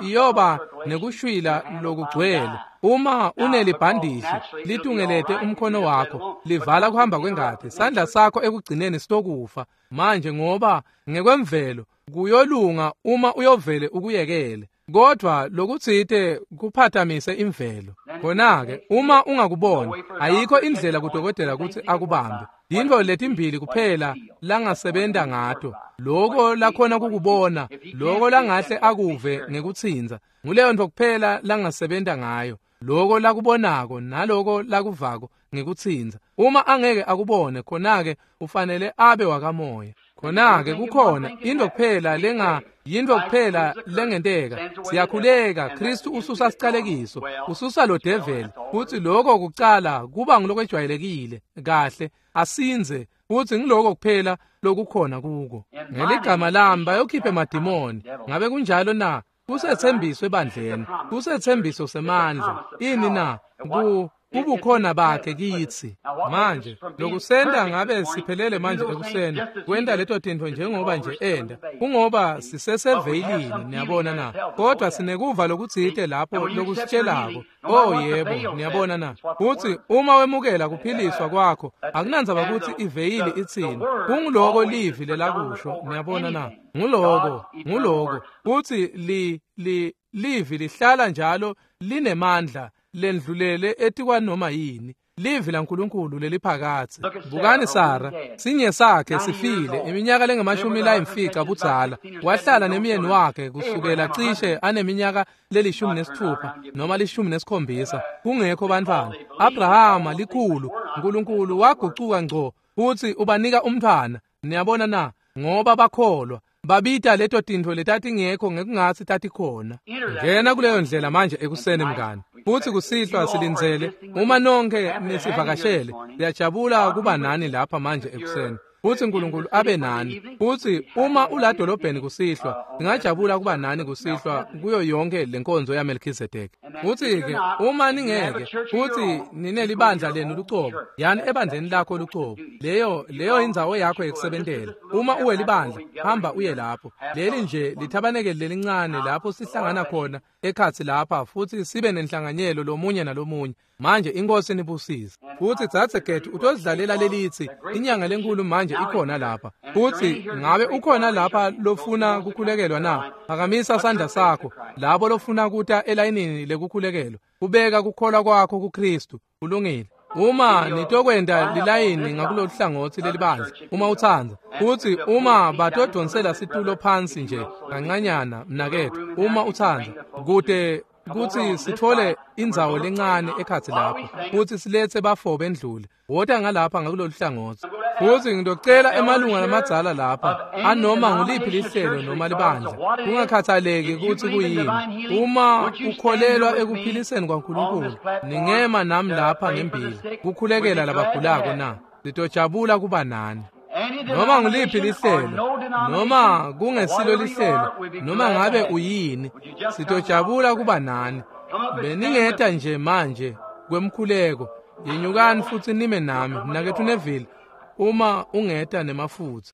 iyoba nekushwila lokugcwele. Uma unelibhandishi litungelete umkhono wakho, livala kuhamba kwengati, sandla sakho ekugcineni sitokufa. Manje ngoba ngekwemvelo kuyolunga uma uyovele ukuyekele, kodwa lokutsite kuphatamise imvelo. Khona-ke uma ungakubona, ayikho indlela kudokotela kutsi akubambe. Yintfo letimbili kuphela langasebenta ngato, loko lakhona kukubona, loko langahle akuve ngekutsintsa. Nguleyo ntfo kuphela langasebenta ngayo, loko lakubonako naloko lakuvako ngekutsintsa. Uma angeke akubone, khona-ke ufanele abe wakamoya. Khona-ke kukhona into kuphela yintfo kuphela lengenteka. Siyakhuleka, Kristu ususa sicalekiso, ususa lo develi, futsi lokho kucala kuba ngulokwejwayelekile kahle, asindze, futsi ngiloko kuphela lokukhona kuko. Ngeligama lami bayokhipha emadimoni. Ngabe kunjalo na? Kusethembiso ebandleni, kusethembiso semandla. Ini na? Kubukhona bakhe kitsi. Manje lokusenta ngabe siphelele manje ekuseni kwenta leto tintfo njengoba nje enda, kungoba siseseveyilini, niyabona na? Kodwa sinekuva lokutsite lapho lokusitshelako. Oh yebo, niyabona na? Futsi uma wemukela kuphiliswa kwakho, akunandzaba kutsi iveyili itsini, kunguloko livi lelakusho, niyabona na? Nguloko kutsi livi lihlala njalo linemandla lendlulele etikwanoma yini. Livi laNkulunkulu leliphakatsi. Bukani Sara, sinye sakhe sifile iminyaka lengamashumi layimfica budzala. Wahlala nemyeni wakhe kusukela cishe aneminyaka le16 noma 17, kungekho bantfwana. Abrahama likhulu, uNkulunkulu wagucuka ngco futsi ubanika umntfwana. Niyabona na? Ngoba bakholwa, babita leto tintfo letatingekho ngekungatsi tatikhona. Ngena kuleyo ndlela manje ekuseni mngani. Futsi kusihlwa silindzele uma nonke nisivakashele. Siyajabula kuba nani lapha manje ekuseni. Futsi uNkulunkulu abe nani. Futsi uma uladolobheni kusihlwa, singajabula kuba nani kusihlwa kuyo yonke lenkonzo yaMelkhizedeki. Futsi-ke uma ningeke futsi ninelibandla lenu lucobo, yani ebandleni lakho lucobo, leyo indzawo yakho yekusebentela. Uma uwelibandla, hamba uye lapho. Leli nje lithabanekeli lelincane lapho sihlangana khona ekhatsi lapha futsi sibe nenhlanganyelo lomunye nalomunye. Manje inkosi nibusise. Futsi dzadze Gethu utozidlalela lelitsi inyanga lenkulu manje ikhona lapha. Futsi ngabe ukhona lapha lofuna kukhulekelwa na? Phakamisa sandla sakho labo lofuna kuta elayinini lekukhulekelwa. Kubeka kukholwa kwakho kuKristu. Kulungile. Uma nitokwenda lilayini ngakulolu hlangothi lelibandla, uma utsandza, futsi uma batodonsela situlo phansi nje kancanyana mnaketfu, uma utsandza, kute kutsi sithole indzawo lencane ekhatsi lapho futsi siletse bafo bendlule. Wota ngalapha ngakulolu hlangothi. Futsi ngitocela emalunga lamadzala lapha anoma nguliphi lihlelo noma libandla, kungakhathaleki kutsi kuyini, uma ukholelwa ekuphiliseni kwaNkulunkulu, ningema nami lapha ngembili kukhulekela labagulako na? Sitojabula kuba nani. Noma nguliphi lihlelo, noma kungesilo lihlelo, noma ngabe uyini, sitojabula kuba nani. Beningeta nje manje kwemkhuleko. Yenyukani futsi nime nami, mnaketfu Neville. Uma ungeta nemafutsa.